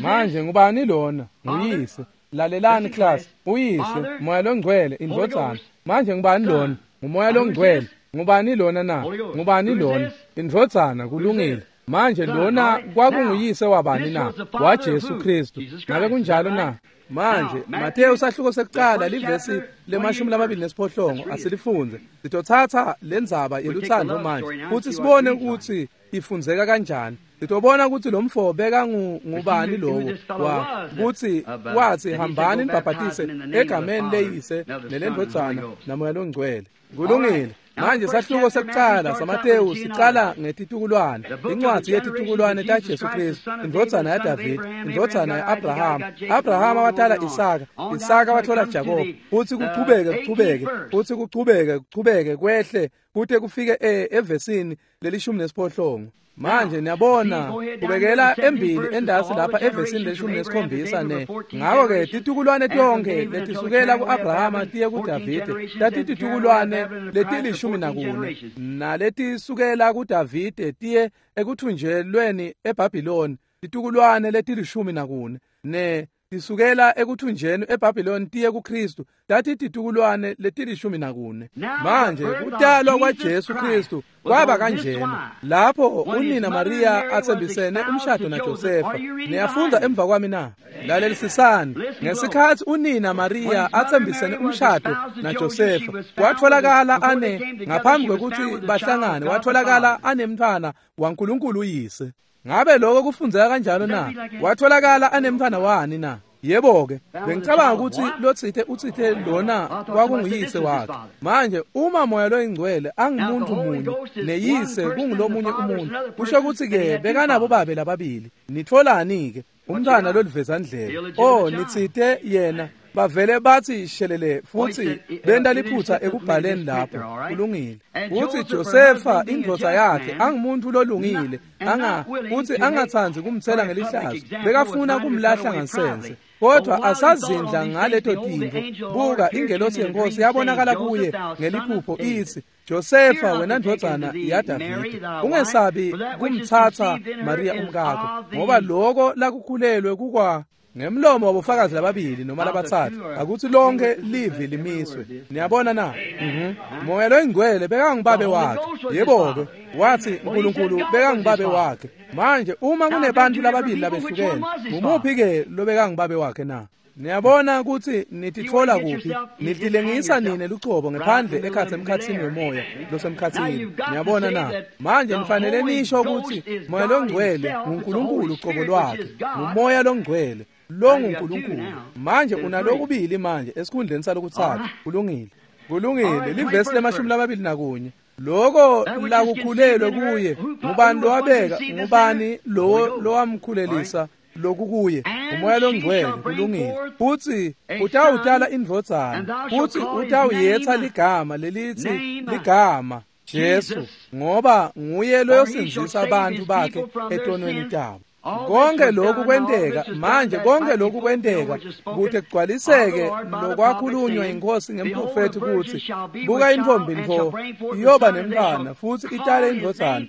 Manje ngubani lona? Nguyise. Lalelani class. Uyise, moya longcwele, indvodzana. Manje ngubani lona? Ngumoya longcwele. Ngubani lona na? Ngubani lona? Indvodzana. Kulungile. Manje lona kwakunguyise wabani na? WaJesu Kristu. Ngabe kunjalo na? Manje Mateyu sahluko sekucala livesi lemashumi lamabili nesiphohlongo asilifunze. Sitothatha lendzaba yeluthando manje futhi sibone ukuthi ifundzeka kanjani. Sitobona ukuthi lo mfo beka ngubani lowo wa kuthi wathi hambani nibhabhatise egameni leyise nelendvodzana naMoya loNgcwele. Kulungile. Manje sahluko sekucala saMateyu sicala ngetitukulwane, incwadi yetitukulwane taJesu Kristu, indvodzana yaDavid, indvodzana yaAbraham. Abraham watala Isaka, Isaka wathola Jakob. Futhi kuchubeke kuchubeke, futhi kuchubeke kuchubeke kwehle kute kufike evesini lelishumi nesiphohlongo. Manje niyabona kubekela embili endasi lapha evesini lelishumi nesikhombisa ne. Ngakho-ke titukulwane tonke letisukela ku-Abrahama tiye kuDavide tatititukulwane letilishumi nakune, naletisukela kuDavide tiye ekuthunjelweni eBhabhiloni titukulwane letilishumi nakune, ne tisukela ekuthunjeni eBhabhiloni tiye kuKristu tatititukulwane letilishumi nakune. Manje kutalwa kwaJesu Kristu kwaba kanjena lapho unina Maria athembisene umshado naJosefa. Niyafunda emva kwami na? Lalelisisani. Ngesikhathi unina Maria athembisene umshado naJosefa, watholakala ane ngaphambi kwekuthi bahlangane, watholakala anemntwana waNkulunkulu uyise. Ngabe lokho kufundzeka kanjalo na? Watholakala anemntwana wani na? Yebo-ke, bengicabanga ukuthi lotsite utsite lona kwakunguyise wakhe. Manje uma Moya loyiNgcwele angumuntu munye neyise kungulomunye umuntu, kusho ukuthi-ke bekanabo babe lababili. Nitholani-ke umntwana lolivezandlebe? Oh, nitsite yena bavele bathi shelele futhi benta liphutha ekubhaleni lapho. Kulungile. Uthi Josefa indvodza yakhe angumuntu lolungile, anga uthi angathandi kumthela ngelihlazo, bekafuna kumlahla ngansense. Kodwa asazindla ngaleto tintfo, buka ingelosi yenkosi yabonakala kuye ngeliphupho ithi, Josefa wena ndvodzana yaDavide, ungesabi kumtsatsa Maria umkakho, ngoba loko lakukhulelwe kukwa ngemlomo wabofakazi lababili noma labatsatfu, akuthi lonke livi limiswe. Niyabona na? Mhm. Moya loyiNgcwele bekangubabe wakhe. Yebo-ke, wathi uNkulunkulu bekangubabe wakhe. Manje uma kunebantu lababili labehlukene, ngumuphi-ke lobekangubabe wakhe na? Niyabona ukuthi nititfola kuphi? Nitilengisa nine lucobo ngephandle ekhatsi emkhatsini wemoya losemkhatsini. Niyabona na? Manje nifanele nisho ukuthi Moya loNgcwele nguNkulunkulu ucobo lwakhe, nguMoya loNgcwele lo nguNkulunkulu. Manje unalokubili manje esikhundleni salokutsatfu. Kulungile. Kulungile. Livesi lemashumi lamabili nakunye. Loko lakukhulelwe kuye ngubani lowabeka, ngubani lo lowamkhulelisa lokukuye? uMoya loNgcwele. Kulungile. Futhi utawutala indvodzana, futhi utawuyetsa ligama lelithi ligama Jesu, ngoba nguye loyosindzisa abantu bakhe etonweni tabo. Konke lokhu kwenteka manje, konke lokhu kwenteka kute kugcwaliseke lokwakhulunywa inkosi ngemprofethi kuthi, buka intfombi ntfo iyoba nemntfwana futhi itale indvodzana,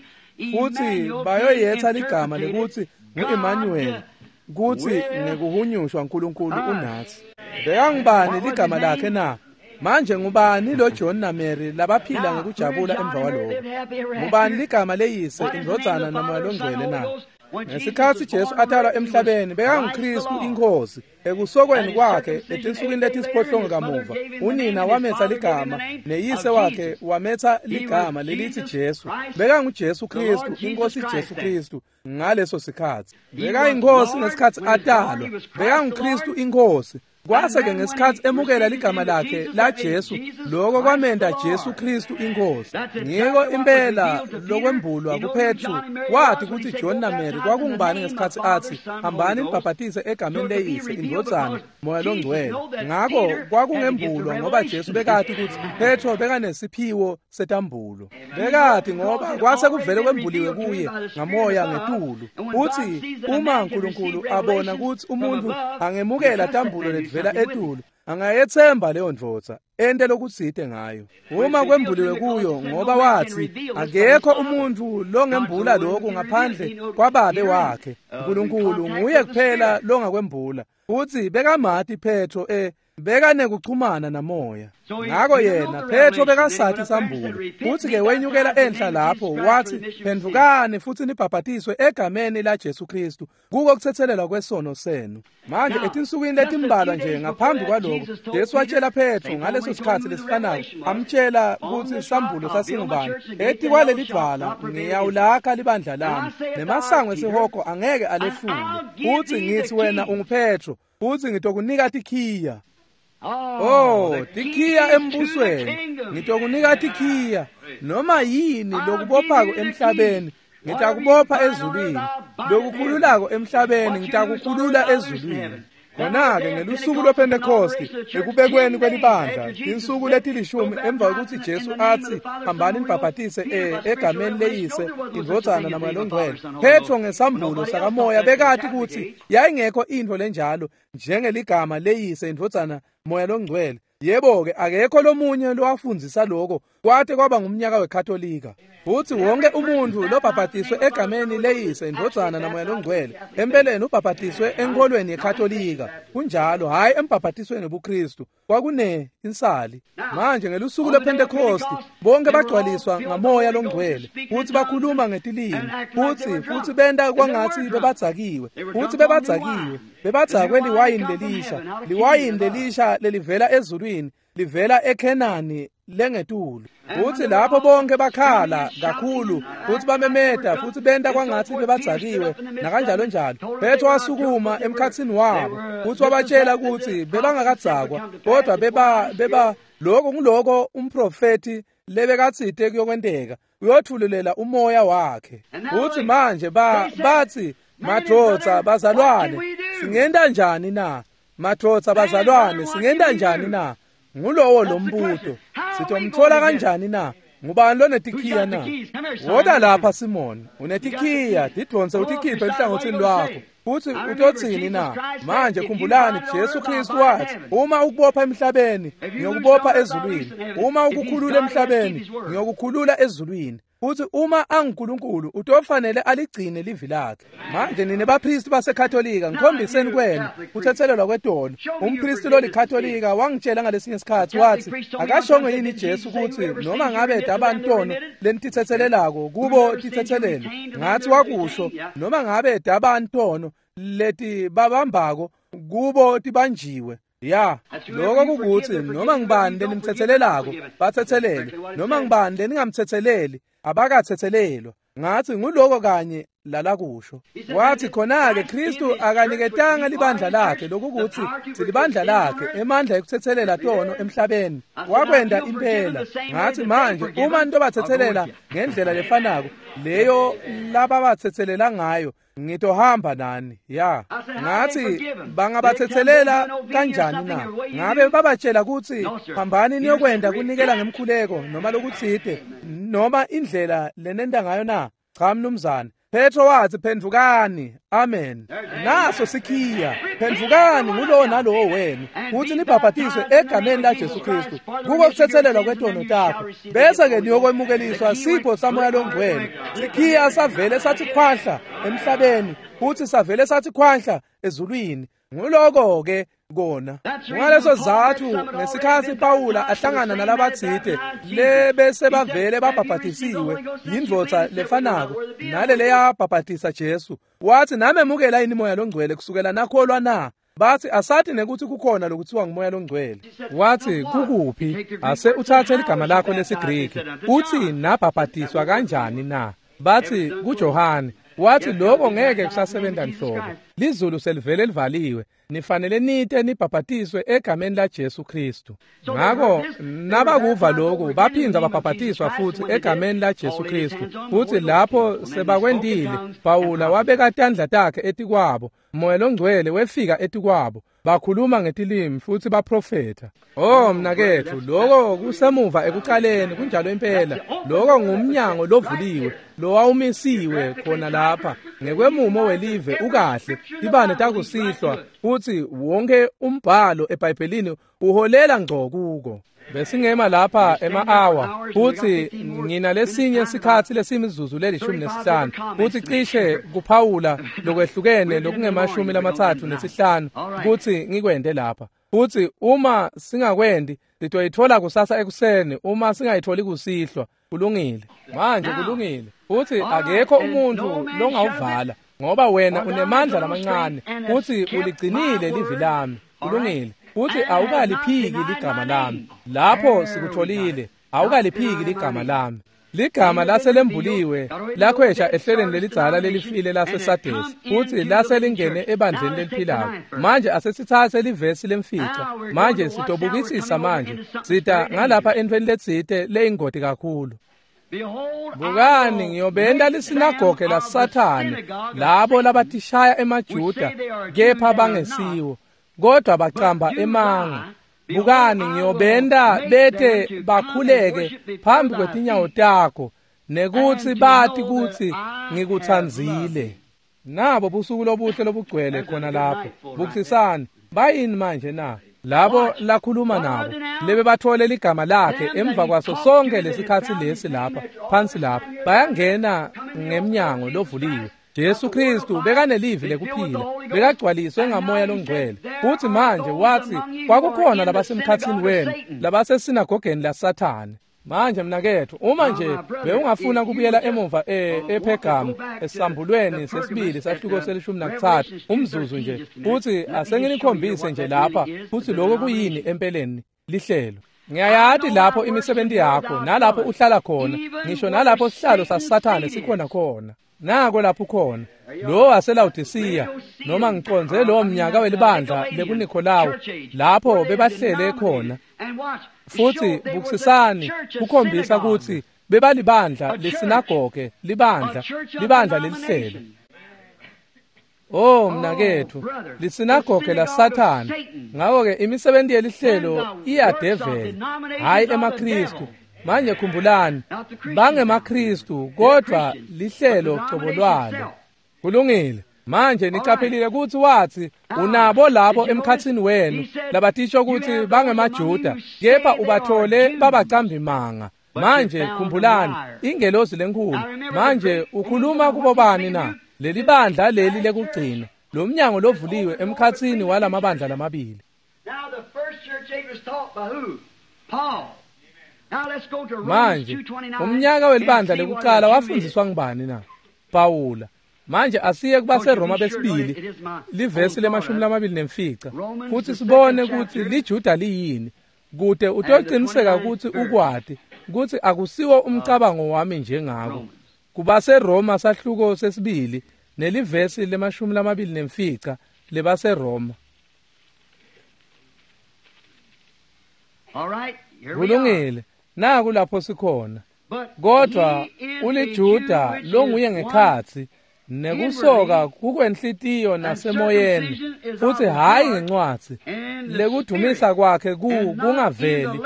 futhi bayoyetsa ligama lekuthi ngu-Emmanuel, kuthi ngekuhunyushwa uNkulunkulu unathi. Bekangubani ligama lakhe na? Manje ngubani lo John na Mary labaphila ngekujabula emva kwaloko? Ngubani ligama leyise, indvodzana naMoya loNgcwele na? Ngesikhatsi Jesu atalwa emhlabeni bekanguKristu inkosi. Ekusokweni kwakhe etinsukwini letisiphohlongo kamuva, unina wametsa ligama neyise wakhe wametsa ligama lelithi Jesu. BekanguJesu Kristu, inkosi Jesu Kristu ngaleso sikhatsi. Bekayinkosi ngesikhatsi atalwa, bekanguKristu inkosi. Kwase-ke ngesikhatsi emukela ligama lakhe la Jesu, loko kwamenta Jesu Kristu inkosi. Ngiko impela lokwembulwa kuPetru, wathi kutsi John na Mary kwakungubani ngesikhatsi atsi, hambani nibhabhatise egameni leyise, indvodzana, Moya loNgcwele. Ngako kwakungembulwa ngoba Jesu bekati kutsi Petro bekanesiphiwo setambulo. Bekati ngoba kwase kuvele kwembuliwe kuye ngamoya ngetulu. Uthi uma uNkulunkulu abona kutsi umuntu angemukela tambulo letivela etulu, angayethemba leyo ndvodza ente lokutsite ngayo. Uma kwembuliwe kuyo, ngoba wathi akekho umuntu longembula lokhu ngaphandle kwababe wakhe. uNkulunkulu nguye kuphela longakwembula. Uthi bekamati Petro eh Bekanekuchumana namoya. Ngako yena Petro bekasathi sambulo. Futhi-ke wenyukela enhla lapho wathi, phendvukani futhi nibhabhatiswe egameni laJesu Kristu kuko kuthethelelwa kwesono senu. Manje etinsukwini letimbalwa nje ngaphambi kwaloko, Jesu watshela Petro ngaleso sikhathi lesifanayo, amtshela kutsi sambulo sasingubani. Etikwaleli dvwala ngiyawulakha libandla lami, nemasango esihogo angeke alehlule. Futhi ngithi wena unguPetro, futhi ngitokunika tikhiya. Oh, tikhiya embusweni. Ngitokunika tikhiya. Noma yini lokubophako emhlabeni, ngitakubopha ezulwini. Lokukhululako emhlabeni, ngitakukhulula ezulwini. Khona-ke ngelusuku lwePhentekosti, ekubekweni kwelibandla, tinsuku letilishumi emva kwekutsi Jesu atsi, hambani nibhabhatise egameni leYise, iNdvodzana naMoya loNgcwele. Petro ngesambulo sakamoya bekati kutsi yayingekho intfo lenjalo njengeligama leYise, iNdvodzana, Moya loNgcwele. Yebo-ke, akekho lomunye lowafundzisa loko kwate kwaba ngumnyaka weKatolika. Futsi wonke umuntfu lobhabhatiswe egameni leYise, iNdvodzana naMoya loNgcwele, empeleni ubhabhatiswe enkholweni yeKatolika. Kunjalo, hhayi embhabhatisweni webuKristu. Kwakune insali. Manje ngelusuku lwePhentekosti, bonke bagcwaliswa ngaMoya loNgcwele, futsi bakhuluma ngetilimi, futsi futsi benta kwangatsi bebadzakiwe, futsi bebadzakiwe, bebadzakwe liwayini lelisha, liwayini lelisha lelivela ezulwini, livela eKhenani lengetulu. Futsi lapho bonke bakhala kakhulu, futsi bamemeta, futsi benta kwangatsi bebadzakiwe nakanjalo njalo. Petro wasukuma emkhatsini wabo, futsi wabatshela kutsi bebangakadzakwa, kodwa beba beba lokho nguloko umprofeti lebekatsite kuyokwenteka, uyotfululela umoya wakhe. Futsi manje ba batsi, madvodza bazalwane, singenta njani na? Madvodza bazalwane, singenta njani na? Ngulowo lombuto. Sitomthola kanjani na? Ngubani lonetikhiya na? Woda lapha Simon, unetikhiya, tidvonse utikhiphe enhlangothini lwakho. Futhi utotsini na? Manje khumbulani, Jesu Kristu wathi, uma ukubopha emhlabeni, ngiyokubopha ezulwini. Uma ukukhulula emhlabeni, ngiyokukhulula ezulwini. Futhi uma anguNkulunkulu, utofanele aligcine livi lakhe. Manje nine bapristi baseKatolika, ngikhombiseni kwenu kuthethelelwa kwetono. Umpristi lolikatolika wangitshela ngalesinye isikhathi wathi, akashongo yini Jesu kutsi noma ngabe dabantono lenitithethelelako kubo tithethelele. Ngathi wakusho, noma ngabe dabantono leti babambako kubo tibanjiwe. Ya, lokho kukuthi noma ngibani lenimthethelelako bathethelele, noma ngibani leningamthetheleli abakathethelelwa. Ngathi nguloko kanye lalakusho. Wathi khona-ke Kristu akaniketanga libandla lakhe, lokukuthi silibandla lakhe emandla ekuthethelela tono emhlabeni. Wakwenda impela. Ngathi manje uma nitobathethelela ngendlela lefanako leyo lababathethelela ngayo, ngitohamba nani. Ya, ngathi bangabathethelela kanjani na? Ngabe babatshela kutsi hambani niyokwenda kunikela ngemkhuleko noma lokutsite noma indlela lenenta ngayo na? Cha mnumzane. Petro wathi, phendvukani. Amen. Naso sikhiya. Phendvukani ngulowo nalowo wenu, futhi nibhabhatiswe egameni laJesu Kristu kuko kuthethelelwa kwetono takho, bese-ke niyokwemukeliswa sipho saMoya loNgcwele. Sikhiya savele sathi khwahla emhlabeni, futhi savele sathi khwahla ezulwini. Nguloko-ke kona. Ngaleso sizatfu ngesikhatsi Pawula ahlangana nalabatsite lebese bavele babhabhatisiwe yindvodza lefanako nale leyabhabhatisa Jesu, wathi, namemukela yini Moya loNgcwele kusukela nakholwa na? Bathi asathi nekuthi kukhona lokutsiwa nguMoya loNgcwele. Wathi kukuphi? Ase uthathe ligama lakho lesiGriki, uthi nabhabhatiswa kanjani na? Bathi kuJohane. Wathi lokho ngeke kusasebenza nhlobo. Lizulu selivele livaliwe. Nifanele nite nibhabhatiswe egameni laJesu Kristu. Ngako nabakuva lokhu baphinza babhabhatiswa futhi egameni laJesu Kristu. Futhi lapho sebakwendile, Pawula wabeka tandla takhe etikwabo. Moya loNgcwele wefika etikwabo. Bakhuluma ngetilimi futhi baprofetha. Oh mnaketfu, lokho kusemuva ekuqaleni, kunjalo impela. Lokho ngumnyango lovuliwe, lowawumisiwe khona lapha ngekwemumo welive ukahle. Tibane takusihlwa futhi wonke umbhalo eBhayibhelini uholela ngco kuko. Besingema lapha ema-hour futhi nginalesinye sikhatsi lesimizuzu lelishumi nesihlanu futhi cishe kuphawula lokwehlukene lokungemashumi lamatsatfu nesihlanu kutsi ngikwente lapha. Futsi uma singakwendi sitoyitfola kusasa ekuseni, uma singayitholi kusihlwa. Kulungile. Manje kulungile. Futsi akekho umuntfu longawuvala, ngoba wena unemandla lamancane futsi uligcinile livi lami. Kulungile. Futsi awukaliphiki ligama lami. Lapho sikutfolile, awukaliphiki ligama lami. Ligama laselembuliwe lakhwesha ehlelweni lelidzala lelifile laseSadesi, futsi laselingene ebandleni leliphilako. Manje asesitsatse livesi lemfica. Manje sitobukisisa manje. Sita ngalapha entweni letsite leyingoti kakhulu. Bukani, ngiyobenta lisinagoge laSathane, labo labatishaya emaJuda kepha bangesiwo, kodwa bacamba emanga. Bukani, ngiyobenta bete bakhuleke phambi kwetinyawo takho, nekutsi bati kutsi ngikutsandzile. Nabo busuku lobuhle lobugcwele khona lapho. Bukisisani, bayini manje na? Labo lakhuluma nabo lebe bathole ligama lakhe emva kwaso sonke lesikhatsi lesi lapha phansi lapha, bayangena ngemnyango lovuliwe. Jesu Kristu bekanelivi lekuphila, bekagcwaliswe ngamoya longcwele. Futsi manje watsi kwakukhona labasemkhatsini wenu labasesinagogeni laSathane. Manje mnaketfu, uma nje bewungafuna kubuyela emuva ePhergamu esambulweni sesibili sahluko selishumi nakutsatfu umzuzu nje, futsi asenginikhombise nje lapha futsi lokho kuyini empeleni lihlelo. Ngiyayati lapho imisebenti yakho nalapho uhlala khona, ngisho nalapho sihlalo saSathane sikhona khona. Nako lapho khona lo waseLawodisiya, noma ngicondze lo mnyaka welibandla lekuNikolawu, lapho bebahlele khona. Futsi bukisisani, kukhombisa kutsi bebalibandla lesinagoge, libandla libandla lelihlelo. Oh mnaketfu, lisinagoge laSathane. Ngakho-ke imisebenzi yelihlelo iyadeveli, hhayi emaKhristu. Manje khumbulani, bangemaKhristu kodwa lihlelo cobo lwalo. Kulungile. Manje niqaphelile kutsi watsi unabo labo emkhatsini wenu labatisho kutsi bangemaJuda, kepha ubathole babacambi manga. Manje khumbulani, ingelosi lenkhulu. Manje ukhuluma kubobani na? Leli bandla leli lekugcina, lo mnyango lovuliwe emkhatsini walamabandla lamabili. Now the first church age was taught by who? Paul. Manje umnyaka welibandla lekucala wafundziswa ngubani na? Pawula. Manje asiye kubaseRoma besibili livesi lemashumi lamabili nemfica, futsi sibone kutsi liJuda liyini, kute utociniseka kutsi ukwati kutsi akusiwo umcabango wami njengako. KubaseRoma sahluko sesibili nelivesi lemashumi lamabili nemfica lebaseRoma. Kulungile. Naku lapho sikhona. Kodwa uliJuda longuye ngekhatsi, nekusoka kukwenhlitiyo nasemoyeni, futsi hhayi ngencwadzi. Lekudumisa kwakhe ku kungaveli,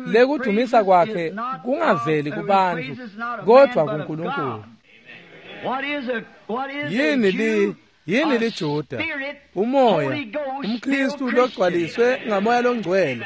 lekudumisa kwakhe kungaveli kubantfu, kodwa kuNkulunkulu. Yini li yini liJuda? Umoya, umKhristu logcwaliswe ngamoya longcwele.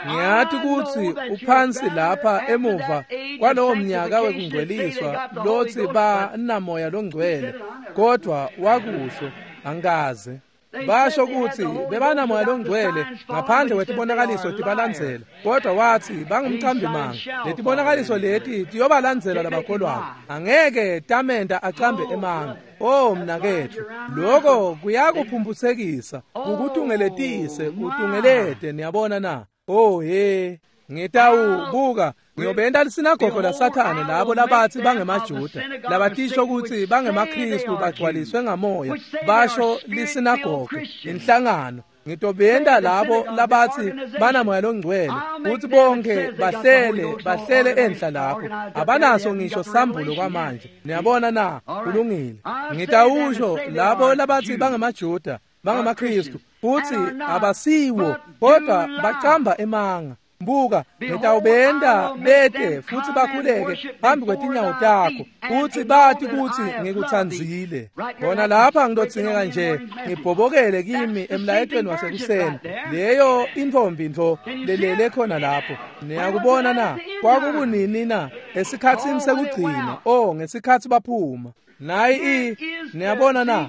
Ngiyati kutsi uphansi lapha emuva kwalowo mnyaka wekungcweliswa lotsi banamoya longcwele, kodwa wakusho angikaze. Basho kutsi bebanamoya longcwele ngaphandle kwetibonakaliso tibalandzela, kodwa watsi bangumcambi manga. Letibonakaliso leti tiyobalandzela labakholwako, angeke tamenta acambe emanga. Oh mnaketfu, lokho kuyakuphumphutsekisa, kukutungeletise, utungelete. Niyabona na? Oh he, ngitawubuka ngiyobenta lisinagogo laSathane labo labatsi bangemaJuda, labatisho kutsi bangemaKhristu bagcwaliswe ngamoya, basho lisinagogo, inhlangano. Ngitobenta labo labatsi banamoya longcwele, kutsi bonke bahlele bahlele enhla lapho, abanaso ngisho sambulo kwamanje. Niyabona na? Kulungile. Ngitawusho labo labatsi bangemaJuda, bangemaKhristu, futsi abasiwo, kodwa bacamba emanga. Mbuka, ngitawubenta bete futsi bakhuleke phambi kwetinyawo takho, futsi bati kutsi ngikutsandzile. Khona lapha ngitodzingeka nje ngibhobokele kimi emlayetweni wasekuseni, leyo intfombi ntfo lelele khona lapho. Niyakubona na? Kwakukunini na? Esikhatsini sekugcina. Oh, ngesikhatsi baphuma. Nayi i, niyabona na?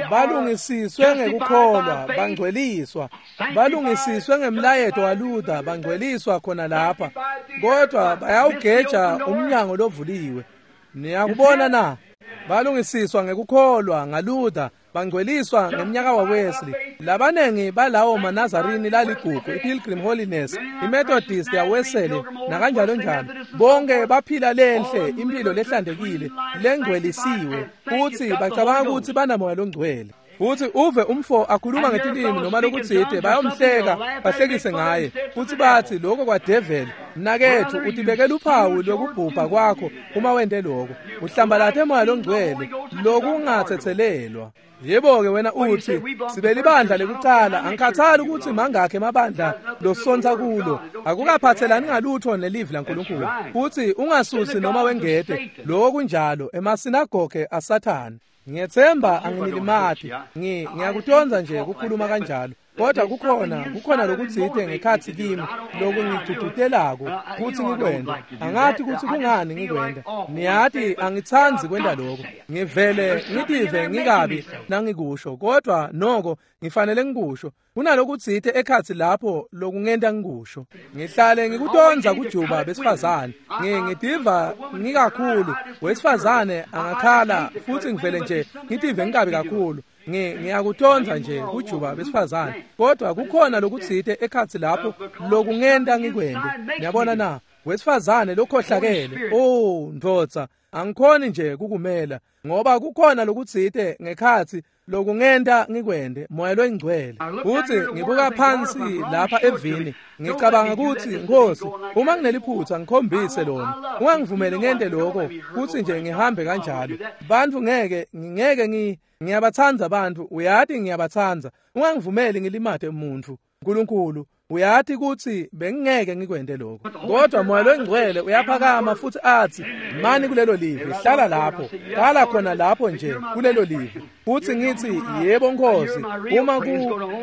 Balungisiswe ngekukholwa, bangcweliswa. Balungisiswe ngemlayeto waLuther, bangcweliswa khona lapha. Kodwa bayawugeja umnyango lovuliwe. Niyakubona na? Balungisiswa ngekukholwa ngaLuther, bangcweliswa ngemnyaka waWesley. Labanengi balawo maNazarini laligugu, iPilgrim Holiness, iMethodist yaWesley nakanjalo njalo. Bonke baphila lenhle impilo lehlantekile, lengcwelisiwe, futhi bacabanga ukuthi banamoya longcwele. Futhi uve umfo akhuluma ngetilimi noma lokutsite, bayomhleka bahlekise ngaye, futhi bathi lokho kwadeveli. Mnakethu, utibekela uphawu lokubhubha kwakho uma wente lokho. Uhlambalathe moya longcwele lokungathethelelwa. Yebo-ke wena uthi sibe libandla lekucala, angikhathali ukuthi mangakhe emabandla losontsa kulo, akukaphathelani ngalutho nelivi laNkulunkulu. Futhi ungasusi noma wengete lokho kunjalo emasinagoge aSathane. Ngiyethemba anginilimati, ngi ngiyakutonza nje ukukhuluma kanjalo, kodwa kukhona kukhona lokutsite ngekhathi kimi lokungigcugcutelako kutsi ngikwente. Angathi kutsi kungani ngikwenta. Niyati angitsandzi kwenta lokho. Ngivele ngitive ngikabi nangikusho, kodwa noko ngifanele ngikusho. Kunalokutsite ekhatsi lapho lokungenta ngikusho. Ngihlale ngikutonza kujuba besifazane. Ngitiva ngikakhulu wesifazane angakhala futhi ngivele nje ngitive ngikabi kakhulu. Ngiyakutonza nje kujuba besifazane, kodwa kukhona lokutsite ekhatsi lapho lokungenta ngikwente. Niyabona na? Wesifazane lokhohlakele, oh ndvodza, angikhoni nje kukumela ngoba kukhona lokutsite ngekhatsi lokungenta ngikwente, moya loyingcwele. Futhi ngibuka phansi lapha evini, ngicabanga ukuthi Nkosi, uma ngineliphutha ngikhombise lona, ungangivumeli ngente lokho kuthi nje ngihambe kanjalo. Bantu ngeke ngeke ngi ngiyabatsandza abantu, uyati ngiyabatsandza. Ungangivumeli ngilimate umuntu. Nkulunkulu, uyati ukuthi bengingeke ngikwente lokho. Kodwa moya longcwele uyaphakama futhi athi, mani kulelo livi, hlala lapho, hlala khona lapho nje kulelo livi. Futhi ngithi, yebo Nkosi, uma ku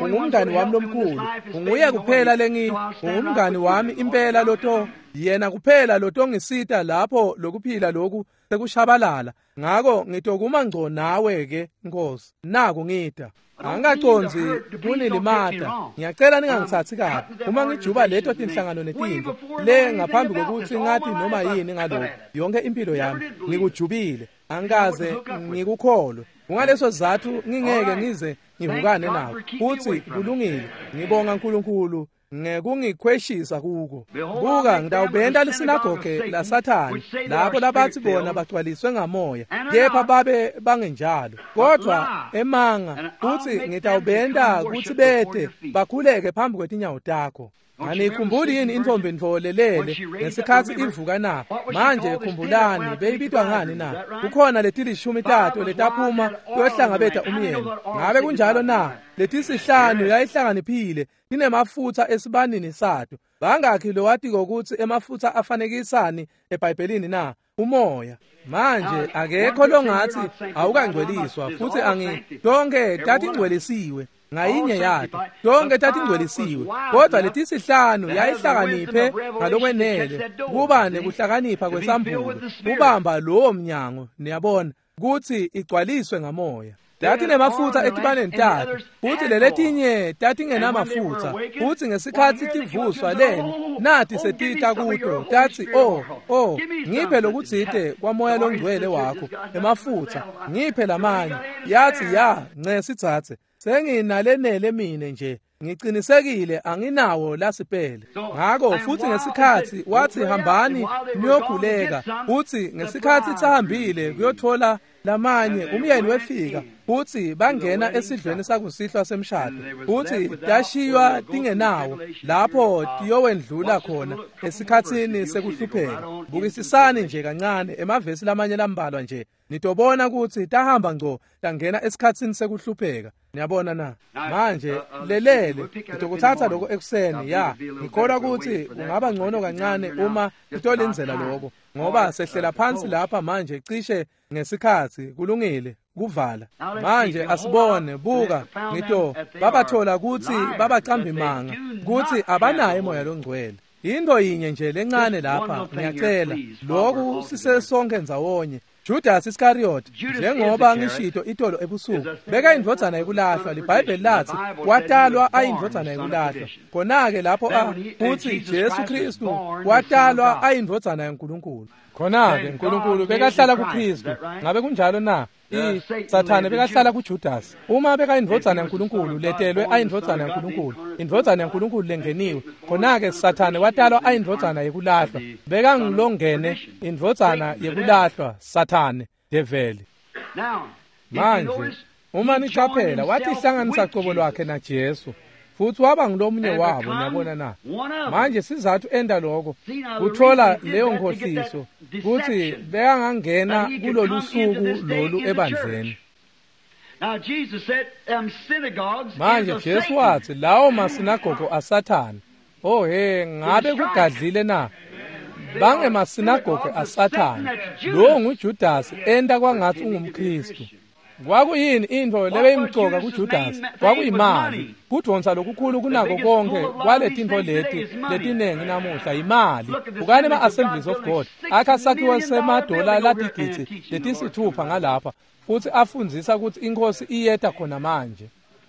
ungumngani wami lomkhulu, unguye kuphela lengi, ungumngani wami impela loto, yena kuphela lotongisita lapho lokuphila lokhu sekushabalala. Ngako ngitokuma ngco nawe ke Nkosi. Naku ngida. Angikaconzi kunilimata. Ngiyacela ningangithathi kabi. Uma ngijuba leto tinhlangano netintfo le ngaphambi kokuthi ngathi noma yini ngalokho, yonke impilo yami ngikujubile, angikaze ngikukholwe. Kungaleso sizathu ngingeke ngize ngivukane nawo. Futhi kulungile. Ngibonga uNkulunkulu ngekungikhweshisa kuko. Buka, ngitawubenta lisinagoge laSathane lapho labathi bona bagcwaliswe ngamoya, kepha babe bangenjalo, kodwa emanga. Futhi ngitawubenta kutsi bete bakhuleke phambi kwetinyawo takho. Anikhumbuli yini intombi ntfolelele ngesikhatsi ivuka na? Manje khumbulani, beyibitwa ngani na? Kukhona letilishumi tato letaphuma kuyohlangabeta umyeni. Ngabe kunjalo na? Letisihlanu yayihlakaniphile, tinemafutsa esibanini sato. Bangakhi lowatiko kutsi emafutsa afanekisani eBhayibhelini na? Umoya. Manje akekho longathi awukangcweliswa, futhi angi tonke tatingcwelisiwe ngayinye yato, tonke tatingcwelisiwe, kodwa letisihlanu yayihlakaniphe ngalokwenele kuba nekuhlakanipha kwesambulo kubamba lowo mnyango, niyabona, kutsi igcwaliswe ngamoya. Tatinemafutsa etibaneni tato, futhi leletinye tatingenamafutsa. Futhi ngesikhatsi tivuswa leni, nathi setita kuto, tatsi, oh, oh, ngiphe lokutsite kwamoya longcwele wakho, emafutsa, ngiphe lamanye. Yathi, ya, nce sitsatse, senginalenele mine nje, ngicinisekile anginawo lasipele. Ngako futhi ngesikhatsi wathi hambani niyokhuleka, futhi ngesikhatsi sahambile kuyothola lamanye, umyeni wefika, futhi bangena esidlweni sakusihlwa semshado, futhi tashiywa tingenawo lapho tiyowendlula khona esikhatsini sekuhlupheka. Bukisisani nje kancane emavesi lamanye lambalwa nje, nitobona kutsi tahamba ngco tangena esikhatsini sekuhlupheka. Niyabona na? Manje lelele ngitokuthatha lokho ekuseni. Ya, ngikholwa kutsi kungaba ngcono kancane uma sitolindzela lokho, ngoba sehlela phansi lapha manje cishe ngesikhatsi. Kulungile kuvala manje. Asibone, buka, ngito babathola kutsi babacambi manga, kutsi abanaye moya longcwele. Into yinye nje lencane lapha ngiyacela lokhu sisesonke ndzawonye. Judas Iscariot njengoba ngishito itolo ebusuku beka indvodzana yekulahlwa. LiBhayibheli lathi watalwa ayindvodzana yekulahlwa. Khona-ke lapho futhi Jesu Kristu watalwa ayindvodzana yaNkulunkulu. Khona-ke uNkulunkulu bekahlala kuKristu. Ngabe kunjalo na? Sathane bekahlala kuJudas. Uma bekayindvodzana yaNkulunkulu letelwe ayindvodzana yaNkulunkulu, indvodzana yaNkulunkulu lengeniwe, khona-ke Sathane watalwa ayindvodzana yekulahlwa. Bekangilongene indvodzana yekulahlwa, Sathane, develi. Manje uma nicaphela watihlanganisa cobo lwakhe naJesu futhi waba ngulomunye wabo. Niyabona na? Manje sizathu enda lokho kuthola leyo nkhohliso kutsi bekangangena kulolu suku lolu ebandleni. Manje Jesu wathi lawo masinagogo aSathane. Oh he, ngabe kugadlile na? Bangemasinagogo aSathane. Lo nguJudas enda kwangathi ungumKristu. Kwakuyini intfo lebeyimcoka kuJudas? Kwakuyimali. Kudvonsa lokukhulu kunako konke kwaletintfo leti letinengi namuhla imali. Bukani ema-Assemblies of God akha sakhiwo semadola latigidzi letisithupha ngalapha futsi afundzisa kutsi iNkhosi iyeta khona manje.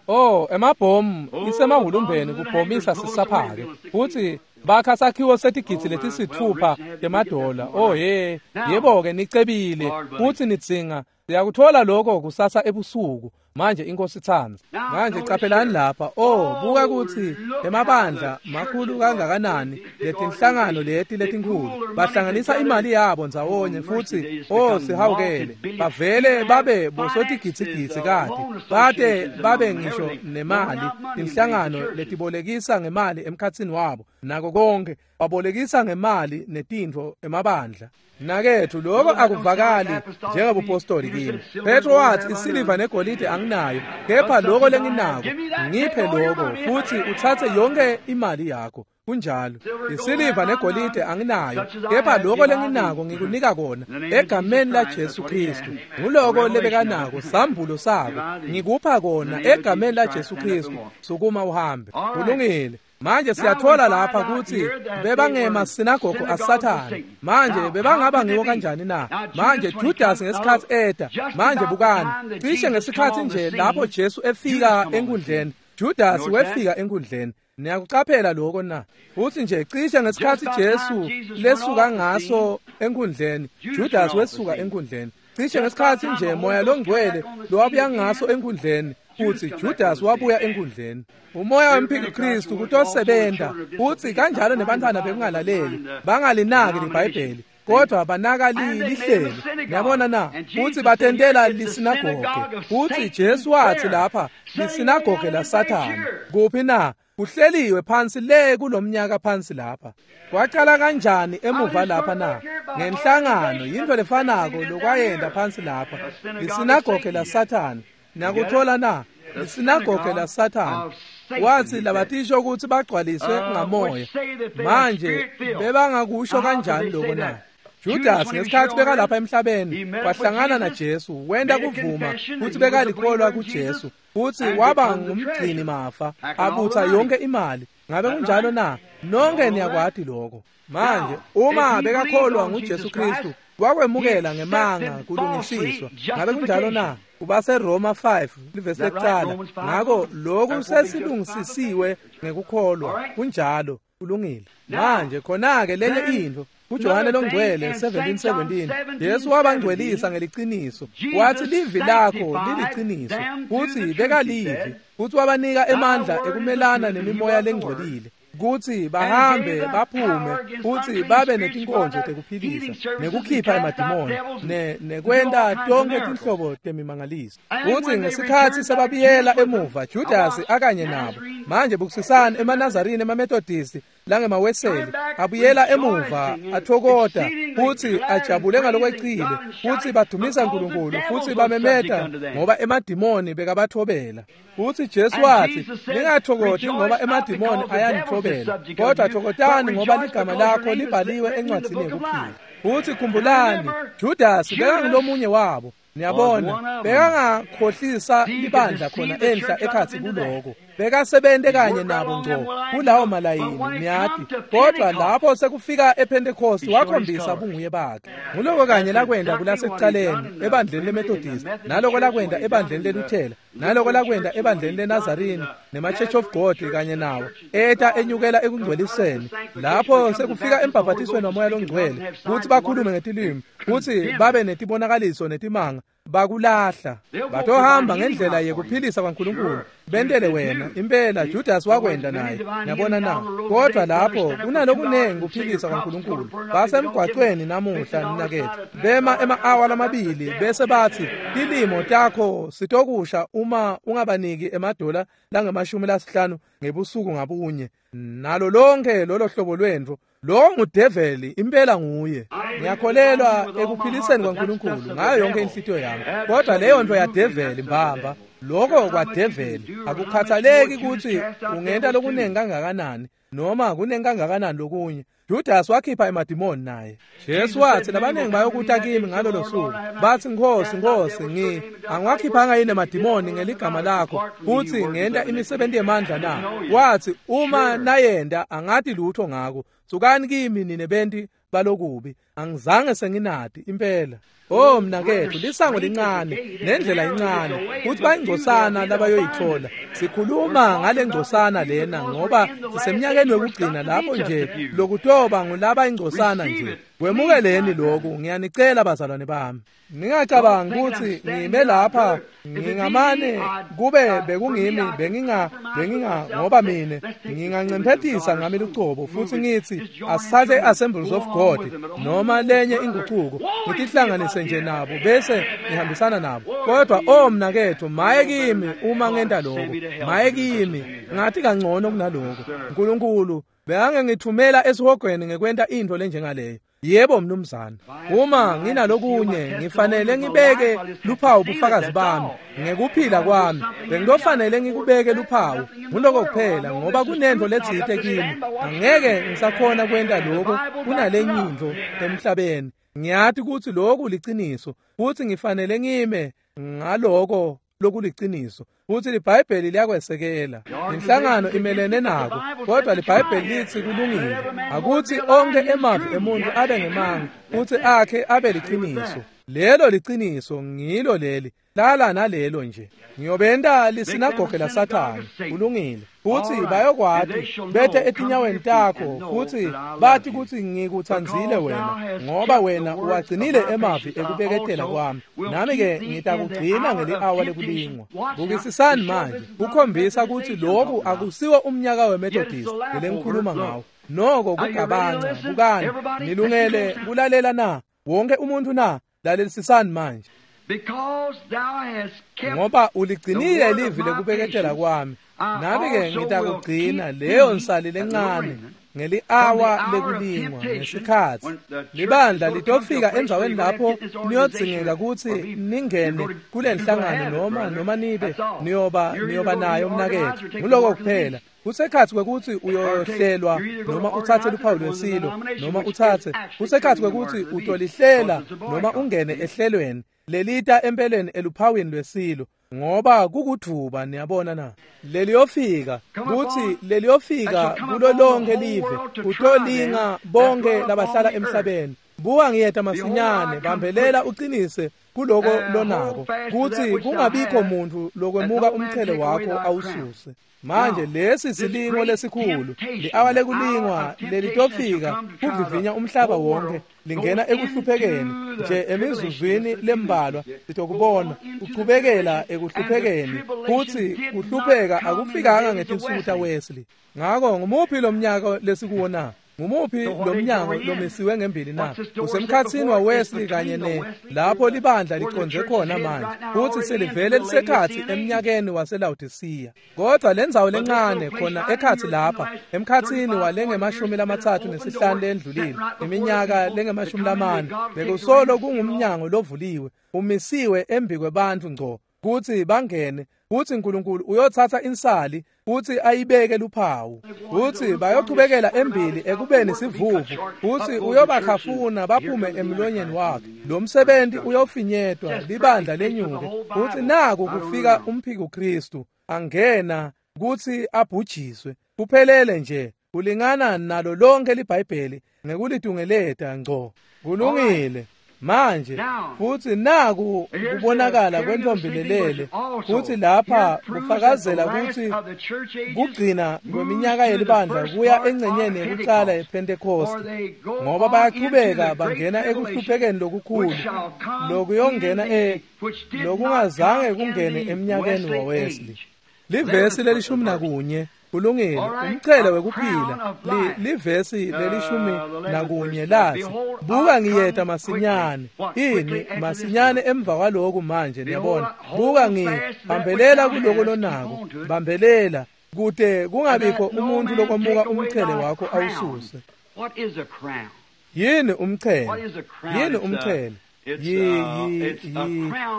Oh, emabhomu isemahulumbeni kubhomisa sisaphake futsi bakha sakhiwo setigidzi letisithupha temadola. Oh he, yebo-ke nicebile futsi nidzinga siyakuthola lokho kusasa ebusuku. Manje iNkosi itsandza. Manje caphelani lapha. Oh, buka kutsi emabandla makhulu kangakanani letinhlangano leti letinkhulu bahlanganisa imali yabo ndzawonye futsi oh sihawukele bavele babe bosotigidzigidzi kade bate babe ngisho nemali. Tinhlangano letibolekisa ngemali emkhatsini wabo nako konke babolekisa ngemali netintfo emabandla. Nakethu lokho akuvakali njengobupostoli kimi. Petro wathi isiliva negolide anginayo, kepha lokho lenginako ngiphe lokho futhi uthathe yonke imali yakho. Kunjalo, isiliva negolide anginayo, kepha lokho lenginako ngikunika kona egameni la Jesu Kristu. Nguloko lebekanako sambulo sako ngikupha kona egameni la Jesu Kristu. Sukuma uhambe. Kulungile. Manje siyathola lapha kutsi bebangemasinagogo aSathane. Manje bebangaba ngiwo kanjani na? Manje Judas ngesikhatsi eta. Manje bukani, cishe ngesikhatsi nje lapho Jesu efika enkundleni, Judas wefika enkundleni. Niyakucaphela lokho na? Futsi nje cishe ngesikhatsi Jesu lesuka ngaso enkundleni, Judas wesuka enkundleni. Cishe ngesikhatsi nje Moya loNgcwele lowabuya ngaso enkundleni, futsi Judas wabuya enkundleni. Umoya wemphikukristu kutosebenta futsi kanjalo nebantwana bekungalaleli bangalinaki liBhayibheli kodwa banaka lihlelo. Niyabona na? Futsi batentela lisinagoge. Futsi Jesu wathi lapha lisinagoge laSathane. Kuphi na? Kuhleliwe phansi le kulomnyaka phansi lapha. Kwaqala kanjani emuva lapha na? Ngenhlangano yintfo lefanako lokwayenda phansi lapha. Lisinagoge laSathane. Niyakuthola na? Lisinagoge laSathane. Wathi labatisho ukuthi bagcwaliswe ngamoya. Manje bebangakusho kanjani lokho na? Judas ngesikhatsi bekalapha emhlabeni wahlangana naJesu, wenta kuvuma kutsi bekalikholwa kuJesu futsi waba ngumgcini mafa abutsa yonke imali. Ngabe kunjalo na? Nonke niyakwati lokho. Manje uma bekakholwa nguJesu Kristu wakwemukela ngemanga kulungisiswa. Ngabe kunjalo na? Ubase Roma five livesi lekucala. Ngako lokhu sesilungisisiwe ngekukholwa. Kunjalo, kulungile. Manje khona-ke lenye intfo kuJohane loNgcwele seventeen seventeen Jesu wabangcwelisa ngeliciniso. Wathi livi lakho liliciniso. Futsi bekalivi futsi wabanika emandla ekumelana nemimoya lengcolile kutsi bahambe baphume futsi babe netinkonzo tekuphilisa nekukhipha emadimoni ne nekwenta tonke tinhlobo temimangaliso. Futsi ngesikhatsi sebabuyela emuva Judas akanye nabo. Manje bukisisani emaNazarini, emaMethodisti langemaweseli abuyela emuva athokota futsi ajabule ngalokwecile futsi badumisa uNkulunkulu futsi bamemeta ngoba emadimoni bekabathobela. Futsi Jesu wathi ningathokoti ngoba emadimoni ayanithobela, kodwa thokotani ngoba ligama lakho libhaliwe encwadzini yekuphila. Futsi khumbulani Judas bekangulomunye wabo. Niyabona, bekangakhohlisa libandla khona enhla ekhatsi kuloko. Bekasebente kanye nabo ngco kulawo malayini, niyati. Kodwa lapho sekufika ePentecost wakhombisa bunguye bakhe. Nguloko kanye lakwenda kulasekucaleni ebandleni leMethodist, naloko lakwenda ebandleni leLuthela, naloko lakwenda ebandleni leNazarene nema-Church of God kanye nawo. Eta enyukela ekungcweliseni. Lapho sekufika embhabhatisweni waMoya loNgcwele, kutsi bakhulume ngetilimi, kutsi babe netibonakaliso netimanga, bakulahla. Batohamba ngendlela yekuphilisa kwaNkulunkulu bentele wena. Impela Judas wakwenda naye, niyabona na. Kodwa lapho kunalokunengi kuphilisa kwaNkulunkulu. Basemgwacweni namuhla mnaketfu, bema ema-awa lamabili bese batsi tilimo takho sitokusha uma ungabaniki emadola langemashumi lasihlanu ngebusuku ngabunye, nalo lonke lolo hlobo lwentfo. Lo ngudeveli, impela nguye. Ngiyakholelwa ekuphiliseni kwaNkulunkulu ngayo yonke inhlitiyo yami, kodwa leyo nto yadeveli mbamba. Lokho kwadeveli. Akukhathaleki kutsi ungenta lokunengi kangakanani noma kunengi kangakanani lokunye. Judas wakhipha emadimoni naye. Jesu watsi labanengi bayokuta kimi ngalolo suku, batsi Nkhosi, Nkhosi, ngi angiwakhiphanga yini emadimoni ngeligama lakho futsi ngenta imisebenti yemandla na? Watsi uma nayenda angati lutho ngako. Sukani kimi nine benti balokubi, angizange senginati impela. Oh mnaketfu, lisango lincane nendlela incane kutsi bayingcosana labayoyitfola. Sikhuluma ngale ngcosana lena ngoba sisemnyakeni wekugcina lapho nje lokutoba ngulaba ingcosana nje. Kwemukeleni lokhu, ngiyanicela bazalwane bami. Ningacabangi kutsi ngime lapha ngingamane kube bekungimi benginga benginga ngoba mine ngingancemphetisa ngami lucobo futsi ngitsi asithathe Assemblies of God noma lenye inguquko ngitihlanganise nje nabo bese ngihambisana nabo. Kodwa oh mnaketfu, maye kimi uma ngenta lokho, maye kimi ngathi kangcono kunaloko. Nkulunkulu bekangengithumela esihogweni ngekwenta intfo lenjengaleyo. Yebo mnumzane, uma nginalokunye ngifanele ngibeke luphawu bufakazi bami ngekuphila kwami. Bengitofanele ngikubeke luphawu, nguloko kuphela, ngoba kunentfo letsite kimi. Angeke ngisakhona kwenta lokho kunalenye intfo emhlabeni. Ngiyati kutsi lokhu liciniso futsi ngifanele ngime ngaloko lokuliciniso, futsi liBhayibheli liyakwesekela. Inhlangano imelene nako, kodwa liBhayibheli litsi kulungile. Akutsi onke emavi emuntu abe ngemanga futsi akhe abe liciniso. Lelo liciniso ngilo leli, lala nalelo nje. Ngiyobenta lisinagoge laSathane, kulungile. Futsi bayokwati bete etinyaweni takho futsi bathi kutsi ngikutsandzile wena, ngoba wena uwagcinile emavi ekubeketela kwami, nami-ke ngitakugcina ngeli-awa lekulingwa. Bukisisani manje kukhombisa kutsi lokhu akusiwo umnyaka weMethodist lelengikhuluma ngawo. Noko kugabanca. Bukani, nilungele kulalela na? Wonke umuntu na? Lalelisisani manje. Ngoba uligcinile livi lekubeketela kwami, nami-ke ngitakugcina leyo nsali lencane ngeli-awa lekulingwa. Ngesikhatsi libandla litofika endzaweni lapho niyodzingeka kutsi ningene kule nhlangano noma noma nibe niyoba niyoba nayo mnaketfu. Nguloko kuphela. Kusekhatsi kwekutsi uyohlelwa noma utsatse luphawu lwesilo noma utsatse, kusekhatsi kwekutsi utolihlela noma ungene ehlelweni lelita empeleni eluphawini lwesilo, ngoba kukudvuba. Niyabona na? Leliyofika kutsi leliyofika kulo lonke live, kutolinga bonke labahlala emhlabeni. Buka ngiyeta masinyane, bambelela uqinise kuloko lonako, kutsi kungabikho muntu lokwemuka umchele wakho awususe. Manje lesi silingo lesikhulu, li-awa lekulingwa lelitofika kuvivinya umhlaba wonke, lingena ekuhluphekeni nje emizuzwini lembalwa sitokubona kuchubekela ekuhluphekeni, kutsi kuhlupheka akufikanga ngetinsuku taWesley. Ngako ngumuphi lo mnyaka lesikuwo na? Ngumuphi lo mnyango lomisiwe ngembili na? Usemkhatsini waWesley kanye ne lapho libandla liconze khona manje, kutsi selivele lisekhatsi emnyakeni waseLawodisiya. Kodwa lendzawo lencane khona ekhatsi lapha emkhatsini walengemashumi lamatsatfu nesihlanu lendlulile, iminyaka lengemashumi lamane, bekusolo kungumnyango lovuliwe umisiwe embi kwebantfu ngco kutsi bangene, kutsi Nkulunkulu uyotsatsa insali kutsi ayibeke luphawu, kutsi bayochubekela embili ekubeni sivuvu, kutsi uyobakhafuna baphume emlonyeni wakhe. Lo msebenzi uyofinyetwa, libandla lenyuke, kutsi naku kufika umphikuKristu angena kutsi abhujiswe. Kuphelele nje kulingana nalo lonke liBhayibheli ngekulitungeleta ngco. Kulungile. Manje futhi naku kubonakala kwentombi lelele, futhi lapha kufakazela kutsi kugcina kweminyaka yelibandla kuya engcenyeni yekucala yePhentekoste, ngoba bayachubeka bangena ekuhluphekeni lokukhulu lokuyongena e lokungazange kungene eminyakeni waWesley. Livesi lelishumi nakunye. Kulungile, umchele wekuphila. Livesi lelishumi nakunye lathi, buka ngiyeta masinyane. Ini masinyane emva kwaloku manje, niyabona. Buka ngibambelela kuloko lonako, bambelela kute kungabikho umuntu lokomuka umchele wakho awususe. Yini umchele? Yini umchele?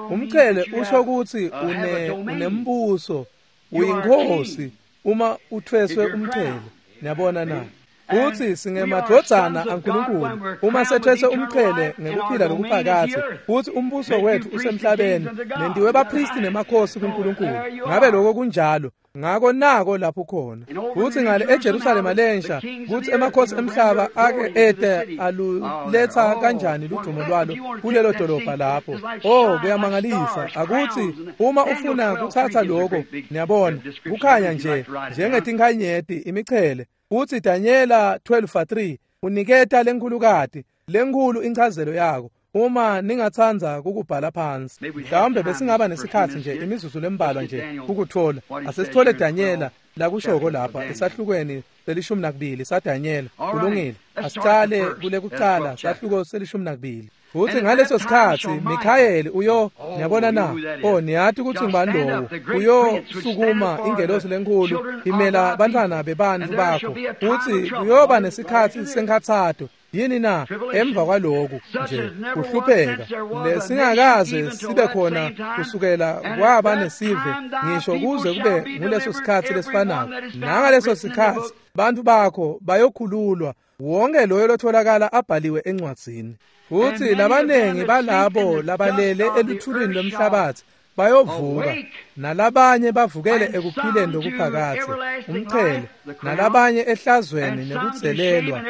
Umchele usho kutsi une unembuso, uyinkosi uma uthweswe umchele. Niyabona na? Futhi singemadvodzana aNkulunkulu uma sethweswe umchele ngekuphila lokuphakathe, futhi umbuso wethu usemhlabeni, nentiwe bapristi nemakhosi kuNkulunkulu. Ngabe lokho kunjalo? Ngako nako lapho khona. Futhi ngale eJerusalema lensha, kuthi emakhosi emhlaba ake ete aluletha kanjani ludumo lwalo kulelo dolobha lapho. Oh, kuyamangalisa. Akuthi uma ufuna kuthatha lokho, niyabona, kukhanya nje njengetinkhanyeti imichele. Futhi Daniela twelve three uniketa lenkhulukati lenkhulu inchazelo yako. Uma ningathandza kukubhala phansi, mhlawumbe besingaba nesikhatsi nje imizuzu lembalwa nje ukuthola. Asesithole Daniela lakushoko lapha esahlukweni selishumi nakubili saDaniela. Kulungile, asicale kule kucala sahluko selishumi nakubili. Futhi ngaleso sikhatsi Mikhayeli uyo, niyabona na? Oh, niyati kutsi ngubani lowo? Uyosukuma ingelosi lenkhulu imela bantfwana bebantfu bakho. Futhi kuyoba nesikhatsi senkhatsato. Yini na? Emva kwaloku nje kuhlupheka lesingakaze sibe khona kusukela kwaba nesive ngisho kuze kube nguleso sikhatsi lesifanako. Nangaleso sikhatsi bantfu bakho bayokhululwa, wonke loyo lotholakala abhaliwe encwadzini. Futhi labanengi balabo labalele eluthulini lwemhlabathi bayovuka, nalabanye bavukele ekuphileni lokuphakathe, umchele, nalabanye ehlazweni nekudzelelwa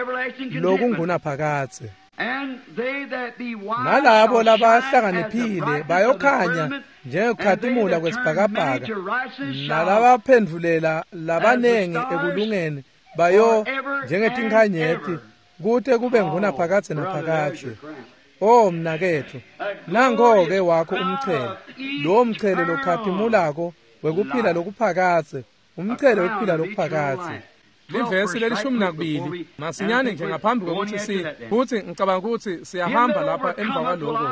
lokungunaphakathe. Nalabo labahlakaniphile bayokhanya njengekukhatimula kwesibhakabhaka, nalabaphendvulela labanengi ekulungeni bayo njengetinkhanyeti kute kube ngunaphakathe naphakathe. Oh mnaketfu, nango-ke wakho umchele, lowo mchele lokhatimulako wekuphila lokuphakathe, umchele wekuphila lokuphakathe. Livesi lelishumi nakubili masinyane nje ngaphambi kokuthi si futhi ngicabanga ukuthi siyahamba lapha emva kwaloko.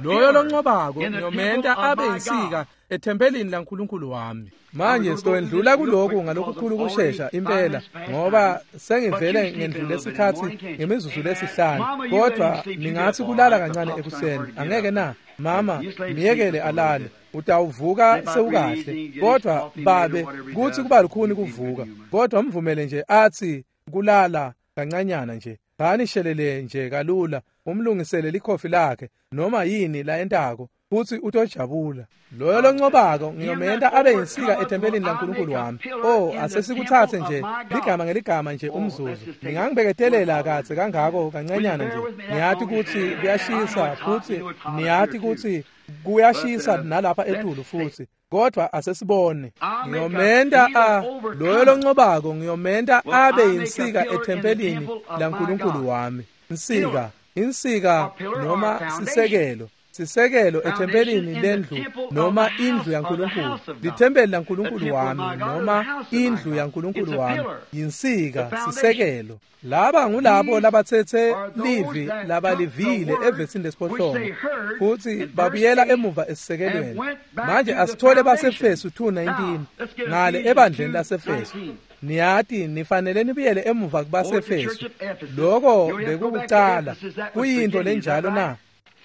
Loyo loncobako ngiyomenta abe insika ethempelini laNkulunkulu wami. Manje sitowendlula kuloku ngalokukhulu kushesha impela, ngoba sengivele ngendlule isikhatsi ngemizuzu lesihlanu. Kodwa ningathi kulala kancane ekuseni, angeke na? Mama, miyekele alale, utawuvuka sewukahle. Kodwa babe, kuthi kuba lukhuni kuvuka, kodwa mvumele nje athi kulala kancanyana nje. Bani shelele nje kalula, umlungisele likhofi lakhe noma yini la entako, futhi utojabula. Loyo loncobako ngiyomenta abe insika ethempelini laNkulunkulu wami. Oh, asesikuthathe nje ligama ngeligama nje umzuzu. Ningangibeketelela katse kangako kancanyana nje. Niyati kutsi kuyashisa futhi niyati kutsi kuyashisa nalapha etulu futhi. Kodwa asesibone. Ngiyomenta a loyo loncobako ngiyomenta abe insika ethempelini laNkulunkulu wami. Insika, insika noma sisekelo. Sisekelo ethempelini lendlu noma indlu yaNkulunkulu. Lithempeli laNkulunkulu wami noma indlu yaNkulunkulu wami. Yinsika, sisekelo. Laba ngulabo labathethe livi labalivile evesini lesiphohlongo futhi babuyela emuva esisekelweni. Manje asithole baseFesu two nineteen ngale ebandleni laseFesu. Niyati nifanele nibuyele emuva kubaseFesu. Lokho bekukucala. Kuyinto lenjalo na?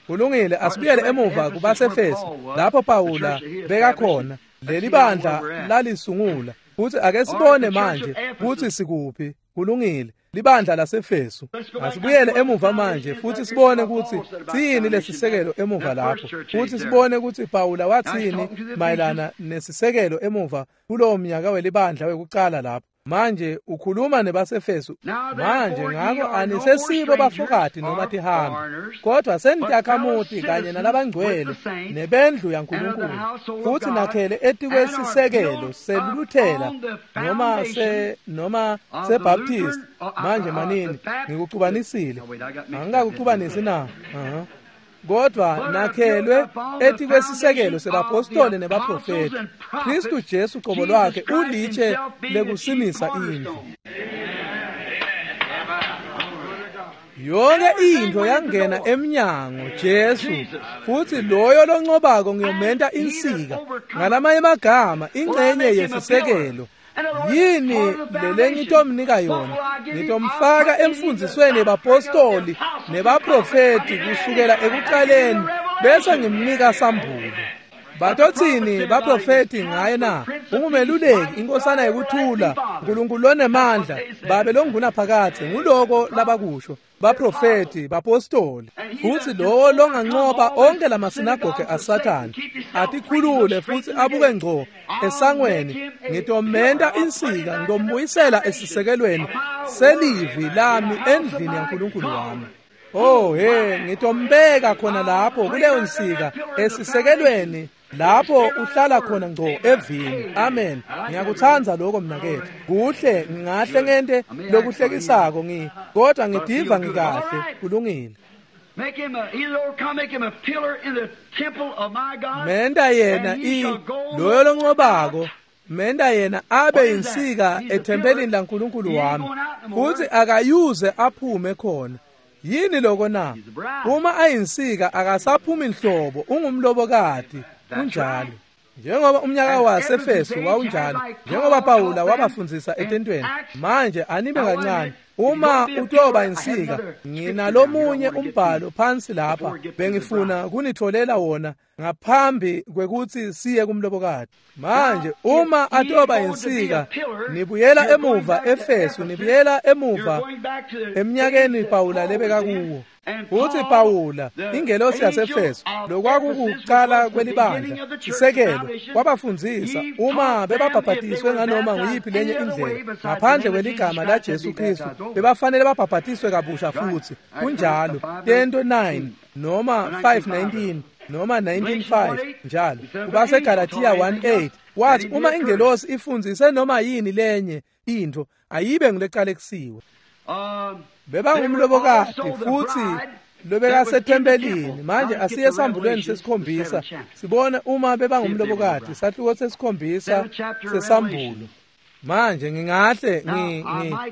Kulungile, asibuyele emuva kubaseFesu lapho Pawula bekakhona. Leli bandla lalisungula. Futhi ake sibone manje kuthi sikuphi. Kulungile. Libandla laseFesu. Asibuyele emuva manje futhi sibone ukuthi siyini lesisekelo emuva lapho. Futhi sibone ukuthi Pawula wathini mayelana nesisekelo emuva kulowo mnyaka welibandla wekuqala lapho. Manje ukhuluma nebaseFesu. Manje ngako anisesibo bafokati noma tihambi, kodwa senitakhamuti kanye nalabangcwele nebendlu yaNkulunkulu, futhi nakhele etikwesisekelo seLuthela noma se noma seBaptist. Manje manini ngikucubanisile, angikakucubanisi na? Uh-huh. Kodwa nakhelwe etikwesisekelo sebapostoli nebaprofeti, Kristu Jesu qobo lwakhe ulitshe lekusimisa indlu. Yonke into yangena emnyango Jesu, futhi loyo loncobako ngiyomenta insika. Ngalamanye amagama, ingcenye yesisekelo. Yini lele ngitomnika yona? Ngitomfaka emfundzisweni yebapostoli nebaprofeti kusukela ekuqaleni, bese ngimnika sambulo. Batothini baprofeti ngaye na? Ungumeluleki, inkosana yekuthula, uNkulunkulu lonemandla, babe longunaphakadze. Nguloko labakusho baprofeti, bapostoli. Futhi lowo longanqoba onke lamasinagoge aSathane, atikhulule futhi abuke ngco esangweni, ngitomenta insika, ngitombuyisela esisekelweni selivi lami endlini yaNkulunkulu wami. Oh hey, ngitombeka khona lapho kuleyo nsika esisekelweni lapho uhlala khona ngco evini. Amen. Ngiyakuthanda lokho mnakethu. Kuhle, ngingahle ngente lokuhlekisako ngi, kodwa ngidiva ngikahle. Kulungile. Make him a, he'll overcome, make him a pillar in the temple of my God. Menta yena i loyo lonqobako, menta yena abe insika ethempelini laNkulunkulu wami, futhi akayuze aphume khona. Yini lokho na? Uma ayinsika akasaphumi inhlobo, ungumlobokati. Kunjalo. Njengoba umnyaka waseFesu wawunjalo, njengoba Pawula wabafundzisa etentweni. Manje anibe kancane, uma utoba insika, nginalomunye umbhalo phansi lapha bengifuna kunitholela wona ngaphambi kwekuthi siye kumlobokati. Manje uma atoba insika, nibuyela emuva eFesu, nibuyela emuva eminyakeni Pawula lebeka kuwo. Futhi Pawula, ingelosi yaseFesu, lokwakukuqala kwelibandla, sisekelo, wabafundzisa uma bebabhabhatiswe nganoma nguyiphi lenye indlela ngaphandle kweligama la Jesu Kristu, bebafanele babhabhatiswe kabusha futhi. Kunjalo. Tento nine noma five nineteen noma nineteen five njalo. KubaseGalatia one eight wathi uma ingelosi ifundzise noma yini lenye into, ayibe nguleqalekisiwe. Bebangumlobokati futhi lobekasethempelini. Manje asiye esambulweni sesikhombisa sibone uma bebangumlobokati. Sahluko sesikhombisa sesambulo. Manje ngingahle ngi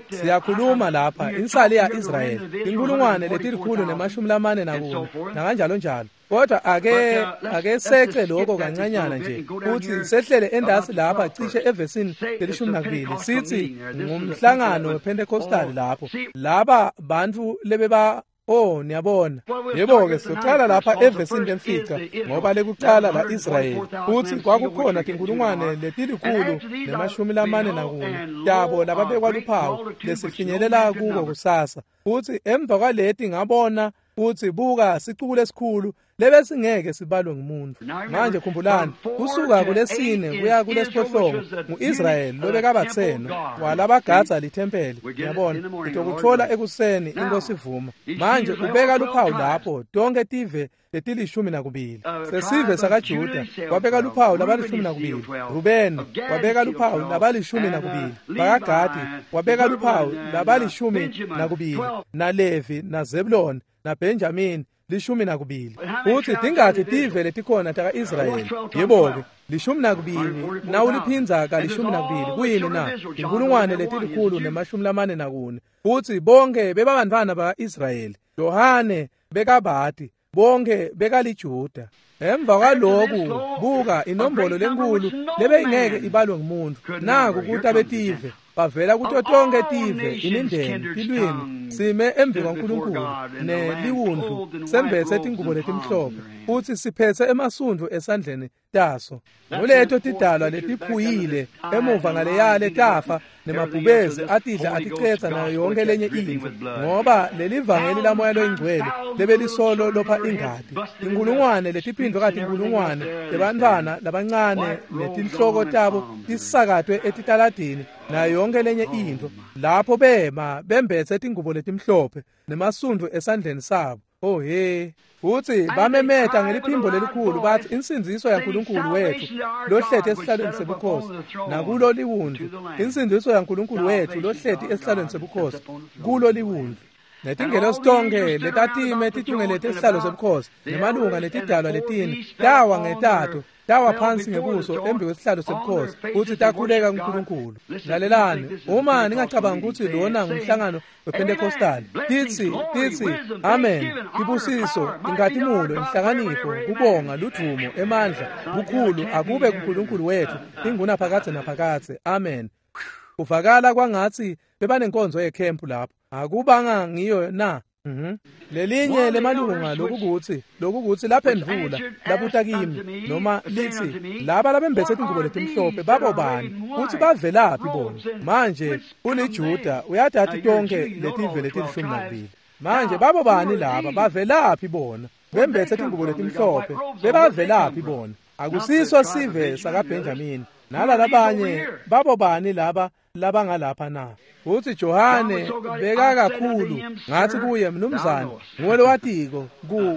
siyakhuluma lapha insali ya-Israyeli, inkulungwane letilikhulu nemashumi lamane nakune nakanjalo njalo. Kodwa ake ake sece lokho kancanyana nje futhi sehlele endasi lapha cishe evesini lelishumi nakubili, sithi ngumhlangano wePentecostal lapho laba bantu lebeba. Oh, niyabona. Yebo-ke siqala lapha evesini lemfica, ngoba lekuqala la Israyeli futhi kwakukhona tinkulungwane letilikhulu nemashumi lamane nakune tabo lababekwa luphawu lesifinyelela kuko kusasa. Futhi emva kwaleti ngabona futhi buka sicuku lesikhulu lebesingeke sibalwe ngumuntu. Manje khumbulani, kusuka kulesine kuya kulesiphohlongo nguIsrayeli lobekabatheno walabagadza lithempeli. Ngiyabona ngitokuthola ekuseni inkosi ivuma. Manje ubeka luphawu lapho tonke tive letilishumi nakubili. Sesive sakaJuda wabeka luphawu labalishumi nakubili, Rubeni wabeka luphawu labalishumi nakubili, bakaGadi wabeka luphawu labalishumi nakubili, naLevi naZebulon naBenjamin lishumi nakubili. Futhi tingakhi tive letikhona taka-Israyeli? Yebo-ke, lishumi nakubili nawuliphindza kalishumi nakubili kuyini na? Inkulungwane letilikhulu nemashumi lamane nakune. Futhi bonke bebabantwana baka-Israyeli. Yohane bekabati, bonke bekaliJuda. Emva kwaloku buka inombolo lenkulu lebeyingeke ibalwe ngumuntu. Naku kuta betive bavela kuto tonke tive, imindeni, tilwimi, sime embi kwaNkulunkulu neliwundlu, sembethe tingubo letimhlophe futhi siphethe emasundvu esandleni taso. Nguleto tidalwa letiphuyile emuva ngaleyale tafa Nemabhubezi atidla aticetsa nayo yonke lenye intfo, ngoba lelivangeli lamoya loyingcwele lebelisolo lopha ingati. Inkulungwane letiphindvwe katinkulungwane tebantfwana labancane netinhloko tabo tisakatwe etitaladini nayo yonke lenye intfo, lapho bema bembetse tingubo letimhlophe nemasundvu esandleni sabo. Oh he, futsi bamemeta ngeliphimbo lelikhulu bathi, insindziso yaNkulunkulu wethu lohleti esihlalweni sebukhosi nakulo liwundlu, insindziso yaNkulunkulu wethu lohleti esihlalweni sebukhosi kulo liwundlu. Netingelosi tonkhe letatime titungelete esihlalo sebukhosi nemalunga netidalwa letine tawa ngetato, tawa phansi ngebuso embi kwesihlalo sebukhosi futsi takhuleka kuNkulunkulu. Lalelani, uma ningacabanga ukuthi lona ngumhlangano wePentecostal, titsi titsi amen, tibusiso, inkhatimulo, inhlakanipho, kubonga, ludvumo, emandla, bukhulu akube kuNkulunkulu wethu ingunaphakadze naphakadze, amen. Kuvakala kwangatsi bebanenkonzo yekhempu lapho, akubanga ngiyo na? Mhm. Lelinye lemalunga lokukuthi lokukuthi laphendvula labuta kimi noma lithi, laba labembethe tingubo letimhlophe babo bani futsi bavelaphi bona? Manje uliJuda, uyatati tonkhe letive letilishumi nakubili. Manje babo bani laba, bavelaphi bona? Bembethe tingubo letimhlophe bebavelaphi bona? Akusiso sive sakaBenjamini nalalabanye, babo bani laba labangalapha na? Futsi Johane bekakakhulu, ngathi kuye, mnumzane, nguwe lowatiko,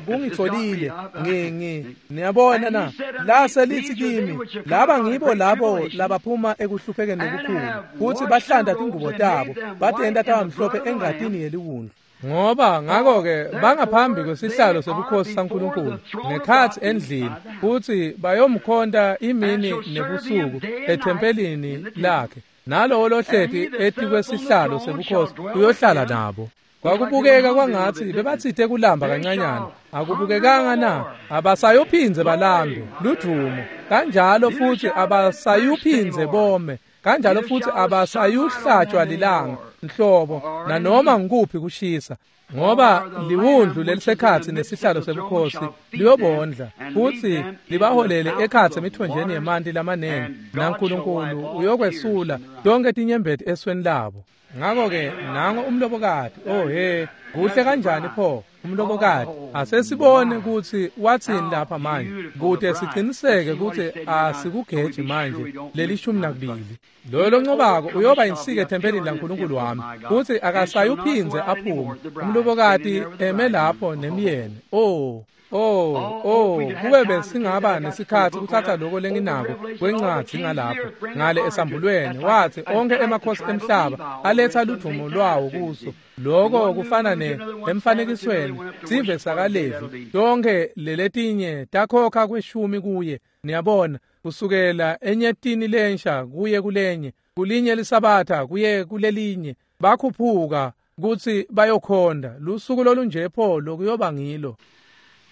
kungitfolile, ngi ngi niyabona na? Lase lithi kimi, laba ngibo labo labaphuma ekuhluphekeni lokukhulu, futsi bahlanta tingubo tabo, batenta taba mhlophe engatini yeliwundlu. Ngoba ngakho-ke bangaphambi kwesihlalo sebukhosi saNkulunkulu ngekhatsi endlini, futsi bayomkhonta imini nebusuku ethempelini lakhe, nalowo lohleti etikwesihlalo sebukhosi uyohlala nabo. Kwakubukeka kwangatsi bebatsite kulamba kancanyana, akubukekanga na? Abasayophindze balambe, ludvumo, kanjalo futsi abasayuphindze bome, kanjalo futsi abasayuhlatshwa lilanga nhlobo nanoma ngikuphi kushisa, ngoba liwundlu lelisekhatsi nesihlalo sebukhosi liyobondla futsi libaholele ekhatsi emithonjeni yemanti lamanengi, naNkulunkulu uyokwesula tonkhe tinyembeti esweni labo. Ngakho-ke nango umlobokati. Oh he, kuhle kanjani pho umlobokati. Asesibone kutsi watsini lapha manje, kute siciniseke kutsi asikugeji manje lelishumi nakubili. Loyo loncobako uyoba insika ethempelini laNkulunkulu wami, futsi akasayuphindze aphume. Umlobokati eme lapho nemyeni. Oh Oh, oh, kube besingaba nesikhatsi kutsatsa loko lenginako kwencwadzi ngalapho ngale esambulweni. Wathi onke emakhosi emhlaba aletha ludvumo lwawo kuso. Loko kufana ne emfanekisweni sive sakaLevi, tonke leletinye takhokha kweshumi kuye. Niyabona, kusukela enyetini lensha kuye kulenye, kulinye lisabatha kuye kulelinye, bakhuphuka kutsi bayokhonda. Lusuku lolunje pho lokuyoba ngilo.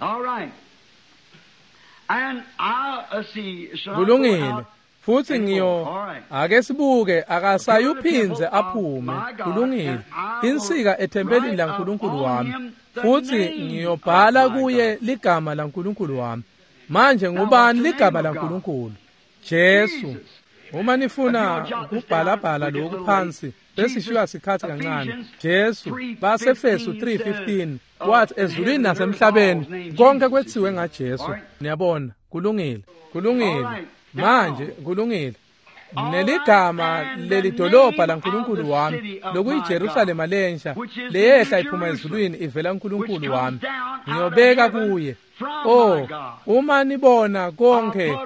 All right. And I see, kulungile futsi ngiyo ake sibuke akasayuphindze aphume. Kulungile, insika ethempelini laNkulunkulu wami, futsi ngiyobhala kuye ligama laNkulunkulu wami. Manje ngubani ligama laNkulunkulu? Jesu. Uma nifuna ukubhalabhala lokhu phansi besishiywa sikhathi kancane. Jesu, baseFesu three fifteen wathi ezulwini nasemhlabeni konke kwetsiwe ngaJesu. Niyabona, kulungile, kulungile. Manje kulungile. Neligama lelidolobha laNkulunkulu wami lokuyiJerusalema lensha leyehla iphuma ezulwini ivela kuNkulunkulu wami, ngiyobeka kuye. Oh, uma nibona konke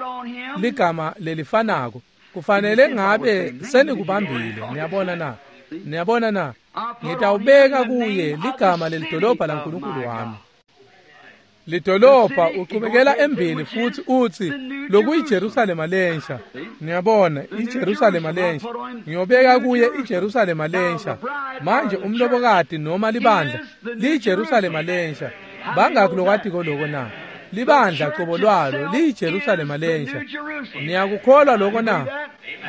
ligama lelifanako, kufanele ngabe senikubambile. Niyabona na? Niyabona na? Ngitawubeka kuye ligama lelidolobha laNkulunkulu wami. Lidolobha uchubekela embili futhi uthi lokuyiJerusalema lensha. Niyabona, iJerusalema lensha, ngiyobeka kuye iJerusalema lensha. Manje umlobokati noma libandla liyiJerusalema lensha. Bangakhi lokwatiko loko na? Libandla qobo lwalo liyiJerusalema lensha. Niyakukholwa loko na?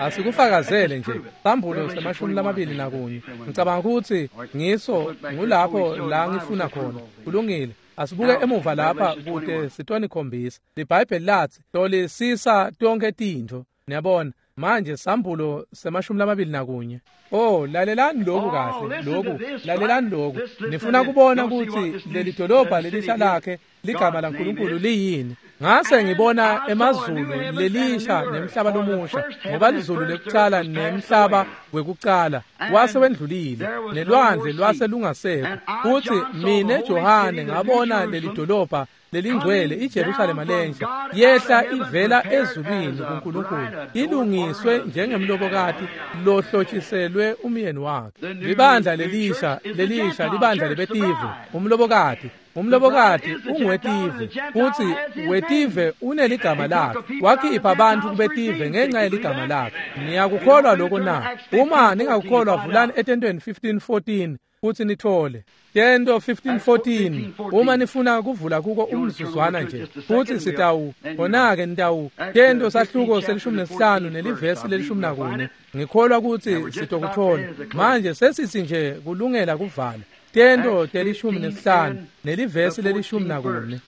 Asikufakazele nje. Sambulo semashumi lamabili nakunye. Ngicabanga ukuthi ngiso ngulapho la ngifuna khona. Kulungile. Asibuke emuva lapha kute sitonikhombisa. LiBhayibheli lathi hlolisisa tonke tintfo. Niyabona, Manje sambulo semashumi lamabili nakunye. Oh, lalelani lokhu kahle, lokhu, lalelani lokhu. Nifuna kubona kutsi leli dolobha lelisha lakhe ligama laNkulunkulu liyini. Ngase ngibona emazulu lelisha nemhlaba lomusha, ngoba lizulu lekucala nemhlaba wekucala wase wendlulile, nelwandle lwase lungasekho. Futhi mine Johane ngabona leli dolobha lelingcwele iJerusalema lensha yehla ivela ezulwini kuNkulunkulu, ilungiswe njengemlobokati lohlotshiselwe umyeni wakhe. Libandla lelisha lelisha libandla lebetive, umlobokati umlobokati unguwetive, futhi wetive uneligama lakhe. Wakhipha abantu kubetive ngenxa yeligama lakhe. Niyakukholwa lokho na? Uma ningakukholwa, vulani etentweni fifteen fourteen futhi nithole Tento fifteen fourteen. Uma nifuna kuvula kuko umzuzwana nje, futhi sitawu khona-ke nitawu Tento sahluko selishumi nesihlanu nelivesi lelishumi nakune. Ngikholwa ukuthi sitokuthola. Manje sesithi nje kulungela kuvala. Tento telishumi nesihlanu nelivesi lelishumi nakune.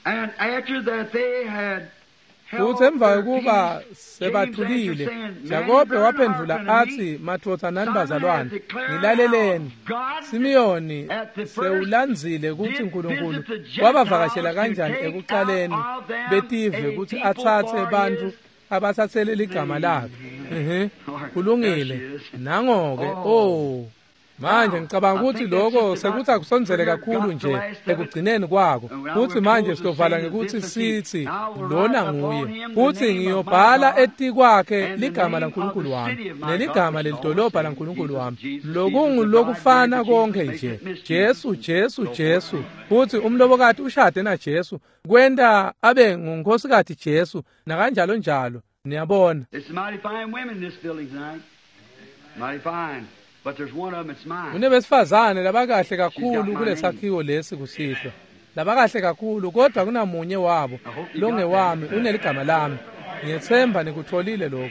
And after that they had Futhi emva kokuba sebathulile, Jakobe waphendula athi, "Madvodza nani bazalwane, ngilaleleni. Simiyoni sewulandzile kutsi uNkulunkulu wabavakashela kanjani ekucaleni betive kutsi atsatse bantfu abatsatsele ligama lakhe." Mhm. Kulungile. Nangoke, oh. Manje ngicabanga ukuthi lokho sekuthi akusondzele kakhulu nje ekugcineni kwako. Futhi manje sizovala ngekuthi sithi lona nguye. Futhi ngiyobhala etikwakhe ligama laNkulunkulu wami neligama lelidolobha laNkulunkulu wami. Lokungulokufana konke nje. Jesu, Jesu, Jesu. Futhi umlobokati ushade na Jesu, kwenta abe ngunkosikazi Jesu nakanjalo njalo. Niyabona. It's mighty fine women in this building tonight. Mighty fine. But there's one of them, it's mine. Kunebesifazane labakahle kakhulu kulesakhiwo lesi kusihlwa. Labakahle kakhulu, kodwa kunamunye wabo longewami, uneligama lami. Ngiyethemba nikutholile lokho.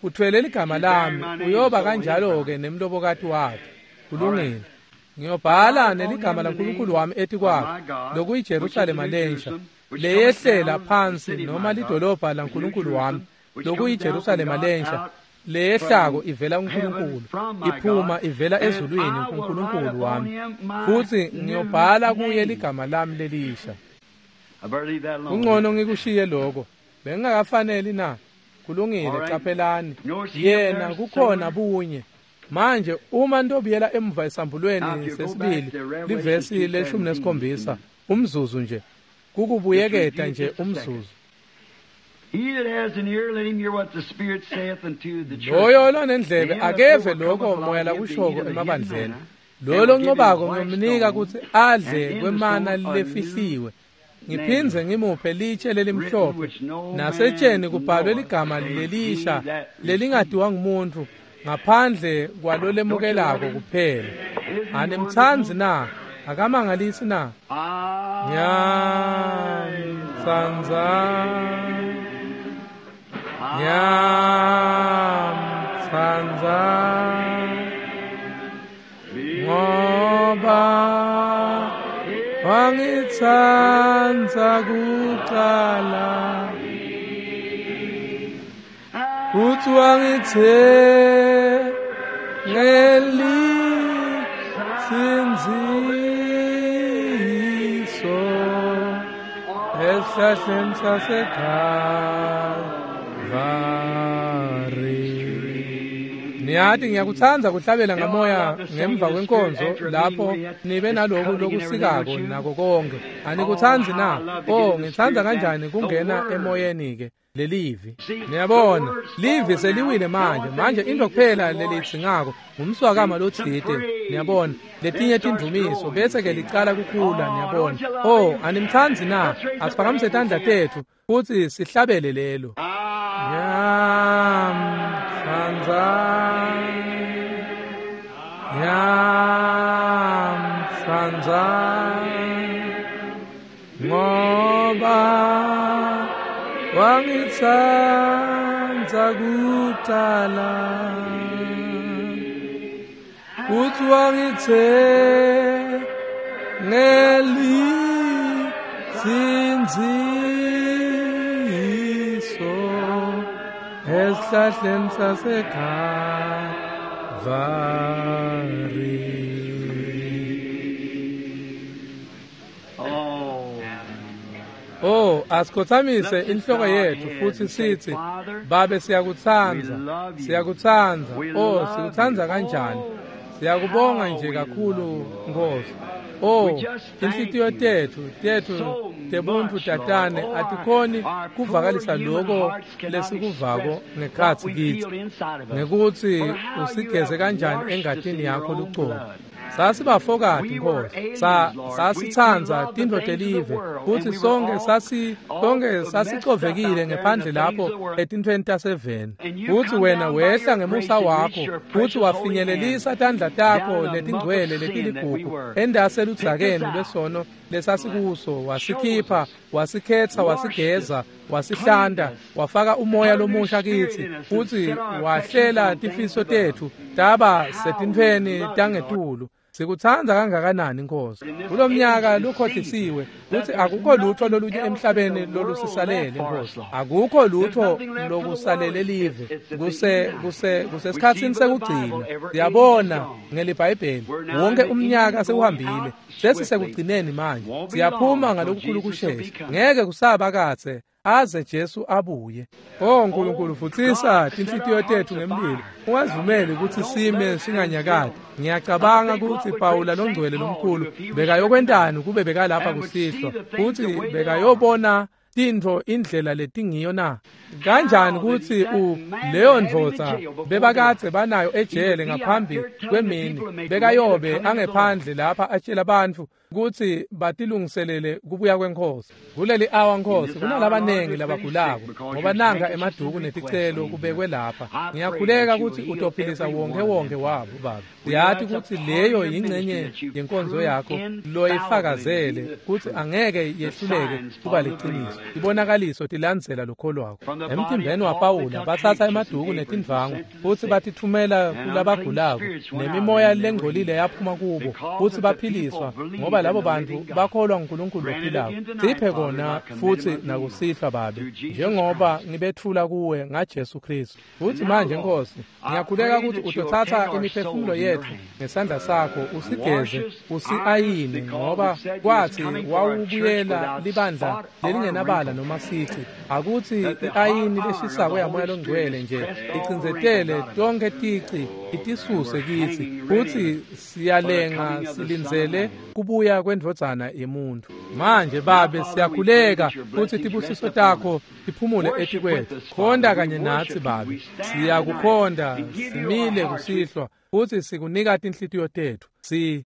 Uthwele ligama lami, uyoba kanjalo ke nemlobokati wakhe. Kulungile. Ngiyobhala neligama laNkulunkulu wami etikwakhe, lokuyiJerusalema lensha, leyehlela phansi noma lidolobha laNkulunkulu wami, lokuyiJerusalema lensha, leyehlako ivela kuNkulunkulu, iphuma ivela ezulwini kuNkulunkulu wami. Futhi ngiyobhala kuye ligama lami lelisha. Kungcono ngikushiye lokho. Bengingakafaneli na? Kulungile, qaphelani. Yena kukhona bunye. Manje uma nitobuyela emuva esambulweni sesibili, livesi leshumi nesikhombisa, umzuzu nje, kukubuyeketa nje umzuzu. He that has an ear, let him hear what the Spirit saith unto the church. Loyo lonendlebe akeve lokho moya lakushoko emabandleni. Loyo loncobako ngiyomnika kutsi adle kwemana lefihliwe. Ngiphindze ngimuphe litshe lelimhlophe, nasetsheni kubhalwe ligama lelisha lelingadiwa ngumuntu ngaphandle kwalolemukelako kuphela. Animtsandzi na? Akamangalisi na? Ngiyamtsandza, ngiyamtsandza, ngoba wangitsandza kucala, futhi wangithengelinsindziso esihlahleni saseKalvari. Niyati ngiyakutsandza kuhlabela ngamoya ngemva kwenkonzo lapho nibe naloku lokusikako nako konke. Anikutsandzi na? Oh, ngitsandza kanjani kungena emoyeni ke lelivi. Niyabona, livi seliwile manje. Manje into kuphela lelitsingako ngumswakama lotsite. Niyabona, letinye tindumiso bese ke licala kukhula. Niyabona. Oh, animtsandzi na? Asiphakamise tandla tetfu futsi sihlabele lelo. Ngiyamtsandza, ngiyamtsandza, ngoba wangitsandza kucala, futhi wangithengelinsindziso Esihlahleni saseKalvari. Oh, asikhothamise inhloko yethu futhi sithi, Babe siyakutsandza, siyakutsandza. Oh, sikutsandza kanjani? Siyakubonga nje kakhulu Nkosi. Oh, inhlitiyo tethu, tethu tebuntu tatane atikhoni kuvakalisa lokho lesikuvako ngekhatsi kitsi, ngekutsi usigeze kanjani engatini yakho lucobo. Sasibafokati Nkosi, sa sasitsandza tintfo telive, futsi sonke sasi sonke sasicovekile ngephandle lapho etintfweni taseveni. Futsi wena wehla ngemusa wakho, futsi wafinyelelisa tandla takho letingcwele letiligugu endaseludzakeni lwesono lesasikuso, wasikhipha, wasikhetsa, wasigeza, wasihlanta, wafaka umoya lomusha kitsi, futsi wahlela tifiso tetfu taba setintfweni tangetulu. Sikutsandza kangakanani Nkosi. Kulomnyaka lukhohlisiwe kutsi akukho lutho lolunye emhlabeni lolusisalele Nkosi. Akukho lutho lokusalele live. Kuse kuse kusesikhatsini sekugcina. Siyabona ngeliBhayibheli wonke umnyaka sewuhambile. Sesisekugcineni manje. Siyaphuma ngalokukhulu kushesha. Ngeke kusaba katse aze Jesu abuye. Oh Nkulunkulu, futsisa tinhlitiyo tetfu ngemlilo. Ungazivumeli kutsi sime singanyakati. Ngiyacabanga kutsi Pawula longcwele lomkhulu bekayokwentani kube bekalapha kusihlwa, kutsi bekayobona tintfo indlela letingiyo na. Kanjani kutsi u leyo ndvodza bebakadze banayo ejele ngaphambi kwemini bekayobe angephandle lapha atshela bantfu kutsi batilungiselele kubuya kweNkhosi. Kuleli awa Nkosi kunalabanengi labagulako, ngoba nanka emaduku neticelo kubekwe lapha. Ngiyakhuleka kutsi utophilisa wonke wonke wabo Baba. Siyati kutsi leyo yingcenye yenkonzo yakho loyifakazele kutsi angeke yehluleke kuba liciniso. Tibonakaliso tilandzela lokholwako. Emtimbeni waPawula batsatsa emaduku netindvangu futsi batitfumela kulabagulako, nemimoya lengcolile yaphuma kubo futsi baphiliswa, ngoba labo bantu bakholwa nguNkulunkulu lophilako. Siphe kona futsi nakusihlwa Babe, njengoba ngibetfula kuwe ngaJesu Kristu. Futsi manje Nkosi, ngiyakhuleka kutsi utotsatsa imiphefumulo yetfu ngesandla sakho, usigeze, usiayine, ngoba kwatsi wawubuyela libandla lelingenabala noma sici. Akutsi iayini leshisako yaMoya loNgcwele nje icindzetele tonkhe tici itisuse kitsi, futsi siyalenga silindzele kubuya kwendvodzana yemuntu. Manje Babe siyakhuleka kutsi tibusiso takho tiphumule etikwetfu. Khonda kanye natsi Babe, siyakukhonda simile kusihlwa futsi sikunika tinhlitiyo tetfu. Si